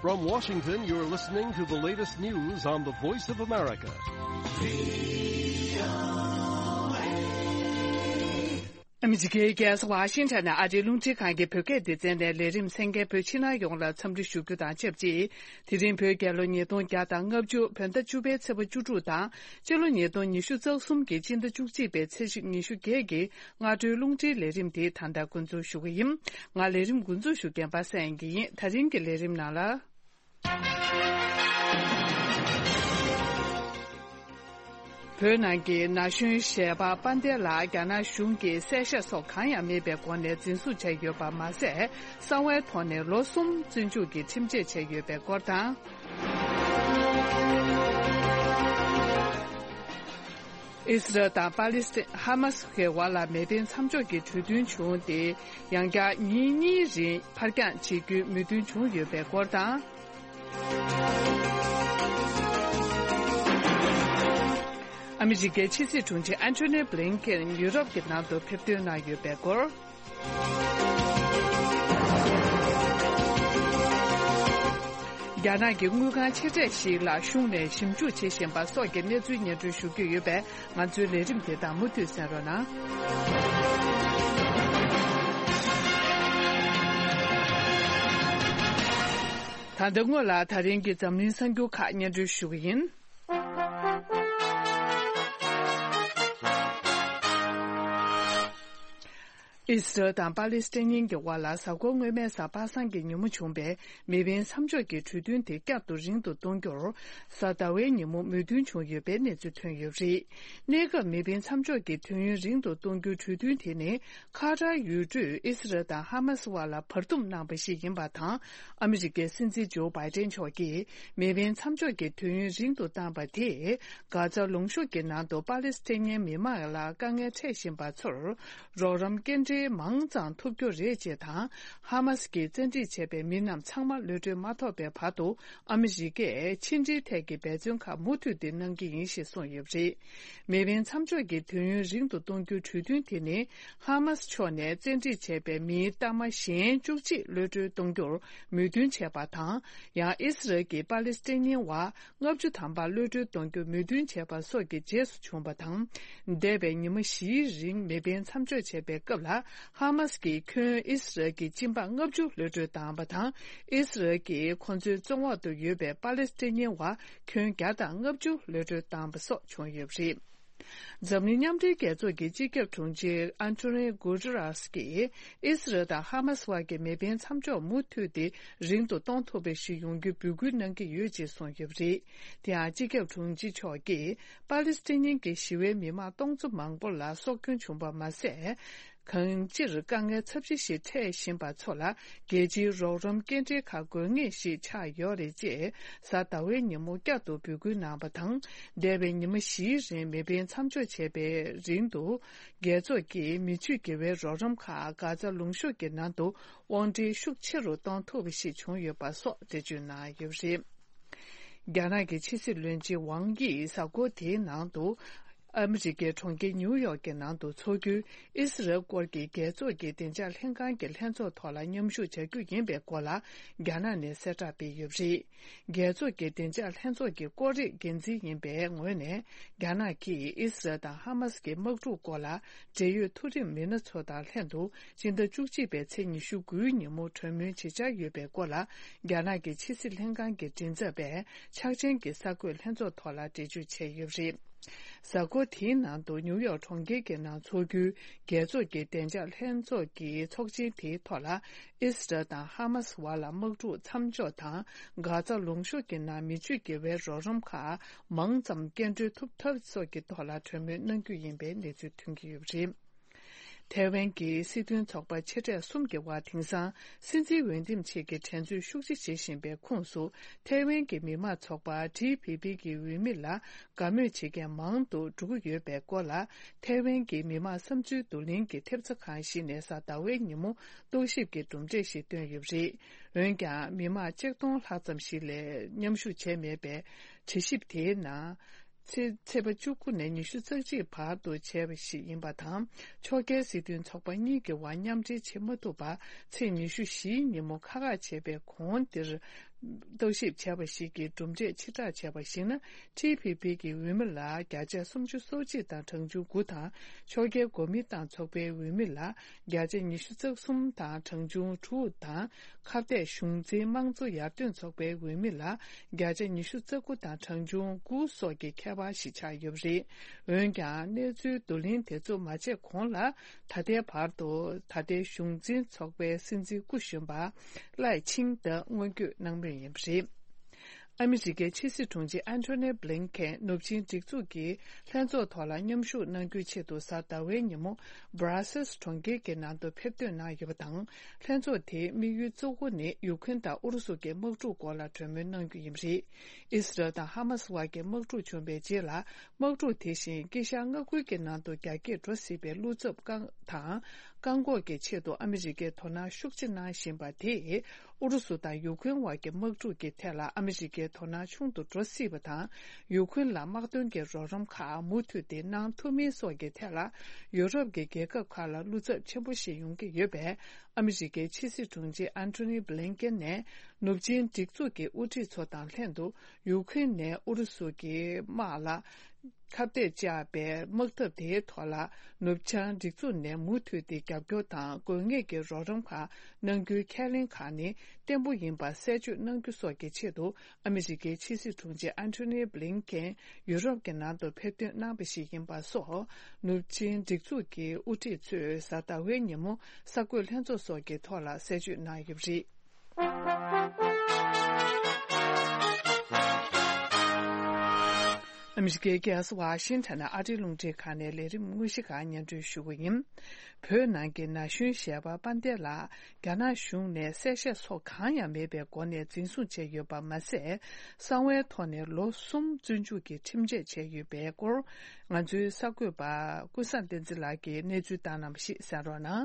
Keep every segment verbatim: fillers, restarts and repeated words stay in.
From Washington, you're listening to the latest news on the Voice of America. ཨ་མི་རི་ཀའི་རྒྱལ་ས་ཝ་ཤིང་ཊོན་ནས་ཨ་རིའི་རླུང་འཕྲིན་ཁང་གི་བོད་སྐད་སྡེ་ཚན་ནས་ལས་རིམ་གསན་མཁན་བོད་ཕྱི་ནང་ཡོངས་ལ་འཚམས་འདྲི་ཞུ་རྒྱུ་དང་ཆབས་ཅིག་དེ་རིང་བོད་རྒྱལ་ལོ་ཉིས་སྟོང་བརྒྱ་དང་ལྔ་བཅུ་བོད་ཟླ་བཅུ་པའི་ཚེས་པ་བཅུ་དྲུག་དང་སྤྱི་ལོ་ཉིས་སྟོང་ཉི་ཤུ་རྩ་གསུམ་གྱི་སྤྱི་ཟླ་བཅུ་གཅིག་པའི་ཚེས་ཉི་ཤུ་བརྒྱད་ཀྱི་སྔ་དྲོའི་རླུང་འཕྲིན་ལས་རིམ་དེ་ད་ལྟ་འགོ་འཛུགས་ཞུ་གི་ཡིན། ང་ལས་རིམ་འགོ་འཛུགས་ཞུ་མཁན་པ་སངས་དབྱངས་སྐྱིད་ཡིན། ད་རིང་གི་ལས་རིམ་ནང་ལ། བོད་ནང་གི་ན་གཞོན་གཞས་པ་དཔལ་ལྡན་ལགས་རྒྱ་ནག་གཞུང་གིས་བསད་བཞག་སོགས་གང་ཡང་མེད་པའི་སྒོ་ནས་འཛིན་བཟུང་བྱས་ཡོད་པ་མ་ཟད། གསང་བའི་ཐོག་ནས་ལོ་གསུམ་བཙོན་འཇུག་གི་ཁྲིམས་ཆད་བཅད་ཡོད་པའི་སྐོར་དང་། ཨི་སི་རལ་དང་པ་ལི་སི་ཐན་ཧ་མ་སི་གི་བར་ལ་མེ་འཕེན་མཚམས་འཇོག་གི་གྲོས་མཐུན་བྱུང་སྟེ། ཡང་བསྐྱར་ཉིན་གཉིས་རིང་ཕར་འགྱངས་བྱེད་རྒྱུའི་མོས་མཐུན་བྱུང་ཡོད་པའི་སྐོར་དང་། ཨ་མི་རི་ཀའི་ཕྱི་སྲིད་དྲུང་ཆེ་ཨན་ཐོ་ནི་བྷི་ལིན་ཀེན་ཡུ་རོབ་ཀྱི་ནང་དུ་ཕེབས་ཐོན་གནང་ཡོད་པའི་སྐོར། རྒྱ་ནག་གི་དངུལ་ཁང་ཆེ་གྲས་ཤིག་ལ་གཞུང་ནས་ཞིབ་འཇུག་བྱེད་བཞིན་པ་སོགས་ཀྱི་གནས་ཚུལ་སྙན་སྒྲོན་ཞུ་རྒྱུ་ཡོད་པས། ང་ཚོའི་ལས་རིམ་དེ་དག་མུ་མཐུད་གསན་རོགས་གནང་། ད་ལྟ་སྔོན་ལ་ད་རིང་གི་འཛམ་གླིང་གསར་འགྱུར་ཁག་སྙན་སྒྲོན་ཞུ་གི་ཡིན། ཨི་སི་རལ་དང་པ་ལི་སི་ཐན་གཉིས་ཀྱི་དབར་ལ་གཟའ་འཁོར་སྔོན་མའི་གཟའ་པ་སངས་ཀྱི་ཉིན་མོ་བྱུང་པའི་མེ་འཕེན་མཚམས་འཇོག་གི་གྲོས་མཐུན་དེ་བསྐྱར་དུ་རིང་དུ་གཏོང་རྒྱུར། གཟའ་ཟླ་བའི་ཉིན་མོ་མོས་མཐུན་བྱུང་ཡོད་པའི་གནས་ཚུལ་ཐོན་ཡོད་པ་རེད། གནས་སྐབས་མེ་འཕེན་མཚམས་འཇོག་གི་དུས་ཡུན་རིང་དུ་གཏོང་རྒྱུའི་གྲོས་མཐུན་དེ་ནི། ཁ་ཏར་ཡུལ་གྲུས་ཨི་སི་རལ་དང་ཧ་མ་སི་དབར་ལ་བར་འདུམ་གནང་བ་ཞིག་ཡིན་པ་དང་། ཨ་མི་རི་ཀའི་སྲིད་འཛིན་ཇོ་བྷའི་ཏན་མཆོག་གིས་མེ་འཕེན་མཚམས་འཇོག་གི་དུས་ཡུན་རིང་དུ་བཏང་བ་དེས། གྷ་ཛ་ལུང་གཤོང་གི་ནང་དུ་པ་ལི་སི་ཐན་མི་མང་ལ་དཀའ་ངལ་འཕྲད་བཞིན་པ་ཚོར། རོགས་རམ་སྐྱེལ་འདྲེན་མང་ཙམ་ཐུབ་རྒྱུ་རེད་ཅེས་དང་། ཧ་མ་སི་གིས་བཙན་ཁྲིད་བྱས་པའི་མི་རྣམས་ཚང་མ་གློད་གྲོལ་མ་ཐོབ་པའི་བར་དུ། ཨ་མི་རི་ཀས་ཕྱི་འབྲེལ་ཐད་ཀྱི་འབད་བརྩོན་ཁག་མུ་མཐུད་དེ་གནང་གི་ཡིན་ཞེས་གསུངས་ཡོད་པ་རེད། མེ་འཕེན་མཚམས་འཇོག་གི་དུས་ཡུན་རིང་དུ་གཏོང་རྒྱུའི་གྲོས་མཐུན་དེ་ནི། ཧ་མ་སི་ཕྱོགས་ནས་བཙན་ཁྲིད་བྱས་པའི་མིའི་གཏའ་མ་གཞན་བཅུ་གཅིག་གློད་གྲོལ་གཏོང་རྒྱུར་མོས་མཐུན་བྱས་པ་དང་། ཡང་ཨི་སི་རལ་གྱིས་པ་ལི་སི་ཐན་བར་ལྔ་བཅུ་ཐམ་པ་གློད་གྲོལ་གཏོང་རྒྱུར་མོས་མཐུན་བྱས་པ་སོགས་ཀྱི་རྗེས་སུ་བྱུང་བ་དང་། འདས་པའི་ཉི་མ་བཞིའི་རིང་མེ་འཕེན་མཚམས་འཇོག་བྱས་པའི་སྐབས་ལ། ཧ་མ་སི་གིས་ཁྱོན་ཨི་སི་རལ་གྱི་སྤྱི་འབངས་ལྔ་བཅུ་གློད་གྲོལ་བཏང་བ་དང་། ཨི་སི་རལ་གྱིས་ཁོ་ཚོའི་བཙོན་འོག་ཏུ་ཡོད་པའི་པ་ལི་སི་ཐན་བར་ཁྱོན་བརྒྱ་དང་ལྔ་བཅུ་གློད་གྲོལ་བཏང་བ་སོགས་བྱུང་ཡོད་པ་རེད། འཛམ་གླིང་མཉམ་འབྲེལ་རྒྱལ་ཚོགས་ཀྱི་སྤྱི་ཁྱབ་དྲུང་ཆེ་ཨན་ཐོ་ནི་གུ་ཏེ་རེས་ཀྱིས། ཨི་སི་རལ་དང་ཧ་མ་སི་བར་གྱི་མེ་འཕེན་མཚམས་འཇོག་མུ་མཐུད་དེ་རིང་དུ་གཏོང་ཐུབ་པ་ཞིག་ཡོང་རྒྱུའི་འབོད་སྐུལ་གནང་གི་ཡོད་ཅེས་གསུངས་ཡོད་པ་རེད། དེ་ཡང་སྤྱི་ཁྱབ་དྲུང་ཆེ་མཆོག་གིས། པ་ལི་སི་ཐན་གྱི་ཞི་བའི་མི་མང་སྟོང་ཚོ་མང་པོ་ལ་སྲོག་སྐྱོན་བྱུང་བ་མ་ཟད། གང་སྤྱིར་དཀའ་ངལ་ཚབས་ཆེ་ཞིག་འཕྲད་བཞིན་པ་ཚོ་ལ་རྒྱལ་སྤྱིའི་རོགས་རམ་སྐྱེལ་འདྲེན་ཁག་དགོས་ངེས་ཤིག་ཆགས་ཡོད་རེད་ཅེས་གཟའ་ཟླ་བའི་ཉིན་མོ་བསྐྱར་དུ་འབོད་སྐུལ་གནང་བ་དང་། འདས་པའི་ཉི་མ་བཞིའི་རིང་མེ་འཕེན་མཚམས་འཇོག་བྱས་པའི་རིང་དུ། རྒྱལ་ཚོགས་ཀྱིས་མི་ཆོས་དགེ་བའི་རོགས་རམ་ཁག་གྷ་ཛ་ལུང་གཤོང་གི་ནང་དུ་དབོར་འདྲེན་ཤུགས་ཆེ་རུ་གཏོང་ཐུབ་པ་ཞིག་བྱུང་ཡོད་པ་སོགས་འགྲེལ་བརྗོད་གནང་ཡོད་པ་རེད། རྒྱ་ནག་གི་ཕྱི་སྲིད་བློན་ཆེན་ཝང་དབྱིས་གཟའ་འཁོར་དེའི་ནང་དུ། ཨ་མི་རི་ཀའི་གྲོང་ཁྱེར་ཉིའུ་ཡོག་གི་ནང་དུ་འཚོགས་རྒྱུའི་ཨི་སི་རལ་སྐོར་གྱི་རྒྱལ་ཚོགས་ཀྱི་བདེ་འཇགས་ལྷན་ཁང་གི་ལྷན་ཚོགས་ཐོག་ལ་མཉམ་ཞུགས་བྱ་རྒྱུ་ཡིན་པའི་སྐོར་ལ་རྒྱ་ནག་ནས་གསལ་བསྒྲགས་སྤེལ་ཡོད་པ་རེད། རྒྱལ་ཚོགས་ཀྱི་བདེ་འཇགས་ལྷན་ཚོགས་ཀྱི་སྐོར་རིགས་འགན་འཛིན་ཡིན་པའི་ངོས་ནས། རྒྱ་ནག་གིས་ཨི་སི་རལ་དང་ཧ་མ་སི་གི་དམག་འཁྲུག་སྐོར་ལ་འབྲེལ་ཡོད་མཐོ་རིམ་མི་སྣ་ཚོ་དང་ལྷན་དུ། སྤྱི་ཟླ་བཅུ་གཅིག་པའི་ཚེས་ཉི་ཤུ་དགུའི་ཉིན་མོ་གྲོས་མོལ་བྱེད་འཆར་ཡོད་པའི་སྐོར་ལ། རྒྱ་ནག་གི་ཕྱི་སྲིད་ལྷན་ཁང་གི་མགྲིན་ཚབ་པས་འཆར་ཅན་གྱི་གསར་འགོད་ལྷན་ཚོགས་ཐོག་ལ་འགྲེལ་བརྗོད་བྱས་ཡོད་པ་རེད། གཟའ་འཁོར་དེའི་ནང་དུ་ཉིའུ་ཡོག་གྲོང་ཁྱེར་གྱི་ནང་འཚོགས་རྒྱུའི་རྒྱལ་ཚོགས་ཀྱི་བདེ་འཇགས་ལྷན་ཚོགས་ཀྱི་ཚོགས་ཆེན་དེའི་ཐོག་ལ། ཨི་སི་རལ་དང་ཧ་མ་སི་བར་ལ་དམག་འཁྲུག་མཚམས་འཇོག་དང་། གྷ་ཛ་ལུང་གཤོང་གི་ནང་མི་ཆོས་དགེ་བའི་རོགས་རམ་ཁག་མང་ཙམ་སྐྱེལ་འགྲོལ་ཐུབ་ཐབས་སོགས་ཀྱི་ཐོག་ལ་གྲོས་མོལ་གནང་རྒྱུ་ཡིན་པའི་གནས་ཚུལ་ཐོན་གྱི་ཡོད་པ་རེད། ཐའེ་ཝན་གྱི་སྲིད་དོན་ཚོགས་པ་ཆེ་གྲས་གསུམ་གྱི་དབར་དེང་སང་སྲིད་འཛིན་འོས་འདེམས་ཆེད་ཀྱི་འགྲན་རྩོད་ཤུགས་ཆེ་བྱེད་བཞིན་པའི་ཁོངས་སུ། ཐའེ་ཝན་གྱི་མི་དམངས་ཚོགས་པ་ཊི་ཕི་ཕི་གི་འོས་མི་ལ་དགའ་མོས་བྱེད་མཁན་མང་དུ་འགྲོ་གི་ཡོད་པའི་སྐོར་ལ། ཐའེ་ཝན་གྱི་མི་དམངས་བསམ་ཚུལ་བསྡུ་ལེན་གྱི་ཐེབས་རྩ་ཁང་ཞིག་ནས་གཟའ་ཟླ་བའི་ཉིན་མོ་རྟོག་ཞིབ་ཀྱི་གྲུབ་འབྲས་ཤིག་བཏོན་ཡོད་པ་རེད། འོན་ཀྱང་། མི་དམངས་ཆིག་སྟོང་ལྷག་ཙམ་ཞིག་ལས་མཉམ་ཞུགས་བྱས་མེད་པའི་དྲི་ཞིབ་དེའི་ནང་། ཚེས་ཚེས་པ་བཅུ་དགུ་ནས་ཉི་ཤུ་རྩ་གཅིག་བར་དུ་བྱས་པ་ཞིག་ཡིན་པ་དང་། ཕྱོགས་འགལ་སྲིད་དོན་ཚོགས་པ་གཉིས་ཀྱི་དབར་མཉམ་འབྲེལ་བྱེད་མ་ཐུབ་པར། ཚེས་ཉི་ཤུ་བཞིའི་ཉིན་མོ་ཁག་ཁག་བྱས་པའི་གོང་འདིར། རྟོག་ཞིབ་བྱས་པ་ཞིག་གིས་གྲུབ་འབྲས་ཕྱིར་བསྒྲགས་བྱས་པར་གཞིགས་ན། ཊི་པི་པི་གི་འོས་མི་ལ་བརྒྱ་ཆ་སུམ་ཅུ་སོ་གཅིག་དང་གྲངས་ཆུང་དགུ་དང་། ཕྱོགས་འགལ་གོ་མིན་ཏང་ཚོགས་པའི་འོས་མི་ལ་བརྒྱ་ཆ་ཉི་ཤུ་རྩ་གསུམ་དང་གྲངས་ཆུང་དྲུག་དང་། ཁ་གཏད་གཞུང་འཛིན་དམངས་གཙོ་ཡར་ཐོན་ཚོགས་པའི་འོས་མི་ལ་བརྒྱ་ཆ་ཉི་ཤུ་རྩ་དགུ་དང་གྲངས་ཆུང་དགུ་སོགས་ཀྱི་ཁྱད་པར་ཞིག་ཆགས་ཡོད་པ་རེད། འོན་ཀྱང་། གནས་ཚུལ་བསྡུ་ལེན་དེ་ཚོ་མ་བྱས་གོང་ལ། ད་ལྟའི་བར་དུ་ད་ལྟའི་གཞུང་འཛིན་ཚོགས་པའི་སྲིད་འཛིན་སྐུ་གཞོན་པ་ལའེ་ཆིང་ཏེ་སྔོན་སྐྱོད་གནང་མུས་ཡིན་པ་རེད། ཨ་མི་རི་ཀའི་ཕྱི་སྲིད་དྲུང་ཆེ་ཨན་ཐོ་ནི་བྷི་ལིན་ཀེན་ནུབ་ཆིངས་སྒྲིག་འཛུགས་ཀྱི་ལྷན་ཚོགས་ཐོག་ལ་མཉམ་ཞུགས་གནང་རྒྱུའི་ཆེད་དུ་གཟའ་ཟླ་བའི་ཉིན་མོ་སྦ་ར་སེལ་གྲོང་ཁྱེར་གྱི་ནང་དུ་ཕེབས་ཐོན་གནང་ཡོད་པ་དང་། ལྷན་ཚོགས་དེའི་དམིགས་ཡུལ་གཙོ་བོ་ནི་ཡུཀ་རེན་དང་ཨུ་རུ་སུ་གྱི་དམག་འཁྲུག་སྐོར་ལ་གྲོས་མོལ་གནང་རྒྱུ་ཡིན་པ་རེད། ཨི་སི་རལ་དང་ཧ་མ་སི་བར་གྱི་དམག་འཁྲུག་བྱུང་བའི་རྗེས་ལ། དམག་འཁྲུག་དེ་བཞིན་དཀྱིལ་ཤར་མངའ་ཁུལ་གྱི་ནང་དུ་རྒྱ་སྐྱེད་འགྲོ་སྲིད་པའི་བློ་འཚབ་བསྐང་དང་། བཀག་འགོག་གི་ཆེད་དུ་ཨ་མི་རི་ཀས་དོ་སྣང་ཤུགས་ཆེ་གནང་བཞིན་པ་དེས། ཨུ་རུ་སུ་དང་ཡུཀ་རེན་བར་གྱི་དམག་འཁྲུག་གི་ཐད་ལ་ཨ་མི་རི་ཀའི་དོ་སྣང་ཆུང་དུ་འགྲོ་སྲིད་པ་དང་། ཡུཀ་རེན་ལ་དམག་དོན་གྱི་རོགས་རམ་ཁག་མུ་མཐུད་དེ་གནང་ཐུབ་མིན་སོགས་ཀྱི་ཐད་ལ། ཡུ་རོབ་ཀྱི་རྒྱལ་ཁབ་ཁག་ལ་བློ་འཚབ་ཆེན་པོ་ཞིག་ཡོང་གི་ཡོད་པས། ཨ་མི་རི་ཀའི་ཕྱི་སྲིད་དྲུང་ཆེ་ཨན་ཐོ་ནི་བྷི་ལིན་ཀེན་ནས་ནུབ་ཆིངས་སྒྲིག་འཛུགས་ཀྱི་དབུ་ཁྲིད་ཚོ་དང་ལྷན་དུ། ཡུཀ་རེན་ནས་ཨུ་རུ་སུ་གྱི་དམག་ལ་ཁ་གཏད་བཅག་པའི་དམག་འཐབ་དེའི་ཐོག་ལ། ནུབ་བྱང་སྒྲིག་འཛུགས་ནས་མུ་མཐུད་དེ་རྒྱབ་སྐྱོར་དང་དགོས་ངེས་ཀྱི་རོགས་རམ་ཁག་གནང་རྒྱུའི་ཁས་ལེན་ཁག་ནི་བརྟན་པོ་ཡིན་པ་གསལ་བརྗོད་གནང་རྒྱུ་སོགས་ཀྱི་ཆེད་དུ། ཨ་མི་རི་ཀའི་ཕྱི་སྲིད་དྲུང་ཆེ་ཨན་ཐོ་ནི་བྷི་ལིན་ཀེན་ཡུ་རོབ་ཀྱི་ནང་དུ་ཕེབས་ཐོན་གནང་བ་ཞིག་ཡིན་པ་སོགས། ནུབ་ཆིངས་སྒྲིག་འཛུགས་ཀྱི་དབུ་ཁྲིད་ཚོས་གཟའ་ཟླ་བའི་ཉིན་མོ་གསར་འགོད་ལྷན་ཚོགས་སོགས་ཀྱི་ཐོག་ལ་གསལ་བརྗོད་གནང་ཡོད་པ་རེད། ཨ་མི་རི་ཀའི་རྒྱལ་ས་ཝ་ཤིང་ཊོན་ནས་ཨ་རིའི་རླུང་འཕྲིན་ཁང་ནས་ལས་རིམ་དངོས་གཞི་ཁག་སྙན་སྒྲོན་ཞུ་གི་ཡིན། བོད་ནང་གི་ན་གཞོན་གཞས་པ་དཔལ་ལྡན་ལགས་རྒྱ་ནག་གཞུང་ནས་གསལ་བཤད་སོགས་གང་ཡང་མེད་པའི་སྒོ་ནས་འཛིན་བཟུང་བྱས་ཡོད་པ་མ་ཟད། གསང་བའི་ཐོག་ནས་ལོ་གསུམ་བཙོན་འཇུག་གི་ཁྲིམས་ཆད་བཅད་ཡོད་པའི་སྐོར། ང་ཚོའི་གསར་འགོད་པ་ཀུན་བཟང་བསྟན་འཛིན་ལགས་ཀྱིས་གནས་ཚུལ་བཏང་གནང་བ་ཞིག་གསན་རོགས་གནང་།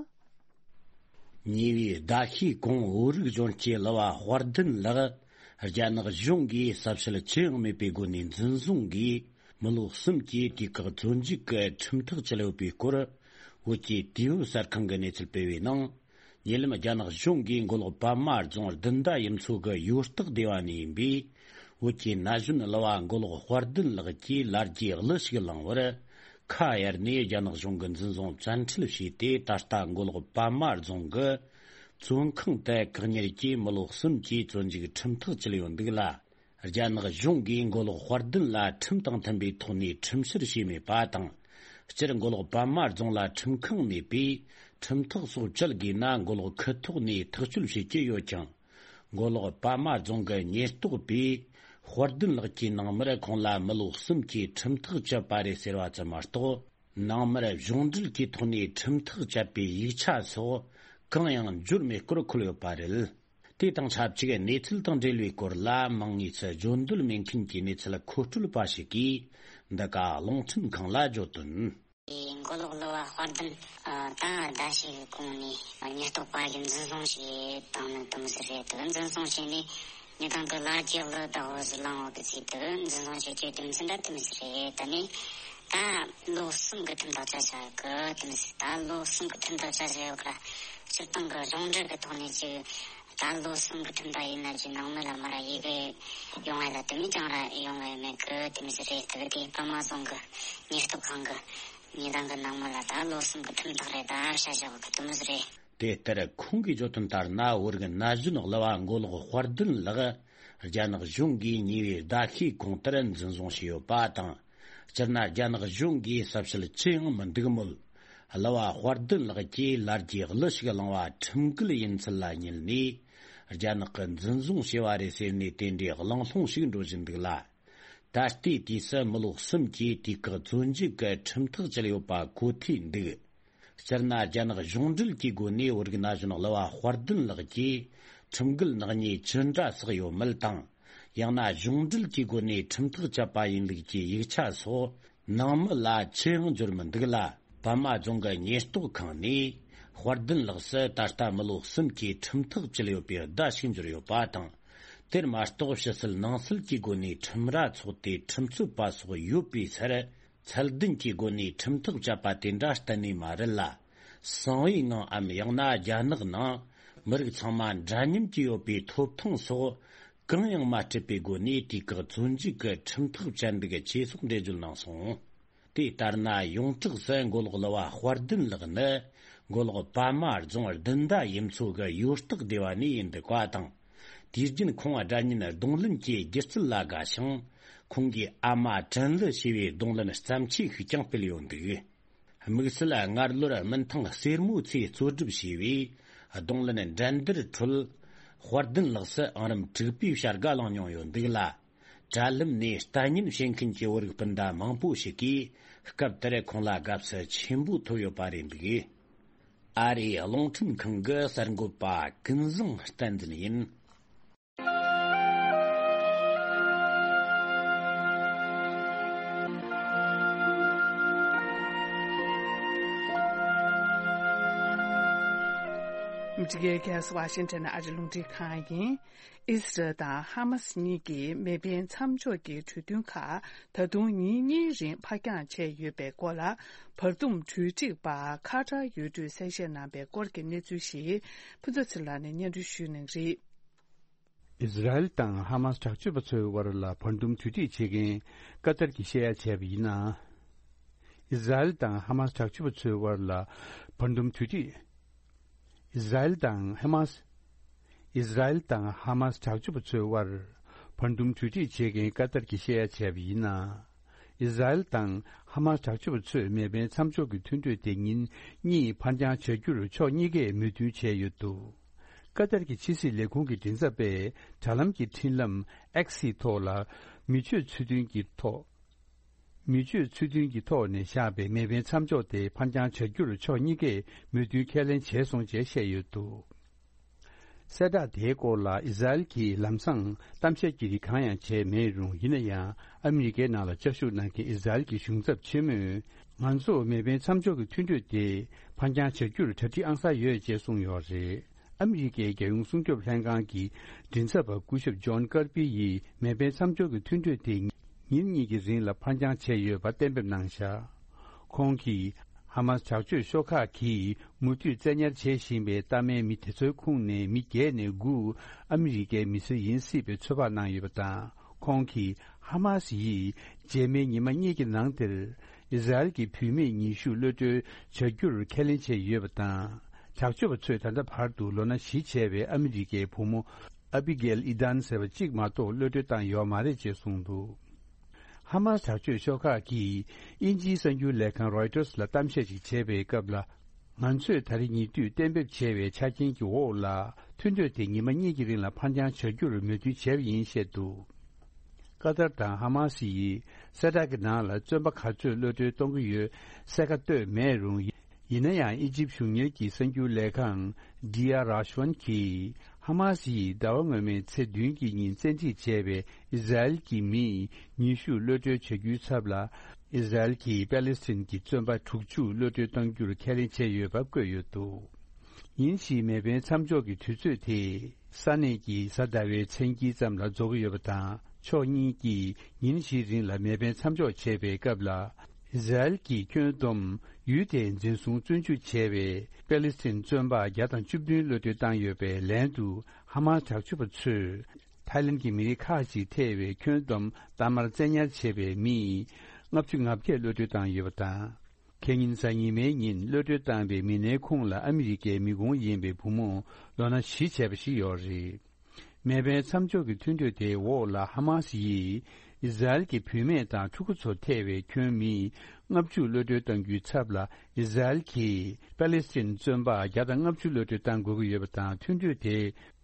ཉེ་བའི་ཟླ་ཤས་གོང་བོད་རིགས་གཞོན་སྐྱེས་གླུ་བ་དཔལ་ལྡན་ལགས་རྒྱ་ནག་གཞུང་གིས་ཟབ་ཞལ་ཅི་ཡང་མེད་པའི་སྒོ་ནས་འཛིན་བཟུང་གིས་མི་ལོ་གསུམ་གྱི་དུས་བཀག་བཙོན་འཇུག་གི་ཁྲིམས་ཐག་བཅད་ཡོད་པའི་སྐོར། བོད་ཀྱི་དུས་བབ་གསར་ཁང་གིས་གནས་ཚུལ་སྤེལ་བའི་ནང་། ཉེ་ལམ་རྒྱ་ནག་གཞུང་གིས་མགོ་ལོག་པད་མ་རྫོང་བདུན་ཟླ་ཡུམ་མཚོ་གི་ཡོད་སྟག་སྡེ་བ་ནས་ཡིན་པའི་བོད་ཀྱི་ན་གཞོན་གླུ་བ་མགོ་ལོག་དཔལ་ལྡན་ལགས་ཀྱིས་ལ་རྒྱའི་གླུ་ཞིག་བླངས་པར། ཁ་གཡར་ནས་རྒྱ་ནག་གཞུང་གིས་འཛིན་བཟུང་བཙན་ཁྲིད་བྱས་ཏེ། ད་ལྟ་མགོ་ལོག་པད་མ་རྫོང་གི་བཙོན་ཁང་དུ་བཀག་ཉར་གྱིས་མི་ལོ་གསུམ་གྱི་བཙོན་འཇུག་ཁྲིམས་ཐག་བཅད་ཡོད་འདུག་ལ། རྒྱ་ནག་གཞུང་གིས་མགོ་ལོག་དཔལ་ལྡན་ལ་ཁྲིམས་དང་མཐུན་པའི་ཐོག་ནས་ཁྲིམས་བཤེར་བྱས་མེད་པ་དང་། སྤྱིར་མགོ་ལོག་པད་མ་རྫོང་ལ་ཁྲིམས་ཁང་མེད་པས། ཁྲིམས་ཐག་སོགས་བཅད་དགོས་ན། མགོ་ལོག་ཁུལ་ཐོག་ནས་ཐག་གཅོད་བྱེད་ཀྱི་ཡོད་ཀྱང་། མགོ་ལོག་པད་མ་རྫོང་གི་ཉེན་རྟོག་པས་དཔལ་ལྡན་ལགས་ཀྱི་ནང་མིར་ཁོང་ལ་མི་ལོ་གསུམ་གྱི་ཁྲིམས་ཐག་བཅད་པ་རེད་ཟེར་བ་ཙམ་མ་གཏོགས། ནང་མིར་གཞུང་འབྲེལ་གྱི་ཐོག་ནས་ཁྲིམས་ཐག་བཅད་པའི་ཡིག་ཆ་སོགས་གང་ཡང་འབྱོར་མེད་སྐོར་འཁོད་ཡོད་པ་རེད། དེ་དང་ཆབས་ཅིག་གནས་ཚུལ་དང་འབྲེལ་བའི་སྐོར་ལ། མིང་དངོས་སུ་བརྗོད་འདོད་མེད་མཁན་གྱི་གནས་ཚུལ་མཁོ་སྤྲོད་པ་ཞིག་གིས་འདི་ག་རླུང་འཕྲིན་ཁང་ལ་བརྗོད་དོན། མགོ་ལོག་གླུ་བ་དཔལ་ལྡན། ད་ཟླ་ཞིག་གི་གོང་ནས་ཉེན་རྟོག་པ་གིས་འཛིན་བཟུང་བྱས་བཏང་ནི་དེ་མོ་ཟིག་རེད། དེ་འཛིན་བཟུང་བྱས་ནས་ཉེན་རྟོག་གིས་ལ་རྒྱའི་གླུ་བདག་པོ་ཟིག་བླངས་ཡོད་གི་ཟེར། དེ་འཛིན་བཟུང་བྱས་རྒྱུའི་དེ་མོ་ཟིག་འདྲ་དེ་མོ་ཟིག་རེད། ད་ནི་ད་ལོ་གསུམ་གི་ཁྲིམས་ཐག་བཅད་བཞག་གི་དེ་མོ་ཟིག་ད་ལོ་གསུམ་གི་ཁྲིམས་ཐག་བཅད་བཞག་ཡོད་གི་ར། སྤྱིར་བཏང་གི་གཞུང་འབྲེལ་གི་ཐོག་ནས་ཅིག་ད་ལོ་གསུམ་གི་ཁྲིམས་ཐག་ཡིན་ན་ཅིག་ནང་མི་ལ་མ་ར་ཡི་གེ་ཡོང་བ་ལ་དེ་མོ་ཅང་ར་ཡོང་བ་མེད་གི་དེ་མོ་ཟིག་རེད། དེ་གི་དེ་པད་མ་རྫོང་གི་ཉེན་རྟོག་ཁང་གི་ཉེན་རྟོག་གི་ནང་མི་ལ་ད་ལོ་གསུམ་གི་ཁྲིམས་ཐག་རེད། ད་བཤད་བཞག་གི་དེ་མོ་ཟིག་རེད། དེ་ལྟར་ཁོང་གིས་བརྗོད་དོན་ལྟར་ན། བོད་རིགས་ན་གཞོན་གླུ་བ་མགོ་ལོག་དཔལ་ལྡན་ལགས་རྒྱ་ནག་གཞུང་གིས་ཉེ་བའི་ཟླ་ཤས་གོང་ལྟར་འཛིན་བཟུང་བྱས་ཡོད་པ་དང་། སྤྱིར་ན་རྒྱ་ནག་གཞུང་གིས་གསལ་བཤད་ཅི་ཡང་མི་འདུག་མོད། གླུ་བ་དཔལ་ལྡན་ལགས་ཀྱིས་ལ་རྒྱའི་གླུ་ཞིག་བླངས་པ་ཁྲིམས་འགལ་ཡིན་ཚུལ་ལ་བསྙད་ནས། རྒྱ་ནག་གིས་འཛིན་བཟུང་བྱས་པ་རེད་ཟེར་ནས་དེ་འདྲའི་གླེང་སློང་ཞིག་འགྲོ་བཞིན་འདུག་ལ། ད་ལྟའི་དུས་སུ་མི་ལོ་གསུམ་གྱི་དུས་བཀག་བཙོན་འཇུག་གི་ཁྲིམས་ཐག་བཅད་ཡོད་པ་གོ་ཐོས་འདུག་སྤྱིར་ན་རྒྱ་ནག་གཞུང་འབྲེལ་གྱི་སྒོ་ནས་བོད་རིགས་ན་གཞོན་གླུ་བ་དཔལ་ལྡན་ལགས་ཀྱིས་ཁྲིམས་འགལ་ནག་ཉེས་ཅི་འདྲ་བསགས་ཡོད་མེད་དང་། ཡང་ན་གཞུང་འབྲེལ་གྱི་སྒོ་ནས་ཁྲིམས་ཐག་བཅད་པ་ཡིན་ལུགས་ཀྱི་ཡིག་ཆ་སོགས་ནང་མི་ལ་ཅི་ཡང་འབྱོར་མི་འདུག་ལ། པད་མ་རྫོང་གི་ཉེན་རྟོག་ཁང་ནས་དཔལ་ལྡན་ལགས་སུ་ད་ལྟ་མི་ལོ་གསུམ་གྱི་ཁྲིམས་ཐག་བཅད་ཡོད་པའི་བརྡ་ཞིག་འབྱོར་ཡོད་པ་དང་། དེར་མ་གཏོགས་ཕྱི་སྲིད་ནང་སྲིད་ཀྱི་སྒོ་ནས་ཁྲིམས་ར་ཚོགས་ཏེ་ཁྲིམས་རྩོད་པ་སོགས་ཡོད་པའི་སར། ཚད་ལྡན་གྱི་སྒོ་ནས་ཁྲིམས་ཐག་བཅད་པ་དེ་འདྲ་གཏན་ནས་མ་རེད་ལ། གསང་བའི་ངང་ངམ་ཡང་ན་རྒྱ་ནག་ནང་མི་རིགས་ཚང་མ་འདྲ་མཉམ་གྱི་ཡོད་པའི་ཐོབ་ཐང་སོགས་ གང་ཡང་མ་སྤྲད་པའི་སྒོ་ནས་དུས་བཀག་བཙོན་འཇུག་གི་ཁྲིམས་ཐག་བཅད་འདུག་ཅེས་སོགས་འགྲེལ་བརྗོད་གནང་སོང་། དེ་ལྟར་ན་ཡོངས་གྲགས་སུ་མགོ་ལོག་གླུ་བ་དཔལ་ལྡན་ལགས་ནི་མགོ་ལོག་པདྨ་རྫོང་བདུན་ཟླ་ཡུམ་མཚོ་གི་ཡོད་སྟག་སྡེ་བ་ནས་ཡིན་འདུག་པ་དང་། དུས་རྒྱུན་ཁོང་དགྲ་གཉེན་གདོང་ལེན་གྱི་སྒྱུ་རྩལ་ལ་དགའ་ཞིང་། ཁོང་གིས་ཨ་མ་དྲན་གླུ་ཞེས་པའི་གདོང་ལེན་བརྩམས་ཆོས་ཤིག་ཀྱང་སྤེལ་ཡོད་འདུག། དམིགས་བསལ་སྔར་ལོར་སྨུན་ཐང་སེར་མོ་ཚོས་གཙོ་སྒྲུབ་བྱས་པའི་གདོང་ལེན་འགྲན་བསྡུར་ཁྲོད། དཔལ་ལྡན་ལགས་སུ་ཨང་རིམ་དྲུག་པའི་བྱ་དགའ་བླངས་མྱོང་ཡོད་འདུག་ལ། དྲ་ལམ་ནས་ལྟ་ཉན་བྱེད་མཁན་གྱི་བོད་རིགས་སྤུན་ཟླ་མང་པོ་ཞིག་གིས་སྐབས་དེར་ཁོང་ལ་དགའ་བསུ་ཆེན་པོ་ཐོབ་ཡོད་པ་རེད་འདུག། ཨ་རིའི་རླུང་འཕྲིན་ཁང་གི་གསར་འགོད་པ་ཀུན་བཟང་བསྟན་འཛིན་ཡིན། འདི་གའི་ཁ་སང་ཝ་ཤིང་ཊོན་ཨ་རི་རླུང་འཕྲིན་ཁང་ཡིན། ཨི་སི་རལ་དང་ཧ་མ་སི་གཉིས་ཀྱིས་མེ་འཕེན་མཚམས་འཇོག་གི་གྲོས་མཐུན་ཁག་ད་དུང་ཉིན་གཉིས་རིང་ཕར་འགྱངས་བྱས་ཡོད་པའི་སྐོར་ལ། བར་འདུམ་གྲོས་སྒྲིག་པ་ཁ་ཏར་ཡུལ་གྲུས་གསལ་བཤད་གནང་པའི་སྐོར་གྱི་གནས་ཚུལ་ཞིག་ཕུན་ཚོགས་ཚེ་རིང་ལགས་ནས་སྙན་སྒྲོན་ཞུ་གནང་གི་རེད། ཨི་སི་རལ་དང་ཧ་མ་སི་དྲག་སྤྱོད་པ་ཚོའི་དབར་ལ་བར་འདུམ་གྲོས་སྒྲིག་བྱེད་མཁན་ཀ་ཏར་གྱིས་བཤད་ཡ་བྱས་པ་ཡིན་ན། ཨི་སི་རལ་དང་ཧ་མ་སི་དྲག་སྤྱོད་པ་ཚོའི་དབར་ལ་བར་འདུམ་གྲོས་སྒྲིག་ཨི་སི་རལ་དང་ཧ་མ་སི། ཨི་སི་རལ་དང་ཧ་མ་སི་དྲག་སྤྱོད་པ་ཚོའི་དབར་བར་འདུམ་གྲོས་སྒྲིག་བྱེད་མཁན་ཀ་ཏར་གྱིས་བཤད་ཡ་བྱས་པ་ཡིན་ན། ཨི་སི་རལ་དང་ཧ་མ་སི་དྲག་སྤྱོད་པ་ཚོས་མེ་འཕེན་མཚམས་འཇོག་གི་མཐུན་གྲོས་དེ་ཉིན་གཉིས་ཕར་འགྱངས་བྱ་རྒྱུར་ཕྱོགས་གཉིས་ཀས་མོས་མཐུན་བྱས་ཡོད་འདུག། ཀ་ཏར་གྱི་ཕྱི་སྲིད་ལས་ཁུངས་ཀྱི་མགྲིན་ཚབ་པས་དྲ་ལམ་གྱི་འཕྲིན་ལམ་X་ཡི་ཐོག་ལ། མི་སྤྱོད་ཚུལ་མཐུན་གྱི་ཐོག་མི་སྤྱོད་ཚུལ་མཐུན་གྱི་ཐོག་ནས་བཞག་པའི་མེ་འཕེན་མཚམས་འཇོག་དེ་ཕར་འགྱངས་བྱ་རྒྱུར་ཕྱོགས་གཉིས་ཀས་མོས་མཐུན་ཁས་ལེན་བྱས་སོང་ཅེས་བཤད་ཡོད་འདུག། གསལ་བསྒྲགས་དེའི་སྐོར་ལ་ཨི་སི་རལ་གྱིས་ལམ་སང་གཏམ་བཤད་ཀྱི་རིགས་གང་ཡང་བྱས་མེད་རུང་། ཡིན་ན་ཡང་ཨ་མི་རི་ཀའི་ནང་ལ་བཅའ་བཞུགས་གནང་མཁན་ཨི་སི་རལ་གྱི་གཞུང་ཚབ་ཆེན་མོས། ང་ཚོ་མེ་འཕེན་མཚམས་འཇོག་གི་མཐུན་གྲོས་དེ་ཕར་འགྱངས་བྱ་རྒྱུར་གྲ་སྒྲིག་ཨང་གསར་ཡོད་ཅེས་གསུངས་ཡོད་རེད། ཨ་མི་རི་ཀའི་རྒྱལ་ཡོངས་སྲུང་སྐྱོབ་ལྷན་ཁང་གི་མགྲིན་ཚབ་པ་སྐུ་ཞབས་ཇོན་ཀར་པི་ཡིས་མེ་འཕེན་མཚམས་འཇོག་གི་མཐུན་གྲོས་དེ་ཉིན་གཉིས་ཀྱི་རིང་ལ་ཕར་འགྱངས་བྱས་ཡོད་པ་གཏན་འབེབས་གནང་བཞག། ཁོང་གིས་ཧ་མ་སི་དྲག་སྤྱོད་ཤོག་ཁག་གིས་མུ་མཐུད་བཙན་ཉར་བྱེད་བཞིན་པའི་གཏའ་མའི་མི་དེ་ཚོའི་ཁོངས་ནས་མི་བརྒྱད་ནས་དགུ་ཨ་མི་རི་ཀའི་མི་སེར་ཡིན་སྲིད་པའི་ཚོད་དཔག་གནང་ཡོད་པ་དང་། ཁོང་གིས་ཧ་མ་སི་ཡིས་རྗེས་མའི་ཉི་མ་གཉིས་ཀྱི་ནང་དེར་ཨི་སི་རལ་གྱི་བུད་མེད་ཉི་ཤུ་གློད་གྲོལ་བྱ་རྒྱུར་ཁས་ལེན་བྱས་ཡོད་པ་དང་། དྲག་སྤྱོད་པ་ཚོས་ད་ལྟ་བར་དུ་ལོ་ན་བཞི་བྱས་པའི་ཨ་མི་རི་ཀའི་བུ་མོ་ཨ་བི་གེལ་ཨི་ཏན་ཟེར་བ་གཅིག་མ་གཏོགས་གློད་གྲོལ་བཏང་ཡོད་མ་རེད་ཅེས་གསུངས་འདུག། ཧ་མ་སི་དྲག་སྤྱོད་ཤོག་ཁག་གིས་དབྱིན་ཇིའི་གསར་འགྱུར་ལས་ཁང་རོའི་ཊར་ལ་གཏམ་བཤད་ཅིག་བྱས་པའི་སྐབས་ལ། ང་ཚོས་ད་རེས་ཉེ་དུས་གཏན་འབེབས་བྱས་པའི་ཆ་རྐྱེན་གྱི་འོག་ལ། མཐུན་གྲོས་དེ་ཉི་མ་གཉིས་ཀྱི་རིང་ལ་ཕར་འགྱངས་བྱ་རྒྱུར་མོས་མཐུན་བྱས་པ་ཡིན་བཤད་འདུག། ཀ་ཏར་དང་ཧ་མ་སི་ཡིས་གསལ་བསྒྲགས་ཀྱི་ནང་ལ་བཙོན་པ་ག་ཚོད་གློད་གྲོལ་གཏོང་གི་ཡོད་གསལ་ཁ་བཏོད་མེད་རུང་། ཡིན་ན་ཡང་ཨི་ཇིབ་གཞུང་གཉེར་གྱི་གསར་འགྱུར་ལས་ཁང་ཌི་ཨ་རཱ་ཤ་ཝན་གྱིས་ཧ་མ་སི་ཡིས་ཟླ་བ་སྔོན་མའི་ཚེས་བདུན་གྱི་ཉིན་བཙན་ཁྲིད་བྱས་པའི་ཨི་སི་རལ་གྱི་མི་ཉི་ཤུ་གློད་གྲོལ་བྱ་རྒྱུའི་ཚབ་ལ། ཨི་སི་རལ་གྱིས་པ་ལི་སི་ཐན་གྱི་བཙོན་པ་དྲུག་ཅུ་གློད་གྲོལ་གཏང་རྒྱུར་ཁས་ལེན་བྱས་ཡོད་པ་བཀོད་ཡོད་འདུག། ཉིན་ཞིག་མེ་འཕེན་མཚམས་འཇོག་གི་དུས་ཚོད་དེ་ས་གནས་ཀྱི་གཟའ་ཟླ་བའི་མཚན་དཀྱིལ་ཙམ་ལ་རྫོགས་ཀྱི་ཡོད་པ་དང་། ཕྱོགས་གཉིས་ཀྱིས་ཉིན་བཞིའི་རིང་ལ་མེ་འཕེན་མཚམས་འཇོག་བྱས་པའི་སྐབས་ལ། ཨི་སི་རལ་གྱིས་ཁྱོན་བསྡོམས་ཡུལ་དེའི་འཛིན་བཟུང་བཙོན་འཇུག་བྱས་པའི་པ་ལི་སི་ཐན་བཙོན་པ་བརྒྱ་དང་བཅུ་བདུན་གློད་གྲོལ་བཏང་ཡོད་པའི་ལན་དུ། ཧ་མ་སི་དྲག་སྤྱོད་པ་ཚོས་ཐའི་ལེན་གྱི་མི་རིགས་ཁག་ཅིག་ཐེ་བའི་ཁྱོན་བསྡོམས་གཏའ་མར་བཙན་ཉར་བྱས་པའི་མི་ལྔ་བཅུ་ང་བརྒྱད་གློད་གྲོལ་བཏང་ཡོད་པ་དང་། ཁེ་ཉིན་གཟའ་ཉི་མའི་ཉིན་གློད་གྲོལ་བཏང་པའི་མི་སྣའི་ཁོངས་ལ་ཨ་མི་རི་ཀའི་མི་ཁུངས་ཡིན་པའི་བུ་མོ་ལོ་ན་བཞི་བྱས་པ་ཞིག་ཡོད་རེད། མེ་འཕེན་མཚམས་འཇོག་གི་མཐུན་གྲོས་དེའི་འོག་ལ་ཧ་མ་སི་ཡིས་ཨི་སི་རལ་གྱི་བུད་མེད་དང་ཕྲུ་གུ་ཚོ་ཐེ་བའི་ཁྱོན་མི་ལྔ་བཅུ་གློད་གྲོལ་གཏང་རྒྱུའི་ཚབ་ལ། ཨི་སི་རལ་གྱིས་པ་ལི་སི་ཐན་བཙོན་པ་བརྒྱ་དང་ལྔ་བཅུ་གློད་གྲོལ་བཏང་དགོས་ཀྱི་ཡོད་པ་དང་། མཐུན་གྲོས་དེ།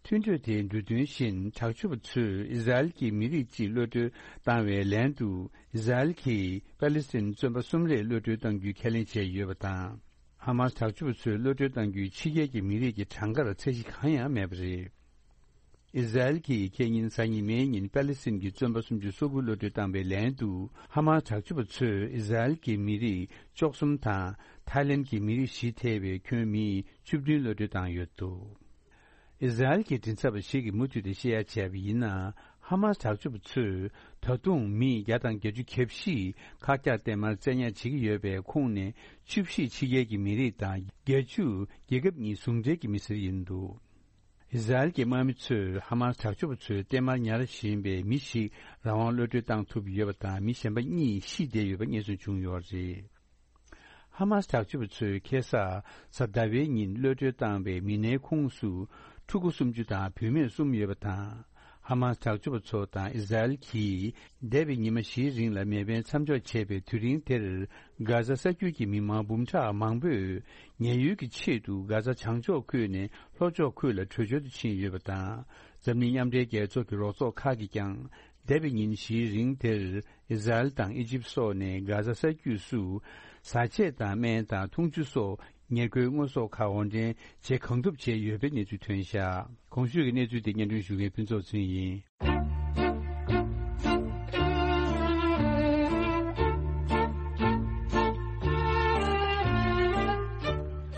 མཐུན་གྲོས་དེའི་འབྲུ་དོན་བཞིན་དྲག་སྤྱོད་པ་ཚོས་ཨི་སི་རལ་གྱི་མི་རིགས་གཅིག་གློད་གྲོལ་བཏང་བའི་ལན་དུ། ཨི་སི་རལ་གྱིས་པ་ལི་སི་ཐན་བཙོན་པ་གསུམ་རེ་གློད་གྲོལ་གཏང་རྒྱུའི་ཁས་ལེན་བྱས་ཡོད་པ་དང་། ཧ་མ་སི་དྲག་སྤྱོད་པ་ཚོས་གློད་གྲོལ་གཏང་རྒྱུའི་ཕྱི་རྒྱལ་གྱི་མི་རིགས་ཀྱི་གྲངས་ཀར་ཚད་གཞི་གང་ཡང་མེད་པ་རེད། ཨི་སི་རལ་གྱིས་ཁེ་ཉིན་གཟའ་ཉི་མའི་ཉིན་པ་ལི་སི་ཐན་གྱི་བཙོན་པ་སུམ་ཅུ་སོ་དགུ་གློད་གྲོལ་བཏང་བའི་ལན་དུ། ཧ་མ་སི་དྲག་སྤྱོད་པ་ཚོས་ཨི་སི་རལ་གྱི་མི་རིགས་བཅུ་གསུམ་དང་ཐའི་ལེན་གྱི་མི་རིགས་བཞི་ཐེ་བའི་ཁྱོན་མི་བཅུ་བདུན་གློད་གྲོལ་བཏང་ཡོད་འདུག། ཨི་སི་རལ་གྱི་མགྲིན་ཚབ་པ་ཞིག་གིས་མུ་མཐུད་དེ་བཤད་ཡ་བྱས་པ་ཡིན་ན། ཧ་མ་སི་དྲག་སྤྱོད་པ་ཚོས་ད་དུང་མི་བརྒྱ་དང་བརྒྱད་ཅུ་གྱ་བཞི་ཁག་རྒྱག་གཏའ་མར་བཙན་ཉར་བྱེད་ཀྱི་ཡོད་པའི་ཁོངས་ནས་བཅུ་བཞི་ཕྱི་རྒྱལ་གྱི་མི་རིགས་དང་བརྒྱད་ཅུ་རྒྱལ་ཁབ་གཉིས་ཟུང་འབྲེལ་གྱི་མི་སེར་ཡིན་འདུག། ཨི་ཟ་རེལ་གྱི་དམག་མི་ཚོས་ཧ་མ་སི་དྲག་སྤྱོད་པ་ཚོའི་རྟེན་མར་ཉར་བཞིན་པའི་མི་ཞིག་རང་དབང་གློད་གྲོལ་བཏང་ཐུབ་ཡོད་པ་དང་། མི་གཞན་པ་གཉིས་ཤི་བསྡད་ཡོད་པ་རྙེད་སོན་བྱུང་ཡོད་པ་རེད། ཧ་མ་སི་དྲག་སྤྱོད་པ་ཚོས་ཁ་སང་གཟའ་ཟླ་བའི་ཉིན་གློད་གྲོལ་བཏང་བའི་མི་སྣའི་ཁོངས་སུ་ཕྲུ་གུ་སུམ་ཅུ་དང་བུད་མེད་གསུམ་ཡོད་པ་དང་། ཧ་མ་སི་དྲག་སྤྱོད་པ་ཚོ་དང་ཨི་ཟ་རེལ་གྱིས་འདས་པའི་ཉི་མ་བཞིའི་རིང་ལ་མེ་འཕེན་མཚམས་འཇོག་བྱས་པའི་དུས་རིང་དེར། གྷ་ཟ་ས་རྒྱུད་ཀྱི་མི་མང་འབུམ་ཕྲག་མང་པོས་ཉེན་གཡོལ་གྱི་ཆེད་དུ་གྷ་ཟ་བྱང་ཕྱོགས་ཁུལ་ནས་ལྷོ་ཕྱོགས་ཁུལ་ལ་བྲོས་བྱོལ་དུ་ཕྱིན་ཡོད་པ་དང་། འཛམ་གླིང་མཉམ་འབྲེལ་རྒྱལ་ཚོགས་ཀྱི་རོགས་ཚོགས་ཁག་གིས་ཀྱང་། འདས་པའི་ཉིན་བཞིའི་རིང་དེར་ཨི་ཟ་རེལ་དང་ཨི་ཇིབ་སོགས་ནས་གྷ་ཟ་ས་རྒྱུད་སུ་བཟའ་ཆས་དང་སྨན་དང་འཐུང་ཆུ་སོགས་ཉེར་མཁོའི་དངོས་ཟོག་ཁག་དབོར་འདྲེན་བྱེད་གང་ཐུབ་བྱས་ཡོད་པའི་གནས་ཚུལ་ཐོན་བཞག་གོང་ཞུས་ཀྱི་གནས་ཚུལ་དེ་སྙན་སྒྲོན་ཞུ་མཁན་ཕུན་ཚོགས་ཚུན་ཡིན།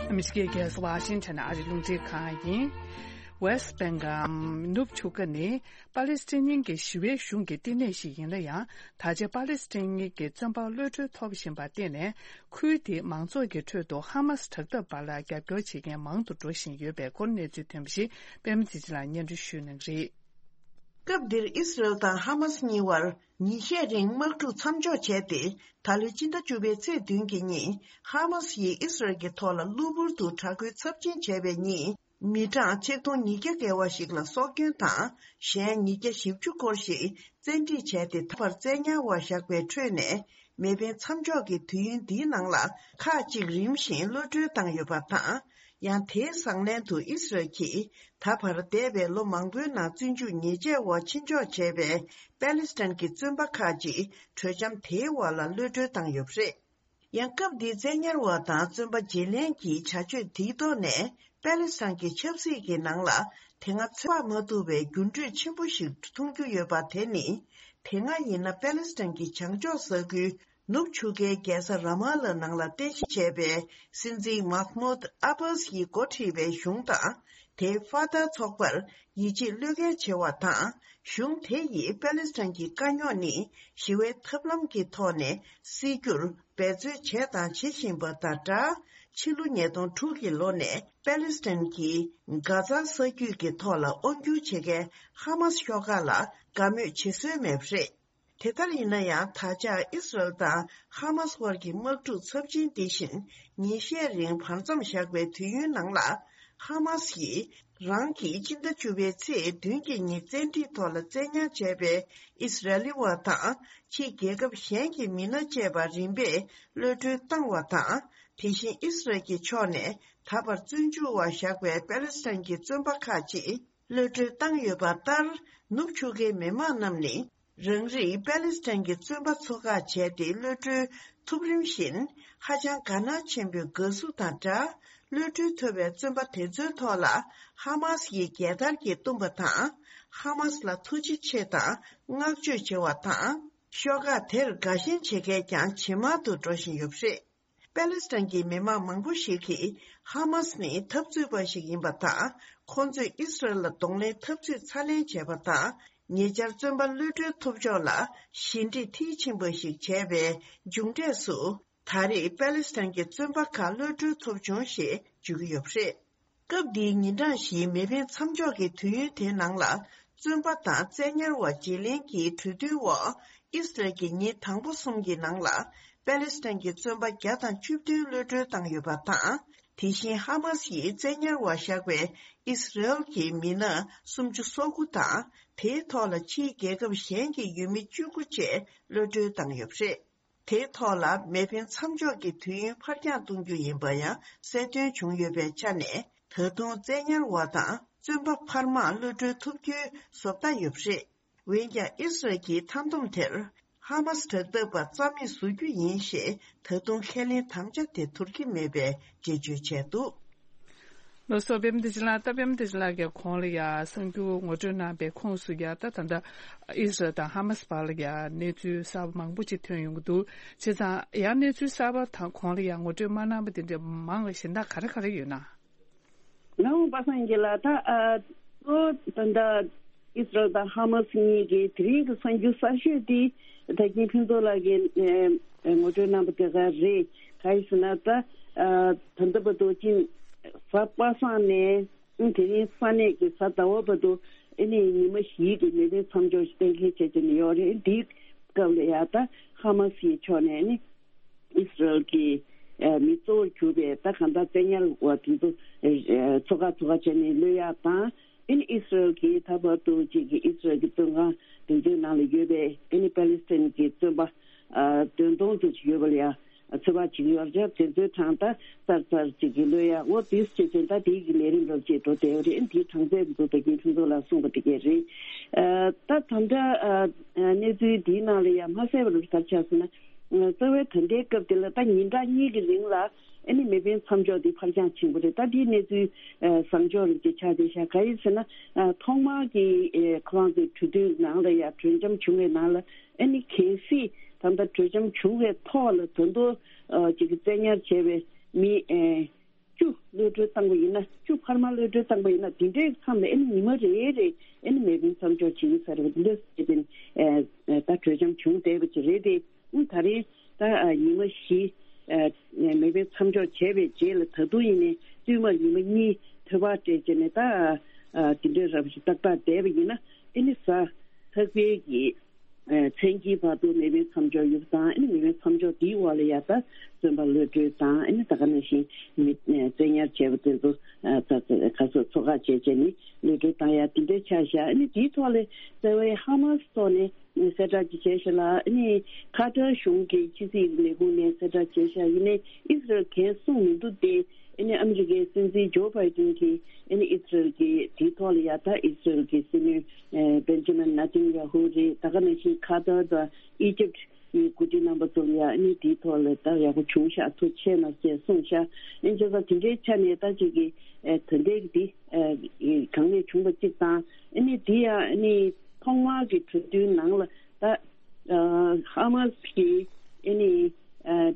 ཨ་མི་རི་ཀའི་རྒྱལ་ས་ཝ་ཤིང་ཊོན་ཨ་རིའི་རླུང་འཕྲིན་ཁང་ཡིན། ཝེ་སི་བྷེང་གམ་ནུབ་ཆུ་ཁ་ནི་པ་ལེ་སི་ཐན་གྱི་ཞི་བའི་གཞུང་གི་བསྟི་གནས་ཤིག་ཡིན་ན་ཡང་། ད་ཆ་པ་ལེ་སི་ཐན་གྱི་བཙོན་པ་གློད་གྲོལ་ཐོབ་བཞིན་པར་བརྟེན་ནས། ཁུལ་དེའི་མང་ཚོགས་ཀྱི་ཁྲོད་དུ་ཧ་མ་སི་དྲག་འཐབ་པ་ལ་རྒྱབ་སྐྱོར་བྱེད་མཁན་མང་དུ་འགྲོ་བཞིན་ཡོད་པའི་སྐོར་གནས་ཚུལ་ཐོན་པ་ཞིག་པད་མ་ཚེ་རིང་ལགས་སྙན་སྒྲོན་ཞུ་གནང་གི་རེད། སྐབས་འདིར་ཨིས་རལ་དང་ཧ་མ་སི་གཉིས་བར་ཉིན་ཤས་རིང་དམག་འཁྲུག་མཚམས་འཇོག་བྱས་ཏེ། ད་ལོའི་སྤྱི་ཟླ་བཅུ་པའི་ཚེས་བདུན་གྱི་ཉིན་ཧ་མ་སི་ཡིས་ཨིས་རལ་གྱི་ཐོག་ལ་གློ་བུར་དུ་དྲག་རྒོལ་ཚབས་ཆེན་བྱས་པའི་ཉིན། མི་གྲངས་ཆིག་སྟོང་ཉིས་བརྒྱ་བརྒལ་བ་ཞིག་ལ་སྲོག་སྐྱོན་དང་། གཞན་ཉིས་བརྒྱ་བཞི་བཅུ་སྐོར་ཞིག་བཙན་ཁྲིད་བྱས་ཏེ། ད་བར་བཙན་ཉར་བ་བཞག་པའི་ཁྲོད་ནས། མེ་འཕེན་མཚམས་འཇོག་གི་དུས་ཡུན་འདིའི་ནང་ལ། ཁག་ཅིག་རིམ་བཞིན་གློད་གྲོལ་བཏང་ཡོད་པ་དང་། ཡང་དེའི་བཟང་ལན་དུ་ཨིས་རལ་གྱིས། ད་བར་འདས་པའི་ལོ་མང་པོའི་ནང་བཙོན་འཇུག་ཉེས་ཆད་འོག་ཕྱིར་འཇོག་བྱས་པའི་པེ་ལི་སི་ཐན་གྱི་བཙོན་པ་ཁག་ཅིག་གྲོས་འཆམ་དེའི་འོག་ལ་གློད་གྲོལ་བཏང་ཡོད་པ་རེད། ཡང་སྐབས་འདིའི་བཙན་ཉར་བ་དང་བཙོན་པ་བརྗེ་ལེན་གྱི་བྱ་སྤྱོད་དེའི་ཐོག་ནས། པེ་ལི་སི་ཐན་གྱི་ཆབ་སྲིད་ཀྱི་ནང་ལ། དེ་སྔ་ཚོད་དཔག་མ་ཐུབ་པའི་འགྱུར་འགྲོས་ཆེན་པོ་ཞིག་མཐོང་རྒྱུ་ཡོད་པ་དེ་ནི། དེ་སྔ་ཡིན་ན་པེ་ལི་སི་ཐན་གྱི་བྱང་ཕྱོགས་ས་ཁུལ་ནུབ་ཆུ་ཁའི་རྒྱལ་ས་ར་མ་ལ་ནང་ལ་རྟེན་གཞི་བྱས་པའི་སྲིད་འཛིན་མཱ་ཧ་མུད་ཨ་བྷ་སི་ཡིས་འགོ་ཁྲིད་པའི་གཞུང་དང་། དེའི་ཧྥ་ཐར་ཚོགས་པར་ཡིད་ཆེས་བློས་འགེལ་བྱེད་པ་དང་། གཞུང་དེ་ཡིས་པེ་ལི་སི་ཐན་གྱི་དཀའ་རྙོག་ནི་ཞི་བའི་ཐབས་ལམ་གྱི་ཐོག་ནས་སེལ་རྒྱུར་འབད་རྩོལ་བྱས་དང་བྱེད་བཞིན་པ་དང་སྦྲགས། ཕྱི་ལོ་ཉིས་སྟོང་དྲུག་གི་ལོ་ནས་པེ་ལི་སི་ཐན་གྱི་གྷ་ཛ་ས་རྒྱུད་ཀྱི་ཐོག་ལ་དབང་སྒྱུར་བྱེད་མཁན་ཧ་མ་སི་ཤོག་ཁག་ལ་དགའ་མོས་བྱེད་སྲོལ་མེད་པ་རེད། དེ་ལྟར་ཡིན་ན་ཡང་། ད་ཆ་ཨིས་རལ་དང་ཧ་མ་སི་དབར་གྱི་དམག་འཁྲུག་ཚབས་ཆེན་འདི་བཞིན་ཉིན་ཤས་རིང་བར་མཚམས་བཞག་པའི་དུས་ཡུན་ནང་ལ། ཧ་མ་སི་ཡིས་རང་གི་སྤྱི་ཟླ་བཅུ་པའི་ཚེས་བདུན་གྱི་ཉིན་བཙན་ཁྲིད་ཐོག་ལ་བཙན་ཉར་བྱས་པའི་ཨིས་རལ་ལི་བ་དང་། ཕྱིའི་རྒྱལ་ཁབ་གཞན་གྱི་མི་སྣ་བཅས་པ་རིམ་པས་གློད་གྲོལ་བཏང་བ་དང་། དེ་བཞིན་ཨིས་རལ་གྱི་ཕྱོགས་ནས་ད་བར་བཙོན་འཇུག་པ་བཞག་པའི་པེ་ལི་སི་ཐན་གྱི་བཙོན་པ་ཁག་ཅིག་གློད་གྲོལ་བཏང་ཡོད་པ་ལྟར། ནུབ་ཆུ་ཁའི་མི་མང་རྣམས་ནི། རང་རིགས་པེ་ལི་སི་ཐན་གྱི་བཙོན་པ་ཚོ་ཁག་བྱས་ཏེ་གློད་གྲོལ་ཐུབ་རིམ་བཞིན། ཧ་ཅང་དགའ་སྣང་ཆེན་པོས་དགའ་བསུ་དང་སྦྲགས། གློད་གྲོལ་ཐོབ་པའི་བཙོན་པ་དེ་ཚོའི་ཐོག་ལ་ཧ་མ་སི་ཡིས་རྒྱལ་དར་གྱིས་བཏུམས་པ་དང་། ཧ་མ་སི་ལ་ཐུགས་རྗེ་ཆེ་དང་བསྔགས་བརྗོད་བྱེད་པ་དང་། ཤོག་ཁག་དེར་དགའ་ཞེན་བྱེད་མཁན་ཀྱང་ཇེ་མང་དུ་འགྲོ་བཞིན་ཡོད་པ་རེད། པེ་ལི་སི་ཐན་གྱི་མི་མང་མང་པོ་ཞིག་གིས་ཧ་མ་སི་ནི་འཐབ་རྩོད་པ་ཞིག་ཡིན་པ་དང་། ཁོང་ཚོས་ཨིས་རལ་ལ་གདོང་ལེན་འཐབ་རྩོད་ཚ་ལེན་བྱས་པ་དང་། ཉེ་ཆར་བཙོན་པ་གློད་གྲོལ་ཐོབ་ཕྱོགས་ལ་ཞི་འགྲིག་མཐིལ་ཕྱིན་པ་ཞིག་བྱས་པའི་མཇུག་འབྲས་སུ། ད་རེས་པེ་ལི་སི་ཐན་གྱི་བཙོན་པ་ཁག་གློད་གྲོལ་ཐོབ་བྱུང་ཞེས་བརྗོད་ཀྱི་ཡོད་པ་རེད། སྐབས་འདིའི་ཉིན་གྲངས་བཞིའི་མེ་འཕེན་མཚམས་འཇོག་གི་དུས་ཡུན་དེའི་ནང་ལ། བཙོན་པ་དང་བཙན་ཉར་བ་བརྗེ་ལེན་གྱི་གྲོས་མཐུན་འོག་ཨིས་རལ་གྱིས་ཉིན་དང་པོ་གསུམ་གྱི་ནང་ལ། པེ་ལི་སི་ཐན་གྱི་བཙོན་པ་བརྒྱ་དང་བཅུ་བདུན་གློད་གྲོལ་བཏང་ཡོད་པ་དང་། དེ་བཞིན་ཧ་མ་སི་ཡིས་བཙན་ཉར་བ་བཞག་པའི་ཨིས་རལ་གྱི་མི་སྣ་སུམ་ཅུ་སོ་དགུ་དང་། དེའི་ཐོག་ལ་ཕྱིའི་རྒྱལ་ཁབ་གཞན་གྱི་ཡུལ་མི་བཅུ་དགུ་བཅས་གློད་གྲོལ་བཏང་ཡོད་པ་རེད། དེའི་ཐོག་ལ་མེ་འཕེན་མཚམས་འཇོག་གི་དུས་ཡུན་ཕར་འགྱངས་གཏོང་རྒྱུ་ཡིན་པ་ཡང་གསལ་སྟོན་བྱུང་ཡོད་པའི་ཆ་ནས། ད་དུང་བཙན་ཉར་བ་དང་བཙོན་པ་འཕར་མ་གློད་གྲོལ་ཐུབ་རྒྱུའི་བཟོ་ལྟ་ཡོད་པ་རེད། འོན་ཀྱང་ཨིས་རལ་གྱི་མཐའ་སྡོམ་དེར་ཧ་མ་སི་དྲག་འཐབ་པ་རྩ་མེད་བཟོ་རྒྱུ་ཡིན་ཞེས་ད་དུང་ཁས་ལེན་དམ་བཅའ་དེ་ཐུབ་ཀྱི་མེད་པའི་འགྲེལ་བརྗོད་བྱས་འདུག། ལགས་སོ། པད་མ་བདེ་ཆེན་ལགས། ད་པད་མ་བདེ་ཆེན་ལགས་ཀྱིས་གོང་ལ་ཡ་གསར་འགྱུར་ངོ་སྤྲོད་གནང་པའི་ཁོངས་སུ་ཡ། ད་ད་ལྟ་ཨིས་རལ་དང་ཧ་མ་སི་བར་ལ་ཡ་གནས་ཚུལ་གསར་པ་མང་པོ་ཅིག་ཐོན་ཡོང་གི་འདུག། བྱས་ཙང་ཡང་གནས་ཚུལ་གསར་པ་དང་གོང་ལ་ཡ་ངོ་སྤྲོད་མ་གནང་པ་དེ་འདྲ་མང་བའི་གཞན་དག་ག་རེ་ག་རེ་ཡོད་ན། ལགས་འོང་པ་སངས་རྒྱས་ལགས། ད་ཨ་གཙོ་བོ་ད་ལྟ་ཨིས་རལ་དང་ཧ་མ་སི་གཉིས་ཀྱི་དེ་རིང་གི་གསར་འགྱུར་གསར་ཤོས་དེ་ད་གིན་ཕུན་ཚོགས་ལགས་ཀྱིས་ཨ་ངོ་སྤྲོད་གནང་པ་དེ་ག་རེད། ག་ཡིན་ཟེར་ན། ད་ཨ་ད་ལྟ་བར་དུ་ཅིག་གཟའ་པ་སངས་ནས་ དེ་རིང་ས་གནས་ཀྱི་གཟའ་ཟླ་བ་བར་དུ་ཨ་ནི་ཉི་མ་བཞིའི་གི་མེ་འཕེན་མཚམས་འཇོག་ཞིག་གཏན་འཁེལ་བྱས་བྱས་ནས་ཡོད་རེད། འདིའི་སྐབས་ལ་ཡ་ད་ཧ་མ་སིའི་ཕྱོགས་ནས་ཨ་ནི་ཨི་སི་རལ་གྱི་ཨ་མི་གཙོ་བོར་གྱུར་པའི་ད་གང་ལྟར་བཙན་ཉར་བ་དེ་ཚོ་ཨ་ཚོ་ཁག་ཚོ་ཁག་བྱས་ནས་གློད་ཡག་དང་། ཨ་ནི་ཨི་སི་རལ་གྱིས་ད་བར་དུ་ཅིག་གི་ཨི་སི་རལ་གྱི་བཙོན་ཁང་དེ་ཚོའི་ནང་ལ་ཡོད་པའི་ཨ་ནི་པ་ལི་སི་ཐན་གྱི་བཙོན་པ་ཨ་བདུན་སྟོང་ཙམ་ཅིག་ཡོད་པ་ལ་ཡ། ཚོད་དཔག་བྱེད་ཀྱི་ཡོད་རེད། དེ་ཚོའི་གྲངས་ད་གསར་གསར་ཅིག་གི་གློད་ཡ། འོ་དེ་བྱེད་ཚེ་ད་དེའི་གི་ལས་རིམ་རབ་ཅིག་འགྲོ་བསྡད་ཡོད་རེད། དེའི་གྲངས་ཚད་དེ་ཚོ་ད་གིན་ཁྲིམས་ཚོགས་ལ་གསུངས་པ་དེ་གས་རེད། ཨ་ད་ད་ལྟ་ཨ་གནས་ཚུལ་འདིའི་ནང་ལ་ཡང་མ་གསལ་བ་རུ་ག་རེ་ཆགས་སོང་ན། ཨ་རྩ་བའི་ད་ལྟའི་སྐབས་དེ་ལ་ད་ཉིན་གྲངས་གཉིས་ཀྱི་རིང་ལ་ཨ་ནི་མེ་འཕེན་མཚམས་འཇོག་འདི་ཕར་འགྱངས་ཕྱིན་པ་རེད། ད་འདིའི་གནས་ཚུལ་ཨ་བཟང་ཕྱོགས་རིགས་ཀྱི་ཆ་དེ་ཤ་ག་ཡིན་ཟེར་ན། ཨ་ཐོག་མར་གྱི་ཨ་ཁོ་རང་ཚོའི་གྲོས་མཐུན་ནང་ལ་ཡང་གྲོས་འཆམ་བྱུང་བའི་ནང་ལ་ཨ་ནི་གལ་སྲིད་ད་ལྟ་གྲོས་འཆམ་བྱུང་བའི་ཐོག་ལ་ད་དུང་ཨ་ཅིག་གི་བཙན་ཉར་བྱས་པའི་མི་ཨ་བཅུ་གློད་གྲོལ་བཏང་པ་ཡིན་ན། བཅུ་འཕར་མ་གློད་གྲོལ་བཏང་པ་ཡིན་ན། དེ་འདྲའི་མཚམས་ལ་ཨ་ནི་ཉི་མ་རེ་རེ་ཨ་ནི་མེ་འཕེན་མཚམས་འཇོག་བྱེད་ཀྱི་ས་རེད་པ། དེ་འདྲ་བྱས་པའི་ཨ་ད་གྲོས་འཆམ་བྱུང་བསྡད་པ་ཅིག་རེད་དེ། ཨ་ད་རེས་ད་ཨ་ཉི་མ་བཞི་ཨ་མེ་འཕེན་མཚམས་འཇོག་བྱས་པའི་རྗེས་ལ་ད་དུང་ཡིན་ནའི་བསྟུད་མར་ཉི་མ་གཉིས་ཐོལ་པ་སྤྲད་བྱས་ནས་ད་ཨ་དེ་འདྲའི་རབ་ཞིག་ཏག་ཏག་བསྡད་པ་ཡིན་ན། ཨ་ནི་གཟའ་ལྷག་པའི་གི་ཨ་མཚན་དཀྱིལ་བར་དུ་མེ་འཕེན་མཚམས་འཇོག་ཡོད་པ་དང་། ཨ་ནི་མེ་འཕེན་མཚམས་འཇོག་དེའི་འོག་ལ་ཡ་ད་བཙོན་པ་གློད་གྲོལ་དང་། ཨ་ནི་ད་ག་ནང་བཞིན་མི་ཨ་བཙན་ཉར་བྱས་པ་དེ་ཚོ་ཨ་ད་ག་ཚོད་ཚོ་ཁག་བྱས་བྱས་ནས་གློད་གྲོལ་བཏང་ཡ་དེ་འདྲའི་ཆ་བཞག་ཨ་ནི་དེའི་ཐོག་ལ་རྩ་བའི་ཧ་མ་སི་ཐོག་ནས་གསལ་བསྒྲགས་ཅིག་བྱས་ཤག་ལ། ཨ་ནི་ཁ་ཏར་གཞུང་གི་ཕྱི་སྲིད་ལས་ཁུངས་ནས་གསལ་བསྒྲགས་བྱས་ཤག་ཡིན་ནའི་ཨི་སི་རལ་གས་གསུངས་མི་འདུག་སྟེ། ཨ་ནི་ཨ་མི་རི་ཀའི་སྲིད་འཛིན་ཇོ་བྷའི་ཏིན་གྱིས་ཨ་ནི་ཨི་སི་རལ་གྱི་དེའི་ཐོག་ལ་ཡ་ད་ཨི་སི་རལ་གྱི་སྲིད་བློན་ཨ་བེན་ཇ་མིན་ནེ་ཐན་ཡ་ཧུ་རེད། ད་ག་ནང་བཞིན་ཁ་ཏར་དང་ཨི་ཇིབ་ཀྱི་འགོ་ཁྲིད་རྣམ་པ་ཚོ་ལ་ཡ་ཨ་ནི་དེའི་ཐོག་ལ་ད་ཡག་པོ་བྱུང་ཤག་ཐུགས་རྗེ་ཆེ་གནང་ཞེས་གསུངས་ཤག་ཨ་ནི་བྱས་ཙང་དེ་འདྲའི་ཆ་ནས་ད་ཅིག་གི་ཨ་ད་ལྟའི་འདི་ཨ་གང་ལས་བྱུང་བ་གཅིག་དང་། ཨ་ནི་དེ་ཡང་ཨ་ནི་ཐོག་མར་གྱི་གྲོས་མཐུན་ནང་ལ་ད་ཨ་ཧ་མ་སི་གི་ཨ་ནི་ཨ་ཨ་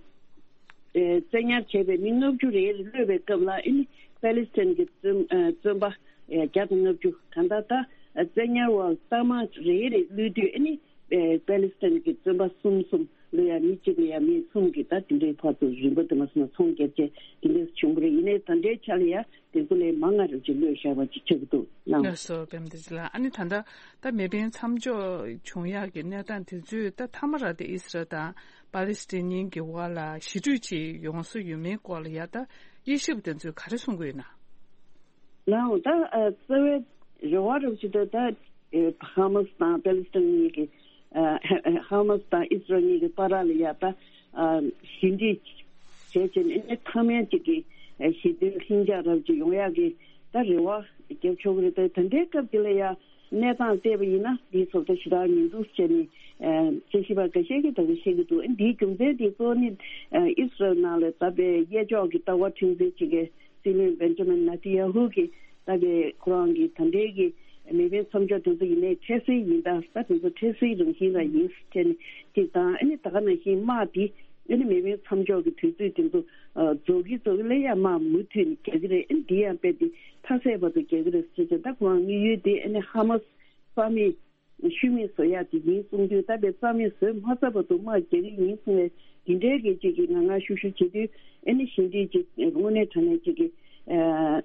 བཙན་ཉར་བྱས་པའི་མི་ལྔ་བཅུ་རེ་རེ་གློད་པའི་སྐབས་ལ། ཨ་ནི་པེ་ལི་སི་ཐན་གྱི་བཙོན་ཨ་བཙོན་པ་ཨ་བརྒྱ་དང་ལྔ་བཅུ། གང་ལྟར་ད་ཨ་བཙན་ཉར་བ་ལྟ་མ་རེ་རེ་གློད་དུས་ཨ་ནི་ཨ་པེ་ལི་སི་ཐན་གྱི་བཙོན་པ་གསུམ་གསུམ་གློད་ཡ། མི་གཅིག་ལ་ཡ་མི་གསུམ་གྱིས་ད་དེ་འདྲའི་ཐོག་ཏུ་རིམ་པ་དུ་མ་སོང་ན་ཚོང་བརྒྱབ་བྱས་དེ་འདྲ་བྱུང་བ་རེད། ཡིན་ནའི་ད་ལྟའི་ཆ་ལ་ཡ་དེ་ཚོ་ལས་མང་ང་རབ་ཅིག་གློད་བཞག་པ་ཅིག་ཆགས་ཀྱི་འདུག་ལགས། ལགས་སོ། བེམ་བདེ་ལགས། ཨ་ནི་ད་ལྟ་ད་མེ་འཕེན་མཚམས་འཇོག་བྱུང་ཡག་གི་གནས་སྟངས་དེ་ཚོས་ད་མཐའ་མ་ར་དེ་ཨི་སི་རལ་དང་པ་ལི་སི་ཐན་གཉིས་ཀྱི་དབར་ལ་ཞི་གྲོས་ཅིག་ཡོང་ས་ཡོད་མེད་སྐོར་ལ་ཡ་ད་དབྱེ་ཞིབ་དེ་ཚོས་ག་རེ་གསུང་གི་ཡོད་ན། ལགས་འོང་། ད་ཨ་རྩ་བའི་རེ་བ་རབ་ཅིག་ད་ད་ཨེ་ཧ་མ་སི་དང་པེ་ལི་སི་ཐན་གཉིས་ཀྱི་ཨ་ཧ་ཧ་མ་སི་དང་ཨི་སི་རལ་གཉིས་ཀྱི་བར་ལ་ཡ་ད་ཨ་ཞི་འགྲིག་བྱས་བྱས་ནས་ཨ་ནི་མཐའ་མའི་ཅིག་གི་ཨ་ཞི་མཐུན་ལྷིང་འཇགས་རབ་ཅིག་ཡོང་ཡག་གི་ད་རེ་བ་རྒྱབ་ཆོག་གི་རེད། ད་ད་ལྟའི་སྐབས་འདི་ལ་ཡ་གནས་སྟངས་བལྟས་པ་ཡིན་ན་འདིའི་ཚོགས་ད་ཞེ་དྲག་མི་འདུག་ཟེར་ནས་ཨ་དཔྱད་ཞིབ་པ་འགའ་ཤས་ཀྱིས་ད་ག་བཤད་ཀྱི་འདུག་ཨ་འདིའི་རྒྱུ་མཚན་དེ་གཙོ་བོ་ནི་ཨ་ཨི་སི་རལ་ནང་ལ་ད་པའི་གཡས་ཕྱོགས་ཀྱི་ལྟ་བ་འཁྲུག་འཛིང་བྱེད་མཁན་སྲིད་བློན་བེན་ཇ་མིན་ནེ་ཐན་ཡ་ཧུ་གིས་ད་པའི་ཁོ་རང་གི་ད་ལྟའི་གི་མེ་འཕེན་མཚམས་འཇོག་དེ་ཚོ་ཡིན་ནའི་འཕྲལ་སེལ་ཡིན་ད། ད་དེ་ཚོ་འཕྲལ་སེལ་རང་བཞིན་རང་ཡིན་ཟེར་ནས་གཅིག་དང་། ཨ་ནི་ད་ག་ནང་བཞིན་དམག་འདི་ཨ་ནི་མེ་འཕེན་མཚམས་འཇོག་གི་དུས་ཚོད་དེ་ཚོ་ཨ་རྫོགས་ཀྱི་རྫོགས་ཀྱི་ལ་ཡ་དམག་མུ་མཐུད་ནས་རྒྱག་གི་རེད། ཨ་ནི་འདི་ཡང་དཔེ་དེ་མཐའ་ཟད་བར་དུ་རྒྱག་གི་རེད་ཟེར་བྱས། ད་ཁོ་རང་དམིགས་ཡུལ་དེ་ཨ་ནི་ཧ་མ་སི་རྩ་མེད་ཤུལ་མེད་བཟོ་ཡག་དེ་ཡིན་གསུང་དུས། ད་པའི་རྩ་མེད་བཟོས་མ་ཚར་བར་དུ་དམག་རྒྱག་གི་ཡིན་གསུང་བའི་དེ་འདྲའི་གི་ཅིག་གི་ང་ང་ཤུགས་ཤུགས་བྱེད་དུས་ཨ་ནི་ཞི་འགྲིག་ཅིག་དངོས་གནས་དྲང་གནས་ཅིག་གི་ཨ་